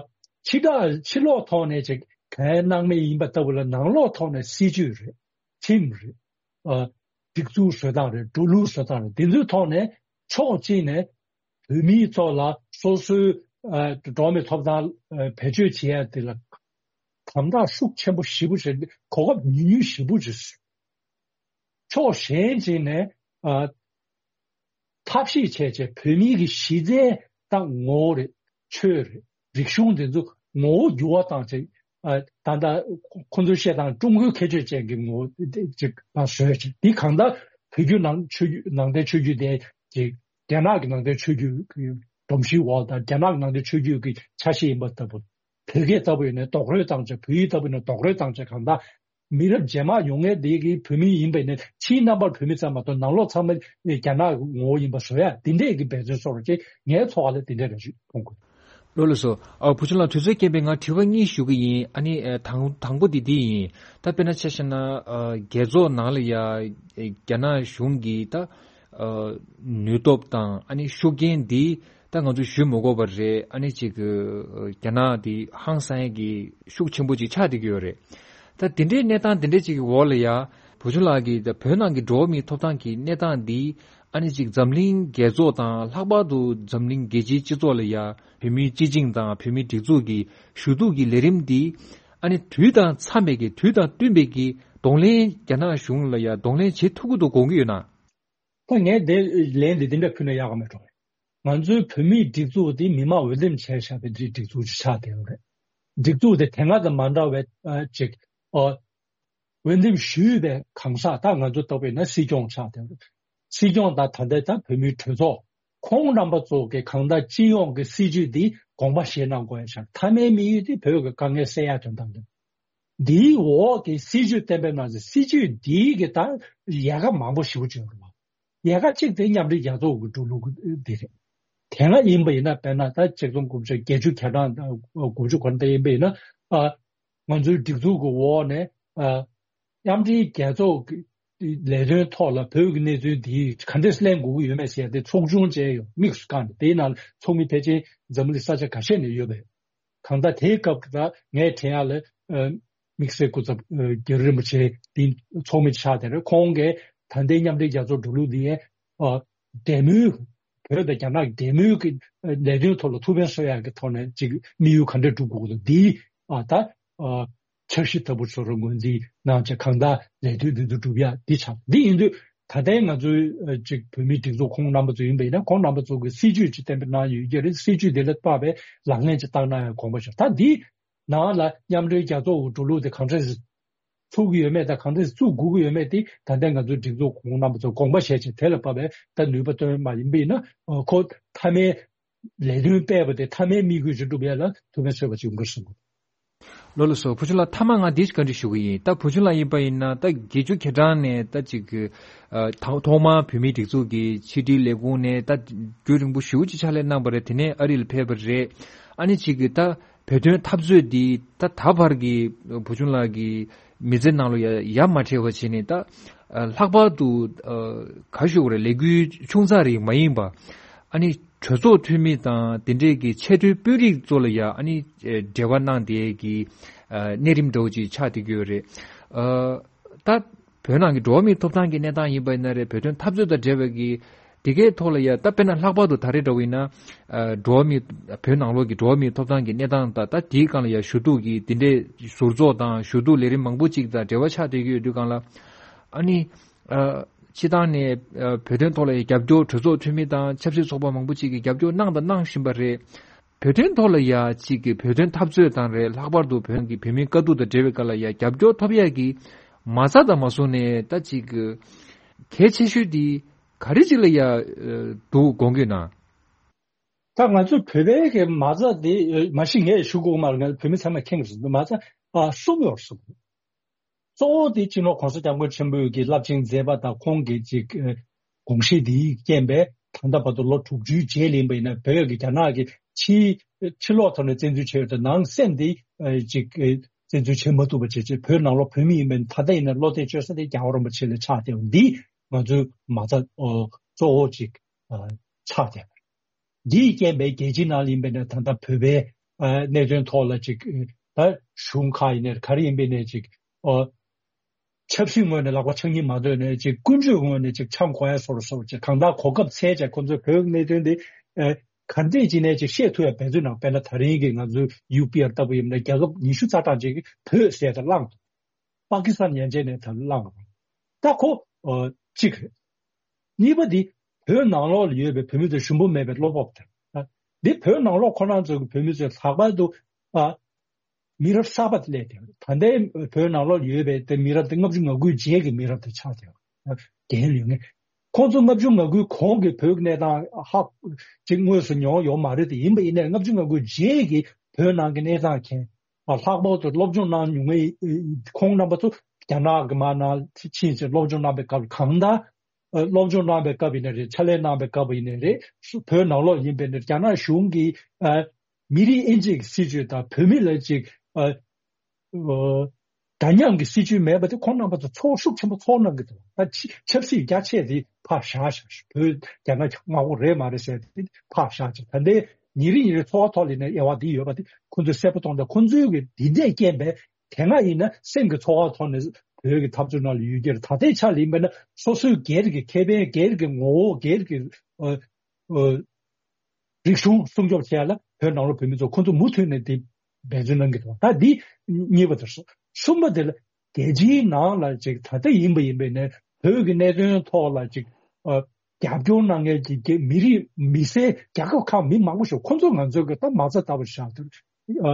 ཕྱི་ད་ཕྱི་ལོགས་ཐོག་ནས་ཅིག་གང་སྣང་མེད་ཡིན་པ་ལྟ་བུ་ལ་ནང་ལོགས་ཐོག་ནས་སྲིད་བྱུས་རེད། ཁྲིམས་རེད། ཨ་སྒྲིག་འཛུགས་བཟོ་སྟངས་རེད། འགྲོ་ལུགས་བཟོ་སྟངས་རེད། དེ་ཚོའི་ཐོག་ནས་ཕྱོགས་གཅིག་ནས་བོད་མིའི་ཐོག་ལ་སོ་སོའི་ཨ་འགྲོ་བ་མིའི་ཐོབ་ཐང་ཨ་བེད་སྤྱོད་བྱེད་ཡ་དེ་ལ་དམ་དྲག་ཤུགས་ཆེན་པོ་ཞེ་པོ་ཅིག་གོ་སྐབས་ཉུང་ཉུང་ཞེ་པོ་ཅིག་ཕྱོགས་གཞན་གཅིག་ནས་ཨ་ཐབས་ཤེས་བྱས་བྱས་བོད་མིའི་གི་གཞི་རྩའི་ད་ངོ་བོ་རེད། ཆོས་རེད། རིག་གཞུང་དེ་ཚོ་ངོ་བོ་འགྱུར་བ་བཏང་བྱས་ཨ་ད་ལྟ་ཁོ་ཚོའི་བཤད་སྟངས་ཀྲུང་གོའི་ཁྱད་ཆོས་ཅན་གྱི་ངོ་བོ་དེ་ཅིག་ཨ་བཟོས་བྱས་འདི་གང་ལྟར་བོད་བརྒྱུད་ནང་ཆོས་བརྒྱུད་ནང་བསྟན་ཆོས་བརྒྱུད་དེ་ཅིག་རྒྱ་ནག་གི་ནང་བསྟན་ཆོས་བརྒྱུད་ཀྱི་སྒྲོམ་གཞིའི་འོག་དང་རྒྱ་ནག་གི་ནང་བསྟན་ཆོས་བརྒྱུད་ཀྱི་ཆ་ཤས་ཡིན་པ་ལྟ་བུ། བོད་སྐད་ལྟ་བུ་ཡིན་ན་རྡོག་རོལ་བཏང་བྱས། བོད་ཡིག་ལྟ་བུ་ཡིན་ན་རྡོག་རོལ་བཏང་བྱས། གང་ལྟར་མི་རབས་རྗེས་མ་ཡོང་མཁན་དེ་གི་བོད་མི་ཡིན་པ་ཡིན་ན་ཕྱིའི་རྣམ་པར་བོད་མི་ཙམ་མ་གཏོགས་ནང་ལོགས་ཚང་མ་རྒྱ་ནག་གི་ངོ་བོ་ཡིན་པ་བཟོ་ཡ་དེ་འདྲས་ཀྱི་འབད་བརྩོན་སོགས་ཅིག་ངའི་ཚོར་བ་ལ་དེ་འདྲས་རེ་ཞིག་མཐོང་གི། ལགས་ལགས་སོ། ཨ་བུ་ཆུང་ལགས་དུས་ཚོད་རྐྱེན་པས་ང་དྲི་བ་གཉིས་ཞུ་གི་ཡིན། ཨ་ནི་ཨ་དང་དང་པོ་དེ་འདི་ཡིན། ད་དཔེར་ན་ཆ་བཞག་ན་ཨ་རྒྱལ་ཚོགས་ནང་ལ་ཡ་ཨ་རྒྱ་ནག་གཞུང་གིས་ད་ཨ་ནུས་སྟོབས་དང་ཨ་ནི་ཤུགས་རྐྱེན་འདི་ད་ང་ཚོ་ཞུ་མི་དགོས་པ་རེད། ཨ་ནི་ཅིག་གི་རྒྱ་ནག་འདི་ཧང་སང་ཡས་ཀྱི་ཤུགས་ཆེན་པོ་ཅིག་ཆགས་བསྡད་ཀྱི་ཡོད་རེད། ད་དེ་འདྲའི་གནས་སྟངས་དེ་འདྲ་ཅིག་གི་འོག་ལ་ཡ་བུ་ཆུང་ལགས་ཀྱིས་ད་བོད་ནང་གི་འགྲོ་བ་མིའི་ཐོབ་ཐང་གི་གནས་སྟངས་འདི་ཨ་ནི་ཅིག་འཛམ་གླིང་རྒྱལ་ཚོགས་དང་ལྷག་པར་དུ་འཛམ་གླིང་རྒྱལ་སྤྱིའི་སྤྱི་ཚོགས་ལ་ཡ་བོད་མིའི་སྤྱི་བྱིངས་དང་བོད་མིའི་སྒྲིག་འཛུགས་ཀྱི་ཞུ་གཏུག་གི་ལས་རིམ་འདི་ཨ་ནི་དུས་དང་འཚམས་པའི་གི་དུས་དང་བསྟུན་པའི་གི་གདོང་ལེན་རྒྱ་ནག་གཞུང་ལ་ཡ་གདོང་ལེན་བྱེད་ཐུབ་ཀྱི་འདུག་དགོངས་ཀྱི་ཡོད་ན། ད་ངས་དེ་ལན་འདི་འདི་འདྲ་ཕུལ་ན་ཡག་ག་མེད་འགྲོ། ང་ཚོའི་བོད་མིའི་སྒྲིག་འཛུགས་འདི་མི་མང་འོས་འདེམས་བྱས་བཞག་པའི་སྒྲིག་འཛུགས་ཅིག་ཆགས་བསྡད་ཡོད་རེད། སྒྲིག་འཛུགས་དེ་དེ་སྔ་དང་མ་འདྲ་བའི་ཨ་ཅིག་ཨོ་འོས་འདེམས་ཞུས་པའི་གང་ཟག་ད་ང་ཚོ་ལྟ་བུ་ཡིན་ན་སྲིད་སྐྱོང་ཆགས་བསྡད་ཡོད་རེད། སྲིད་སྐྱོང་དང་ད་ལྟའི་ད་བོད་མིའི་གྲོས་ཚོགས་ཁོང་རྣམ་པ་ཚོ་གི་གང་ལྟར་སྤྱི་ཡོངས་ཀྱི་སྲིད་བྱུས་འདི་དགོངས་པ་བཞེས་གནང་དགོས་ཡ་ཆགས། མཐའ་མའི་དམིགས་ཡུལ་དེ་བོད་ཀྱི་དཀའ་ངལ་སེལ་ཡ་དོན་དག་རེད། འདིའི་འོག་གི་སྲིད་བྱུས་གཏན་འབེབས་གནང་ཚེ་སྲིད་བྱུས་འདིའི་གི་ད་ཡལ་ག་མང་པོ་ཞེ་པོ་ཅིག་ཡོད་རེད་བ། ཡལ་ག་གཅིག་དེ་མཉམ་འབྲེལ་རྒྱལ་ཚོགས་ཀྱི་འགྲོ་ལུགས་འདི་རེད། དེ་སྔ་ཡིན་པ་ཡིན་ན། དཔེར་ན་ད་ཆིག་སྟོང་དགུ་བརྒྱ་བརྒྱད་ཅུ་གྱ་གྲངས་དང་དགུ་བཅུ་གོ་ནས་ཡིན་པ་ཡིན་ན། ཨ། ང་ཚོའི་སྒྲིག་འཛུགས་ཀྱི་འོག་ནས། ཨ། མཉམ་འབྲེལ་རྒྱལ་ཚོགས་ཀྱི་ལས་དོན་ཐོག་ལ་བོད་ཀྱི་གནས་ཚུལ་འདི་ག་འདྲས་གླེང་དགོས་ཀྱི་ཡོད་མེད་ཟེར་ཏེ་ཚོགས་ཆུང་བཅས་ཡོད། དམིགས་སུ་བཀར་ནས། དེའི་ནང་ཚོགས་མི་ཕལ་ཆེར་འཛམ་བུ་གླིང་ས་ཆ་ཁ་ཤས་ནས་ཡོད་པས། གང་ལྟར་དེའི་སྐབས་ཀྱི་ད་ངས་དྲན་ཡག་ལ། ཨ། དམིགས་བསལ་སྐུ་ཚབ། ཨ། རྒྱ་རི་རིན་པོ་ཆེ་འདི་ཚོགས་མི་ཆགས་དེ་རེད། ཁོང་གིས་ད་ལྟའི་མཉམ་འབྲེལ་རྒྱལ་ཚོགས་འགྲོ་ལུགས་འདི་ཡང་། ཨ། འབྲེལ་མོལ། བོད་དང་རྒྱ་ནག་གི་འབྲེལ་མོལ་གྱི་ལས་དོན་ཐོག་ལ་ཐུགས་ཕན་གསོས་ཡག་གི་ཐོག་ནས་ཅིག་དམིགས་ཡུལ་ག་འདྲ་སྒྲུབ་དགོས་ཀྱི་འདུག་འདི། ཨ། ད། ཨ། འཆར་གཞི་ལྟ་བུ་བཟོ་རོགས་ངོས་འཛིན་གནང་བྱས། གང་ལྟར་ལས་དོན་འདི་ཚོ་སྒྲུབ་ཡག་འདི་ཆགས། འདི་ཡིན་དུས་ད་ལྟའི་ང་ཚོའི། ཨ། ཅིག་བོད་མིའི་སྒྲིག་འཛུགས་ཁོང་རྣམ་པ་ཚོ་ཡིན་པ་ཡིན་ན། ཁོང་རྣམ་པ་ཚོ་གི་སྲིད་ཇུས་ཅིག་གཏན་འབེབས་གནང་ཡོད་ཀྱི་རེད། སྲིད་ཇུས་དེ་ལ་དཔག་པའི་ལག་ལེན་ཅིག་བསྟར་གནང་ཡག་དགོངས་པ་ཞུ། ད་འདི་ནང་ལ་མཉམ་འབྲེལ་རྒྱལ་ཚོགས་ཀྱི་འགྲོ་ལུགས་དེ་གང་འདྲས་ཚུགས་ཀྱི་ཡོད་མེད་དང་གང་འདྲས་ཚུགས་དགོས་ཀྱི་ཡོད་མེད་དེ་ད་ལྟའི་ང་ཚོའི་སྒྲིག་འཛུགས་ཁོང་རྣམ་པ་ཚོ་དགོངས་པ་བཞེས་བྱས། དེ་ལ་དཔག་པའི་ད་ནུས་པ་བཏོན་མ་ཡིན་པ་ཡིན་ན། ཨ། ཁོ་མཐའ་མའི་ལས་དོན་སྤེལ་བ་དེ་མཐའ་མའི་དམིགས་ཡུལ་ཅིག་སྒྲུབ་ཡག་ལ་ཐུགས་ཕན་གསོས་པ་ཅིག་ཡོང་གི་རེད་བསམ་གྱི། ལགས་ལགས་སོ། བུ་ཆུང་ལགས། མཐའ་མ་ང་འདི་ཞིག་བཀའ་འདྲི་ཞུ་གི་ཡིན། ད་བུ་ཆུང་ལགས་ཡིན་པ་ཡིན་ན་ད་བརྒྱད་ཅུ་གྱ་གྲངས་ནས་ད་ཅིག་གི། ཨ། ཐོག་ཐོག་མར་བོད་མིའི་སྒྲིག་འཛུགས་ཀྱི་ཕྱི་དྲིལ་ལས་ཁུངས་ནས་ད་རྒྱུན་རིང་པོ་ཞེ་པོ་ཅིག་ཕྱག་ལས་གནང་བ་རེད། དེ་ནས་ཨ་རི་ལ་ཕེབས་པ་རེད། ཨ་ནི་ཅིག་གི་ད་བོད་དོན་འཐབ་རྩོད་འདི་ད་ད་བར་གྱི་བུ་ཆུང་ལགས་ཀྱི་མི་ཚེ་ནང་ལ་ཡ་ཡ་མ་བྲལ་བ་བྱས་ནས། ད་ཨ་ལྷག་པར་དུ་ཨ་ག་ཞུ་དགོས་རེད། ལས་འགུལ་ཆུང་ཙག་རིགས་མ་ཡིན་པ། ཨ་ནི་གྲོས་ཚོགས་འཐུས་མི་དང་དེ་འདྲས་ཀྱི་ཆེས་མཐོའི་དཔོན་རིགས་ཚོ་ལ་ཡ་ཨ་ནི་ཨ་འབྲེལ་བ་གནང་བསྡད་ཀྱི་ཨ་གནས་རིམ་འདྲ་བོ་ཅིག་ཆགས་བསྡད་ཀྱི་ཡོད་རེད། ཨ་ད་བོད་ནང་གི་འགྲོ་བ་མིའི་ཐོབ་ཐང་གི་གནས་སྟངས་ཡིན་པ་ཡིན་ན་རེད། བོད་དོན་འཐབ་རྩོད་དང་འབྲེལ་བའི་གི་དེ་གའི་ཐོག་ལ་ཡ། ད་དཔེར་ན་ལྷག་པར་དུ་ད་རེས་འདྲ་བོ་ཡིན་ན། ཨ་འགྲོ་བ་མིའི། བོད་ནང་ལོགས་ཀྱི་འགྲོ་བ་མིའི་ཐོབ་ཐང་གི་གནས་སྟངས་དང་། ད་དེའི་སྒང་ལ་ཡ་ཞུ་གཏུག་གི་དེ་འདྲའི་ཟུར་ཚོགས་དང་ཞུ་གཏུག་ལས་རིམ་མང་པོ་ཅིག་དང་འབྲེལ་བ་ཆགས་བསྡད་ཀྱི་ཡོད་དུས་སྒང་ལ། ཨ་ནི་ཨ་སྤྱི་བཏང་ནས་ཨ་བོད་དོན་ཐོག་ལ་ཡ་རྒྱབ་སྐྱོར། གྲོས་ཚོགས་འཐུས་མི་དང་ཆབ་སྲིད་ཚོགས་པ་མང་པོ་ཅིག་གིས་རྒྱབ་སྐྱོར་གནང་དང་གནང་བཞིན་པ་རེད། བོད་དོན་ཐོག་ལ་ཡ་གཅིག་གི་བོད་དོན་འཐབ་རྩོད་དང་རེད། ལྷག་པར་དུ་བོད་ཀྱི་བོད་མིའི་དཀའ་སྡུག་དང་འབྲེལ་བའི་སྐོར་ལ་ཡ་རྒྱབ་སྐྱོར་ཐོབ་ཡག་གི་མ་རྩ་དང་མ་སོང་ནས་ད་གཅིག་གི་གལ་ཆེ་ཤོས་དེ་ག་རེ་ཅིག་ལ་ཡ་འདུག་དགོངས་ཀྱི་ན། ད་ང་ཚོ་བོད་པའི་གི་མ་རྩ་དེ། མ་གཞི་ངས་ཞུ་དགོས་མ་རེད། ང་བོད་མི་ཚང་མས་མཁྱེན་གྱི་རེད། མ་རྩ་ཨ་གསུམ་ཡོད་རེད་གསུམ། གཙོ་བོ་དེ་སྤྱི་ནོར་༸གོང་ས་༸སྐྱབས་མགོན་ཆེན་པོས་ཀྱི་རླབས་ཆེན་མཛད་པ་དང་ཁོང་གི་ཅིག་ཨ་དགོངས་གཞི་འདིའི་རྐྱེན་པས་ད་ལྟ་བར་དུ་ལོ་དྲུག་ཅུའི་རྗེས་ལ་ཡིན་པ་ཡིན་ན། བོད་ཀྱི་རྒྱ་ནག་གི་ཕྱི་ཕྱི་ལོགས་ཐོག་ནས་བཙན་འཛུལ་བྱས་ཡོད་དེ། ནང་སེམས་དེ་ཨ་ཅིག་ཨ་བཙན་འཛུལ་བྱེད་མ་ཐུབ་པ་བྱས་བྱས། བོད་ནང་ལོགས་བོད་མི་ཡིན་པ་ཡིན་ན། ད་ལྟ་ཡིན་ན་བློ་གཏད་བཅོལ་ས་དེ་རྒྱལ་བ་རིན་པོ་ཆེ་ལ་ཆགས་བསྡད་པ་འདི་ང་ཚོའི་མ་རྩ་ཨ་གཙོ་བོ་ཅིག་ཨ་ཆགས་བསྡད་པ་རེད། འདིའི་རྐྱེན་པས་རྒྱལ་སྤྱིའི་ནང་ལ་ཡིན་པས་ན། ད་ལྟ་བོད་པའི་ཨ་གནད་དོན་ཐོག་ལ་ཅིག་ད་གཞུང་ཁག་ཡིན་ནའི་ག་རེ་ཡིན་པས་ན་ཅིག་ཨ་ཆབ་སྲིད་ངོས་ནས་ལག་པ་འཆང་གི་མ་འདོད་ནས། ཅིག་ཀུན་སྤྱོད་ངོས་ནས་ཅིག་འཆང་དགོས་ཡ་བཟོ་རུ་བཟོ་རུ་བྱས། གང་ལྟར་གོ་སྐབས་འཚོལ་བྱས་ཁོ་ཚོས་བོད་ཀྱི་གནད་དོན་འདི་ཨ་ག་འདྲས་ཅིག་ནས་ཅིག་བཤད་ཐུབ་ཡ་འབད་བརྩོན་གནང་། དཔེར་ན་ད་རིང་གི་ང་ཚོའི་ཡུ་པི་ཨར་ལྟ་བུ་ཡིན་ན། རྒྱལ་ཁབ་ཉི་ཤུ་རྩ་གྲངས་ཅིག་གིས་བོད་ཟེར་ཏེ་བླངས་འདུག་པ་ཀི་སི་ཐན་ཡན་ཆད་ནས་ད་བླངས་པ་རེད། ད་ཁོ་ཨ་གཅིག་རེད། གཉིས་པ་འདི་བོད་ནང་ལོགས་ལ་ཡོད་པའི་བོད་མི་ཚོ་ཞུམ་པ་མེད་པའི་བློ་སྤོབས་དེ། ཨ་འདི་བོད་ནང་ལོགས་ཁོ་རང་ཚོ་གི་བོད་མི་ཚོས་ལྷག་པར་དུ་ཨ་མི་རབས་གསར་པ་དེ་སླེབས་ཏེ། ད་ལྟའི་བོད་ནང་ལོགས་ལ་ཡོད་པའི་དེ་མི་རབས་དེ་ལྔ་བཅུ་ང་དགུའི་རྗེས་ཀྱི་མི་རབས་དེ་ཆགས་ཏེ། ཨ་རྒན་ཡོལ་མཁན། ཁོང་ཚོ་ལྔ་བཅུ་ང་དགུའི་གོང་གི་བོད་ཀྱི་གནས་སྟངས་ཧ་ཅིག་དངོས་སུ་མྱོང་ཡོད་མ་རེད་དེ། ཡིན་པ་ཡིན་ནའི་ལྔ་བཅུ་ང་དགུའི་རྗེས་ཀྱི་བོད་ནང་གི་གནས་སྟངས་མཁྱེན། ཨ་ལྷག་པར་དུ་སློབ་སྦྱོང་གནང་མྱོང་མཁན་ཁོང་རྣམ་པ་ཚོ་རྒྱ་ནག་གི་མར་ནང་ཕྱིན་ཚེ་སློབ་སྦྱོང་གནང་པའི་སྐབས། གང་ལྟར་ཨ་སློབ་སྦྱོང་གནང་པའི་སྐབས་ཡིན་ནའི་རེད། ཕྱག་ལས་གནང་པའི་སྐབས་ཡིན་ནའི་རེད། བོད་ནང་ལོགས་ཡིན་པའི་ནི་རྒྱ་ནག་གཞུང་གིས་ཨ་མི་རིགས་དབྱེ་འབྱེད་ཀྱི་སྲིད་བྱུས་དང་། བོད་མི་ལ་ཅིག་ཨ་ཨ་འདྲ་མཉམ་གྱི་སྲིད་བྱུས་མེད་པ་དེ་ཁོང་རྣམ་པ་ཚོ་ཚོར། ཤུགས་ཆེན་པོ་ཚོར་གནང་གི་འདུག་ད་ཆ་ཆབ་སྲིད་རྒྱ་ཆེ་དེ་ཕར་བཞག་བཞག་བོད་རྒྱ་ནག་མང་པོ་རེད་མ་རེད་ཟེར་དེ་ཕར་བཞག་བྱས། ད་ལྟའི་ཉིན་རེ་ཉིན་རེ་འཚོ་བ་ཐོག་ལ་ནས་དབྱེ་བ་འདི་ཡོད་པ་དེ་ཁོ་ཚོས་གསལ་པོ་མཐོང་། ད་ཁོ་ཚོའི་གི་འདི་འདྲས་རྐྱེན་པས་དེ་སྔ་ཡིན་ན་སེམས་ཀྱི་ཚོར་བ་ཐོག་ནས་བོད་ཀྱི་འཐབ་རྩོད་ནང་ལ་ཡོད་ཀྱི་རེད། ད་ལྟའི་ཆ་ལ་ཡིན་པས་ན་སོ་སོའི་སྒེར་གྱི་ཁེ་ཕན། སྒེར་གྱི་ངོ་བོ། སྒེར་གྱི་ཨ་ཨ་རིག་གཞུང་སྲུང་སྐྱོབ་བྱེད་ཡ་ལ་བོད་ནང་ལོགས་བོད་མི་ཚོ་ཁོ་ཚོ་མུ་མཐུད་ནས་དེ་འབད་བརྩོན་གནང་གི་འདུག་ད་འདི་གཉིས་པ་དེ་རེད། གསུམ་པ་དེ་ལ་རྒྱལ་སྤྱིའི་ནང་ལ་ཅིག་ད་ལྟ་ཡིན་པ་ཡིན་པས་ནས་བོད་ཀྱི་གནད་དོན་ཐོག་ལ་ཅིག་ཨ་རྒྱབ་སྐྱོར་གནང་མཁན་གྱི་རྒྱ་མི་རིགས་མི་སེར་རྒྱལ་ཁབ་ཁག་མི་མང་པོ་ཞིག་ཁོ་ཚོ་ང་ཚོའི་གི་ད་མ་རྩ་ལྟ་བུ་བཞག་དུས། ཨ་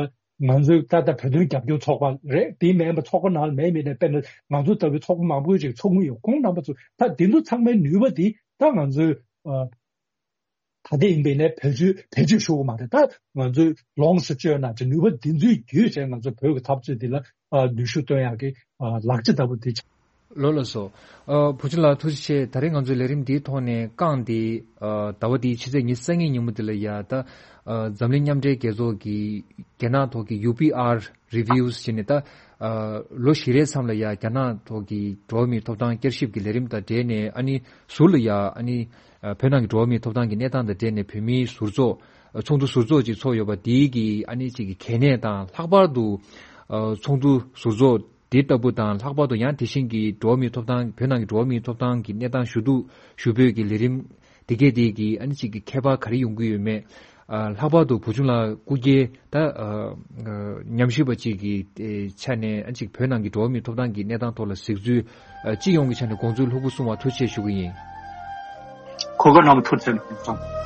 ང་ཚོའི་ད་ལྟ་བོད་དོན་རྒྱབ་སྐྱོར་ཚོགས་པ་རེད། དེ་མིན་པ་ཚོགས་པ་ནང་ལ་མེད་མིན་ནས། དཔེར་ན་ང་ཚོ་ལྟ་བུའི་ཚོགས་པ་མང་པོ་ཅིག་ཚོགས་མི་ཡོད། ཁོང་རྣམ་པ་ཚོ་ད་དེ་ཚོ་ཚང་མའི་ནུས་པ་དེ་ད་ང་ཚོའི་ཨ་ད་ལྟ་ཡིན་པས་ནས་བེད་སྤྱོད་བེད་སྤྱོད་ཞུ་གི་མ་རེད། ད་ང་ཚོས་ལོངས་སུ་སྤྱོད་ན་ཅིག་ནུས་པ་འདི་ཚོའི་བརྒྱུད་བྱས་ང་ཚོ་བོད་ཀྱི་འཐབ་རྩོད་འདི་ལ་ཨ་ནུས་ཤུགས་བཏོན་ཡག་གི་ཨ་ལག་ཆ་ལྟ་བུ་དེ་ཆགས། ལགས་སོ། ཨ། བུ་ཆུང་ལགས་ཐུགས་རྗེ་ཆེ། ད་རེས་ང་ཚོའི་ལས་རིམ་འདིའི་ཐོག་ནས་རྐང་འདི། ཨ། ཟླ་བ་འདིའི་ཕྱི་ཚེས་ཉི་ཤུ་རྩ་གཉིས་ཉིན་མོ་འདི་ལ་ཡ་ད། ཨ། འཛམ་གླིང་མཉམ་འབྲེལ་རྒྱལ་ཚོགས་ཀྱི་རྒྱ་ནག་ཐོག་གི་ཡུ་པི་ཨར་རི་བིའུ་ཟེར་ནས་ད། ཨ། ལོ་བཞི་རེའི་མཚམས་ལ་ཡ་རྒྱ་ནག་ཐོག་གི་འགྲོ་བ་མིའི་ཐོབ་ཐང་བསྐྱར་ཞིབ་ཀྱི་ལས་རིམ་དང་འབྲེལ་ནས། ཨ་ནི་ཟུར་ལ་ཡ། ཨ་ནི། ཨ། བོད་ནང་གི་འགྲོ་བ་མིའི་ཐོབ་ཐང་གི་གནས་སྟངས་དང་འབྲེལ་ནས་བོད་མིའི་ཟུར་ཚོགས། ཨ། ཚོགས་འདུ་ཟུར་ཚོགས་ཅིག་ཚོགས་ཡོད་པ་འདིའི་གི། ཨ་ནི་ཅིག་གི་གལ་གནད་དང་། ལྷག་པར་དུ། ཨ། ཚོགས་འདུ་ཟུར་ཚོགས་འདི་ལྟ་བུ་དང་། ལྷག་པར་དུ་ཡང་དེ་བཞིན་གྱི་འགྲོ་བ་མིའི་ཐོབ་ཐང་། བོད་ནང་གི་འགྲོ་བ་མིའི་ཐོབ་ཐང་གི་གནས་སྟངས་ཞུ་གཏུག་ཞུ་འབོད་ཀྱི་ལས་རིམ་འདི་གས་དེ་གི། ཨ་ནི་ཅིག་གི་ཁྱད་པར་ག་རེ་ཡོང་གི་ཡོད་མེད། ཨ། ལྷག་པར་དུ་བུ་ཆུང་ལགས་སྐུ་སྒེར་ད། ཨ། ཨ། ཉམས་ཞིབ་པ་ཅིག་གི། ཨེ། ཆ་ནས། ཨ། ཅིག་བོད་ནང་གི་འགྲོ་བ་མིའི་ཐོབ་ཐང་གི་གནས་སྟངས་ཐོག་ལ་གཟིགས་ཚུལ། ཨ། སྤྱི་ཡོངས་ཀྱི་ཆ་ནས་དགོངས་ཚུལ་ལྷུག་པོ་གསུང་བར་ཐུགས་རྗེ་ཆེ་ཞུ་གི་ཡིན། གོ་སྐབས་གནང་བར་ཐུགས་རྗེ་ཆེ།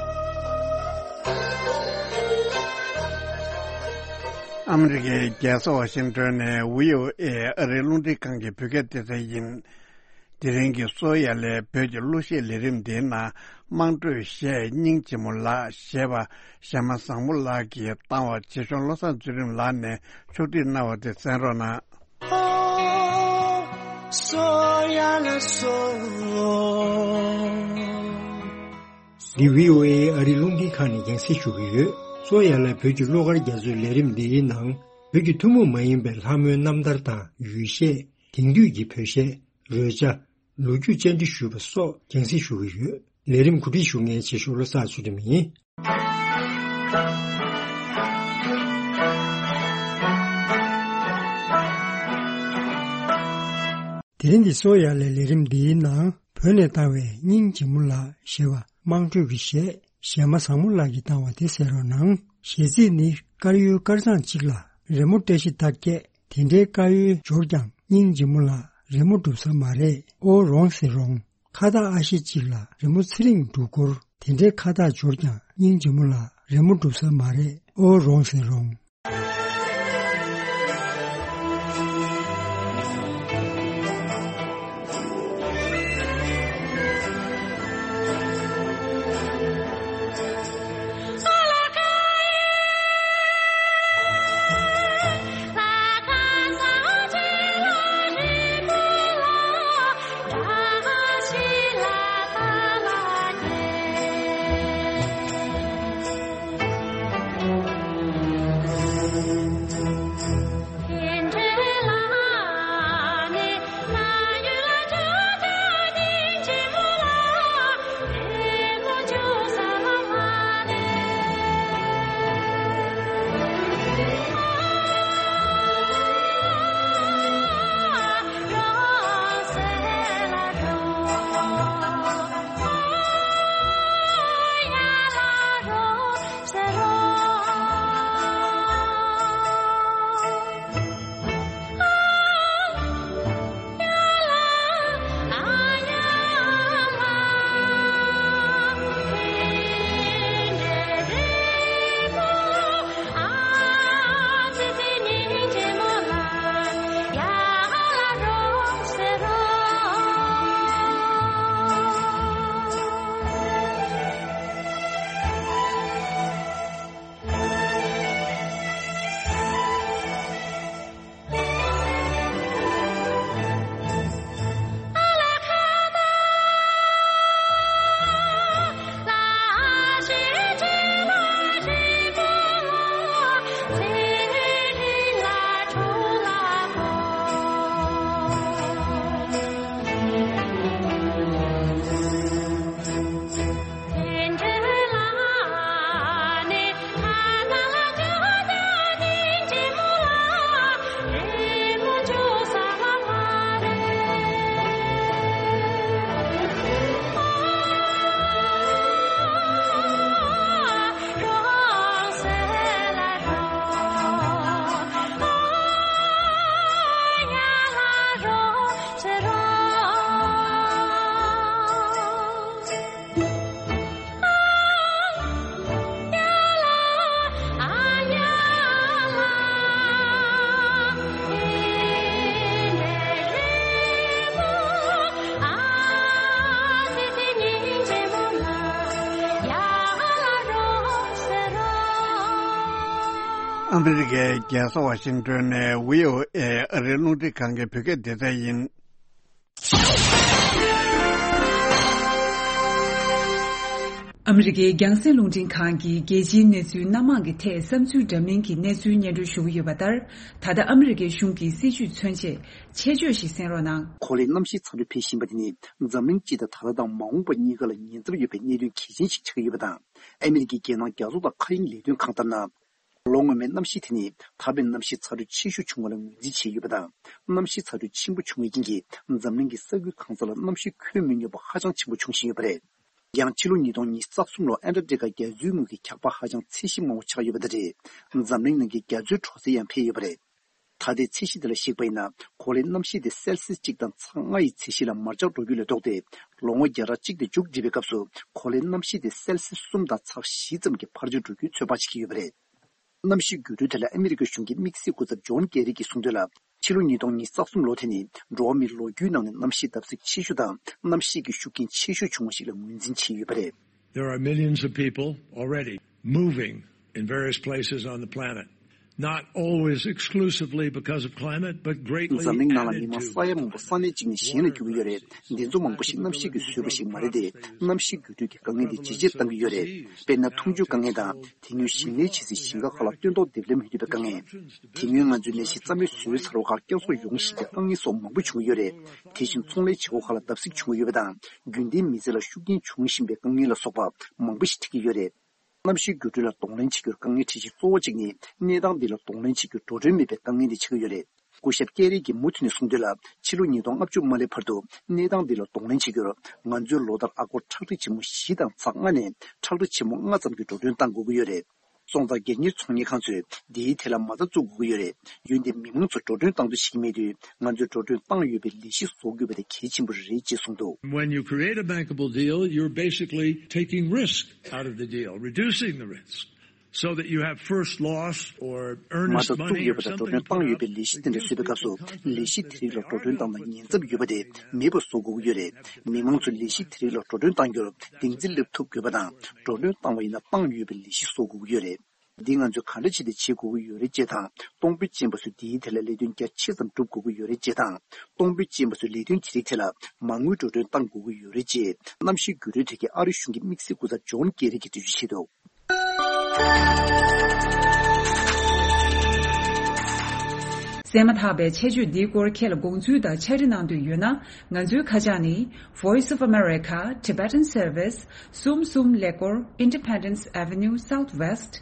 ཨ་མི་རི་ཀའི་རྒྱལ་ས་ཝ་ཤིང་ཏོན་ནས་བྷི་ཨོ་ཨེ་ཨ་རིའི་རླུང་འཕྲིན་ཁང་གི་བོད་སྐད་སྡེ་ཚན་ཡིན། དེ་རིང་གི་གསོ་ཡ་ལས་བོད་ཀྱི་གླུ་གཞས་ལས་རིམ་འདིའི་ནང་། དམངས་ཁྲོད་གཞས་སྙིང་རྗེ་མོ་ལགས་ཞེས་པ་གཞས་མ་བཟང་མོ་ལགས་ཀྱིས་བཏང་བ། རྗེ་གཞུང་བློ་བཟང་ཚུལ་ཁྲིམས་ལགས་ནས་ཕྱོགས་སྒྲིག་གནང་བ་དེ་གསན་རོགས་གནང་། འདི་བྷི་ཨོ་ཨེ་ཨ་རིའི་རླུང་འཕྲིན་ཁང་ནས་རྒྱང་སྲིང་ཞུ་གི་ཡོད། གསོ་ཡ་ལ་བོད་ཀྱི་གླུ་གར་རྒྱ་མཚོའི་ལས་རིམ་འདིའི་ནང་། བོད་ཀྱི་ཐུན་མོང་མ་ཡིན་པའི་ལྷ་མོའི་རྣམ་ཐར་དང་ཡུལ་གཞས། དེང་དུས་ཀྱི་བོད་གཞས། རོལ་ཆ། ལོ་རྒྱུས་བཅར་འདྲི་ཞུས་པ་སོགས་རྒྱང་སྲིང་ཞུ་གི་ཡོད། ལས་རིམ་གོ་སྒྲིག་ཞུ་མཁན་རྗེ་གཞུང་བློ་བཟང་ཚུལ་ཁྲིམས་ཡིན། དེ་རིང་གི་གསོ་ཡ་ལས་ལས་རིམ་འདིའི་ནང་། བོད་ནས་བཏང་བའི་སྙིང་རྗེ་མོ་ལགས་ཞེས་པ་དམངས་ཁྲོད་ཀྱི་གཞས། གཞས་མ་བཟང་མོ་ལགས་ཀྱིས་བཏང་བ་དེ་གསན་རོགས་གནང་། གཞས་ཚིག་ནི། དཀར་ཡོལ་དཀར་གཙང་གཅིག་ལ། རི་མོ་བཀྲ་ཤིས་རྟགས་བརྒྱད། དེ་འདྲའི་དཀར་ཡོལ་འབྱོར་ཀྱང་། སྙིང་རྗེ་མོ་ལགས་རི་མོ་སྒྲུབ་ས་མ་རེད། ཨོ་རོང་ཟེར་རོང་། ཁ་བཏགས་ཨ་ཤེ་གཅིག་ལ། རི་མོ་ཚེ་རིང་འབྲུག་སྐོར། དེ་འདྲའི་ཁ་བཏགས་འབྱོར་ཀྱང་། སྙིང་རྗེ་མོ་ལགས་རི་མོ་སྒྲུབ་ས་མ་རེད། ཨོ་རོང་ཟེར་རོང་། ཨ་མི་རི་ཀའི་རྒྱལ་ས་ཝ་ཤིང་ཏོན་ནས་བྷི་ཨོ་ཨེ་ཨ་རིའི་རླུང་འཕྲིན་ཁང་གི་བོད་སྐད་སྡེ་ཚན་ཡིན། ཨ་མི་རི་ཀའི་རྒྱང་སྲིང་རླུང་འཕྲིན་ཁང་གིས་རྒྱལ་སྤྱིའི་གནས་ཚུལ་སྣ་མང་གི་ཐད་བསམ་ཚུལ་འདྲ་མིན་གྱི་གནས་ཚུལ་སྙན་སྒྲོན་ཞུ་གི་ཡོད་པ་ལྟར། ད་ལྟ་ཨ་མི་རི་ཀའི་གཞུང་གི་སྲིད་བྱུས་མཚོན་ཆེད་ཆེད་བརྗོད་ཞིག་གསན་རོགས་གནང་། གོ་ལའི་གནམ་གཤིས་ཚ་དྲོད་འཕེལ་བཞིན་པ་དེ་ནི་འཛམ་གླིང་སྤྱི་དང་ད་ལྟ་དང་མ་འོངས་པ་གཉིས་ཀ་ལ་ཉེན་ཚབས་ཡོད་པའི་གནད་དོན་གལ་ཆེན་ཞིག་ཆགས་ཀྱི་ཡོད་པ་དང་། ཨ་མི་རི་ཀའི་རྒྱལ་ནང་རྒྱ་མཚོ་དང་མཁའ་དབྱིངས་ལས་དོན་ཁང་ལྟར་ན། ལོ་སྔོན་མའི་གནམ་གཤིས་དེ་ནི་ད་ཕན་གནམ་གཤིས་ཚ་དྲོད་ཆེ་ཤོས་བྱུང་བ་ལ་ངོས་འཛིན་བྱས་ཡོད་པ་དང་། གནམ་གཤིས་ཚ་དྲོད་ཆེན་པོ་བྱུང་བའི་རྐྱེན་གྱིས་འཛམ་གླིང་གི་ས་ཁུལ་གང་ས་ལ་གནམ་གཤིས་ཁོད་མི་སྙོམས་པ་ཧ་ཅང་ཆེན་པོ་འབྱུང་བཞིན་ཡོད་པ་རེད། ཡང་ཕྱི་ལོ་ཉིས་སྟོང་ཉི་ཤུ་རྩ་གསུམ་ལོར་ཨན་ཊར་ཀ་ཊི་ཀ་རྒྱ་མཚོའི་ངོས་ཀྱི་འཁྱག་པ་ཧ་ཅང་ཚད་གཞི་དམའ་བོ་ཆགས་ཡོད་པ་དང་འབྲེལ། འཛམ་གླིང་ནང་གི་རྒྱ་མཚོའི་དྲོ་ཚད་ཡང་འཕེལ་ཡོད་པ་རེད། ད་ལྟའི་ཚད་གཞི་དེ་ལ་གཞིགས་པ་ཡིན་ན། གོ་ལའི་གནམ་གཤིས་དེ་སེལ་སིས་གཅིག་དང་ཚེག་ལྔ་ཡི་ཚད་གཞི་ལ་མར་ཆག་འགྲོ་རྒྱུ་ལས་ལྡོག་སྟེ། ལོ་ངོ་བརྒྱ་ཕྲག་གཅིག་དེ་མཇུག་སྒྲིལ་བའི་སྐབས་སུ་གོ་ལའི་གནམ་གཤིས་དེ་སེལ་སིས་གསུམ་དང་ཚེག་བཞི་ཙམ་གྱི་འཕར་ཆག་འགྲོ་རྒྱུའི་ཚོད་དཔག་བྱེད་ཀྱི་ཡོད་པ་རེད། གནམ་གཤིས་འགྱུར་འགྲོས་དེ་ལ་ཨ་མི་རི་ཀའི་གཞུང་གི་དམིགས་བསལ་སྐུ་ཚབ་ཇོན་ཀེ་རི་གྱིས་གསུངས་དོན་ལ། ཕྱི་ལོ་ཉིས་སྟོང་ཉི་ཤུ་རྩ་གསུམ་ལོ་དེ་ནི་འགྲོ་བ་མིའི་ལོ་རྒྱུས་ནང་ནས་གནམ་གཤིས་བརྡབ་གསིག་ཆེ་ཤོས་དང་གནམ་གཤིས་ཀྱི་ཤུགས་རྐྱེན་ཆེ་ཤོས་བྱུང་བ་ཞིག་ལ་ངོས་འཛིན་བྱས་ཡོད་པ་རེད། There are millions of people already moving in various places on the planet, not always exclusively because of climate, but greatly འཛམ་གླིང་ནང་ལ་མི་མང་ས་ཡ་མང་པོ་ས་གནས་གཅིག་ནས་གཞན་ལ་བསྐྱོད་ཀྱི་ཡོད་རེད། འདི་ཚོ་མང་པོ་ཞིག་གནམ་གཤིས་ཀྱིས་བཟོས་པ་ཞིག་མ་རེད་དེ། གནམ་གཤིས་འགྱུར་འགྲོས་ཀྱི་དཀའ་ངལ་འདི་ཇེ་ཆེར་བཏང་གི་ཡོད་རེད། དཔེར་ན། འཐུང་ཆུའི་དཀའ་ངལ་དང་། དེ་སྔོན་ཞིང་ལས་བྱེད་སའི་ཞིང་ཁ་ཁག་ལ་སྟོན་ཐོག་འདེབས་ལེན་མི་ཐུབ་པའི་དཀའ་ངལ། དེ་སྔོན་ང་ཚོའི་ནད་གཞི་རྩ་མེད་བཟོས་ཚར་བ་ཁག་བསྐྱར་གསོ་ཡོང་བཞིན་པའི་དཀའ་ངལ་སོགས་མང་པོ་བྱུང་གི་ཡོད་རེད། དེ་བཞིན་ཚོང་ལས་བྱེད་སྒོ་ཁག་ལ་བརྡབ་གསིག་བྱུང་གི་ཡོད་པ་དང་། རྒྱུན་ལྡན་མི་ཚེ་ལ་ཤུགས་རྐྱེན་བྱུང་བཞིན་པའི་དཀའ་ངལ་ལ་སོགས་པ་མང་པོ་ཞིག་འཕྲད་ཀྱི་ཡོད་རེད། གནམ་གཤིས་འགྱུར་འགྲོས་ལ་གདོང་ལེན་བྱེད་རྒྱུར་དཀའ་ངལ་འཕྲད་གཞི་གཙོ་བོ་གཅིག་ནི། གནས་སྟངས་འདི་ལ་གདོང་ལེན་བྱེད་རྒྱུར་འགྲོ་གྲོན་མེད་པའི་དཀའ་ངལ་འདི་ཆགས་ཀྱི་ཡོད་རེད། སྐུ་ཞབས་ཀེ་རི་གིས་མུ་མཐུད་ནས་གསུངས་དོན་ལ། ཕྱི་ལོ་ཉིས་སྟོང་ལྔ་བཅུ་མ་སླེབས་བར་དུ་གནས་སྟངས་འདི་ལ་གདོང་ལེན་བྱེད་རྒྱུར། ང་ཚོས་ལོ་ལྟར་ཨ་སྒོར་ཁྲག་ཁྲིག་ཆེན་མོ་བཞི་དང་ཚེག་ལྔ་ནས་ཁྲག་ཁྲིག་ཆེན་མོ་ལྔ་ཙམ་གྱི་འགྲོ་གྲོན་གཏང་དགོས་ཀྱི་ཡོད་རེད། སོང་ཙང་སྒེར་གཉེར་ཚོང་གཉེར་ཁང་ཚོས་འདིའི་ཐད་ལ་མ་རྩ་བཙུགས་དགོས་ཀྱི་ཡོད་རེད། འོན་ཏེ་མི་མང་ཚོ་འགྲོ་གྲོན་གཏང་འདོད་བྱེད་ཀྱི་མེད་དུས། ང་ཚོས་འགྲོ་གྲོན་བཏང་ཡོད་པའི་ལས་གཞི་བཟོ་དགོས་པ་དེ་གལ་ཆེན་པོ་རེད་ཅེས་གསུངས་འདུག། When you create a bankable deal, you're basically taking risk out of the deal, reducing the risk, so that you have first loss or མ་earnest རྩ་བཙུགས་money ཡོད་or པ་དང་འགྲོ་གྲོན་something to put བཏང་ཡོད་པའི་out. ལས་གཞི་དེ་འདྲ་བཟོས་པའི་སྐབས་སུ། ལས་གཞི་དེ་རིགས་ལ་འགྲོ་གྲོན་བཏང་ན་ཉེན་ཚབས་ཡོད་པ་དེ་མེད་པ་བཟོ་དགོས་ཀྱི་ཡོད་རེད། མི་མང་ཚོས་ལས་གཞི་དེ་རིགས་ལ་འགྲོ་གྲོན་གཏང་རྒྱུར་གདེང་ཚོད་སླེབས་ཐུབ་དགོས་པ་དང་། འགྲོ་གྲོན་བཏང་བ་ཡིན་ན་བཏང་ཡོད་པའི་ལས་གཞི་བཟོ་དགོས་ཀྱི་ཡོད་རེད། འདི་ང་ཚོས་ག་འདྲ་བྱས་ཏེ་བྱེད་དགོས་ཀྱི་ཡོད་རེད་ཅེས་དང་། གཏོང་ཕོད་ཅན་པ་ཚོས་འདིའི་ཐད་ལ་ལས་དོན་རྒྱ་ཆེ་ཙམ་སྒྲུབ་དགོས་ཀྱི་ཡོད་རེད་ཅེས་དང་། གཏོང་ཕོད་ཅན་པ་ཚོས་ལས་དོན་དེ་རིགས་ཐད་ལ་མ་དངུལ་འགྲོ་གྲོན་གཏང་དགོས་ཀྱི་ཡོད་རེད་ཅེས། གནམ་གཤིས་འགྱུར་འགྲོས་ཐད་ཀྱི་ཨ་རིའི་གཞུང་གི་དམིགས་བསལ་སྐུ་ཚབ་ཇོན་ཀེ་རི་གིས་འགྲེལ་བརྗོད་བྱས་འདུག། གསན་མ་ཐག་པའི་ཆེད་བརྗོད་འདིའི་སྐོར་ཁྱེད་ལ་དགོངས་ཚུལ་དང་ཕྱག་བྲིས་གནང་འདོད་ཡོད་ན། ང་ཚོའི་ཁ་བྱང་ནི། Voice of America, Tibetan Service, གསུམ་གསུམ་ཀླད་ཀོར་Independence Avenue Southwest,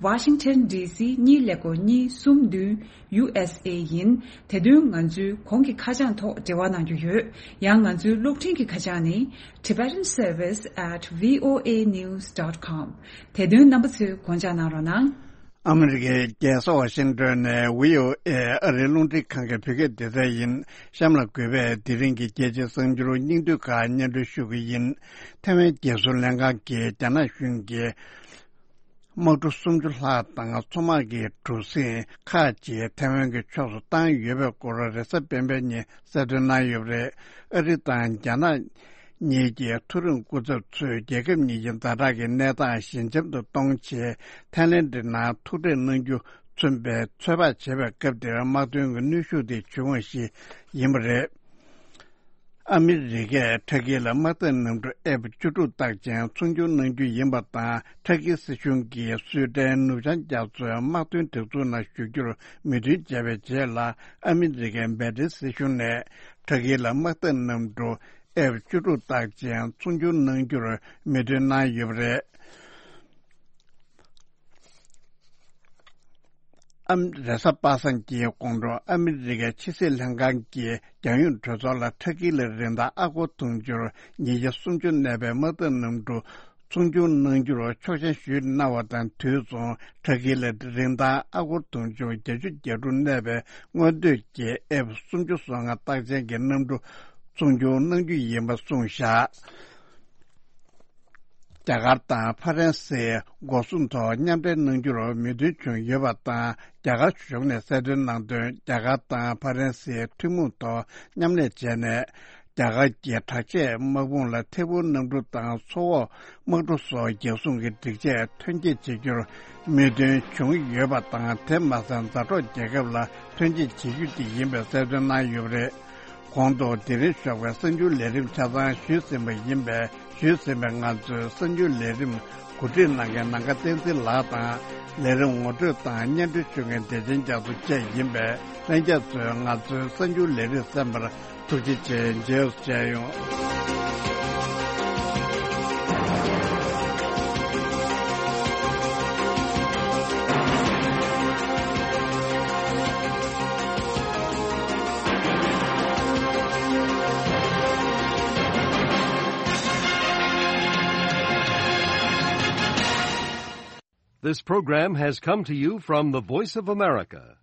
Washington D C གཉིས་ཀླད་ཀོར་གཉིས་གསུམ་བདུན། U S A ཡིན། དེ་དོན་ང་ཚོའི་གོང་གི་ཁ་བྱང་ཐོག་འབྲེལ་བ་གནང་རྒྱུ་ཡོད། ཡང་ང་ཚོའི་གློག་འཕྲིན་གྱི་ཁ་བྱང་ནི། Tibetan Service at V O A news dot com། དེ་དོན་རྣམ་པ་ཚོས་དགོངས་འཇགས་གནང་རོགས་གནང་། ཨ་མི་རི་ཀའི་རྒྱལ་ས་ཝ་ཤིང་ཏོན་ནས་V O A ཨ་རིའི་རླུང་འཕྲིན་ཁང་གི་བོད་སྐད་སྡེ་ཚན་ཡིན། གཤམ་ལ་གུས་པས་དེ་རིང་གི་རྒྱལ་སྤྱིའི་གསར་འགྱུར་སྙིང་བསྡུས་ཁག་སྙན་སྒྲོན་ཞུ་གི་ཡིན། ཐའེ་ཝན་རྒྱལ་སྲུང་ལྷན་ཁང་གིས་རྒྱ་ནག་གཞུང་གིས་དམག་གྲུ་སུམ་ཅུ་ལྷག་དང་མཚོ་དམག་གི་གྲུ་གཟིངས་ཁག་ཅིག་ཐའེ་ཝན་གྱི་ཕྱོགས་སུ་བཏང་ཡོད་པའི་སྐོར་རེས་གཟའ་སྤེན་པའི་ཉིན་གསལ་སྟོན་གནང་ཡོད་པ་རེད། ཨ་རི་དང་རྒྱ་ནག་གཉིས་ཀྱི་མཐོ་རིམ་སྐུ་ཚབ་ཚོས་རྒྱལ་ཁབ་གཉིས་ཀྱི་ཛ་དྲག་གི་གནས་སྟངས་ཞི་འཇམ་དུ་གཏོང་ཆེད་ཐའེ་ལེན་ཌི་ནང་ཐུག་འཕྲད་གནང་རྒྱུ་མཚོན་པའི་ཚོད་དཔག་བྱེད་པའི་སྐབས་དེར་དམག་དོན་གྱི་གནོན་ཤུགས་དེ་བྱུང་བ་ཞིག་ཡིན་པ་རེད། ཨ་མི་རི་ཀས་ཊར་ཀི་ལ་དམག་འཐབ་གནམ་གྲུ་ཨེཕ་བཅུ་དྲུག་རྟགས་ཅན་ཚོང་སྒྱུར་གནང་རྒྱུ་ཡིན་པ་དང་། ཊར་ཀི་སྲིད་གཞུང་གིས་སུའེ་ཏན་ནུབ་བྱང་རྒྱ་མཚོའི་དམག་དོན་སྒྲིག་འཛུགས་ནང་ཞུགས་རྒྱུར་མོས་མཐུན་བྱས་པའི་རྗེས་ལ། ཨ་མི་རི་ཀའི་འབར་ཏེ་སྲིད་གཞུང་ནས་ཊར་ཀི་ལ་དམག་འཐབ་གནམ་གྲུ་ཨེཕ་བཅུ་དྲུག་རྟགས་ཅན་ཚོང་སྒྱུར་གནང་རྒྱུར་མོས་མཐུན་གནང་ཡོད་པ་རེད། ཨམ། རེས་གཟའ་པ་སངས་ཀྱི་དགོང་དྲོ་ཨ་མི་རི་ཀའི་ཕྱི་སྲིད་ལྷན་ཁང་གིས་རྒྱལ་ཡོངས་གྲོས་ཚོགས་ལ་ཊར་ཀི་ལ་རིན་ཐང་ཨ་སྒོར་དུང་ཕྱུར་ཉིས་བརྒྱ་སུམ་ཅུ་གནས་པའི་དམག་འཐབ་གནམ་གྲུ་ཚོང་སྒྱུར་གནང་རྒྱུར་ཆོག་མཆན་ཞུས་གནང་བ་དང་། དུས་མཚུངས་ཊར་ཀི་ལ་རིན་ཐང་ཨ་སྒོར་དུང་ཕྱུར་བརྒྱད་ཅུ་གྱ་དྲུག་གནས་པའི་སྔོན་སྟོད་ཀྱི་ཨེཕ་སུམ་ཅུ་སོ་ལྔ་རྟགས་ཅན་གྱི་གནམ་གྲུ་ཚོང་སྒྱུར་གནང་རྒྱུ་ཡིན་པ་གསུངས་བཞག། རྒྱ་གར་དང་ཧྥ་རན་སིའི་སྒོ་སྲུང་ཐོག་མཉམ་འབྲེལ་གནང་རྒྱུར་མོས་མཐུན་བྱུང་ཡོད་པ་དང་། རྒྱ་གར་གཞུང་ནས་གསལ་སྟོན་གནང་དོན། རྒྱ་གར་དང་ཧྥ་རན་སིའི་ཐུན་མོང་ཐོག་མཉམ་ལས་བྱས་ནས། རྒྱ་གར་གྱི་དྲག་ཆས་དམག་དཔུང་ལ་ཐད་འཕུར་གནམ་གྲུ་དང་མཚོ་འོག་དམག་གྲུ་སོགས་རྒྱལ་སྲུང་གི་སྒྲིག་ཆས་ཐོན་སྐྱེད་བྱེད་རྒྱུར་མོས་མཐུན་བྱུང་ཡོད་པ་དང་། དེ་མ་ཟད། མཛའ་གྲོགས་རྒྱལ་ཁབ་ལ་ཐོན་སྐྱེད་བྱེད་རྒྱུ་དེ་ཡིན་པའི་གསལ་སྟོན་གནང་ཡོད་པ་རེད། གོང་དུ་དེ་རིང་ཞོགས་པའི་གསར་འགྱུར་ལས་རིམ་ཆ་ཚང་ཞུས་ཟིན་པ་ཡིན་པས། ཞུས་ཟིན་པའི་ང་ཚོའི་གསར་འགྱུར་ལས་རིམ་གོ་སྒྲིག་གནང་མཁན་ནམ་མཁའ་བསྟན་འཛིན་ལགས་དང་། ལས་རིམ་ངོ་སྤྲོད་དང་སྙན་སྒྲོན་ཞུ་མཁན་བདེ་ཆེན་རྒྱ་མཚོ་བཅས་ཡིན་པས། ལྷན་རྒྱས་ཚོས་ང་ཚོའི་གསར་འགྱུར་ལས་རིམ་གསན་པར་ཐུགས་རྗེ་ཆེ། མཇལ་ཡོང་། This program has come to you from the Voice of America,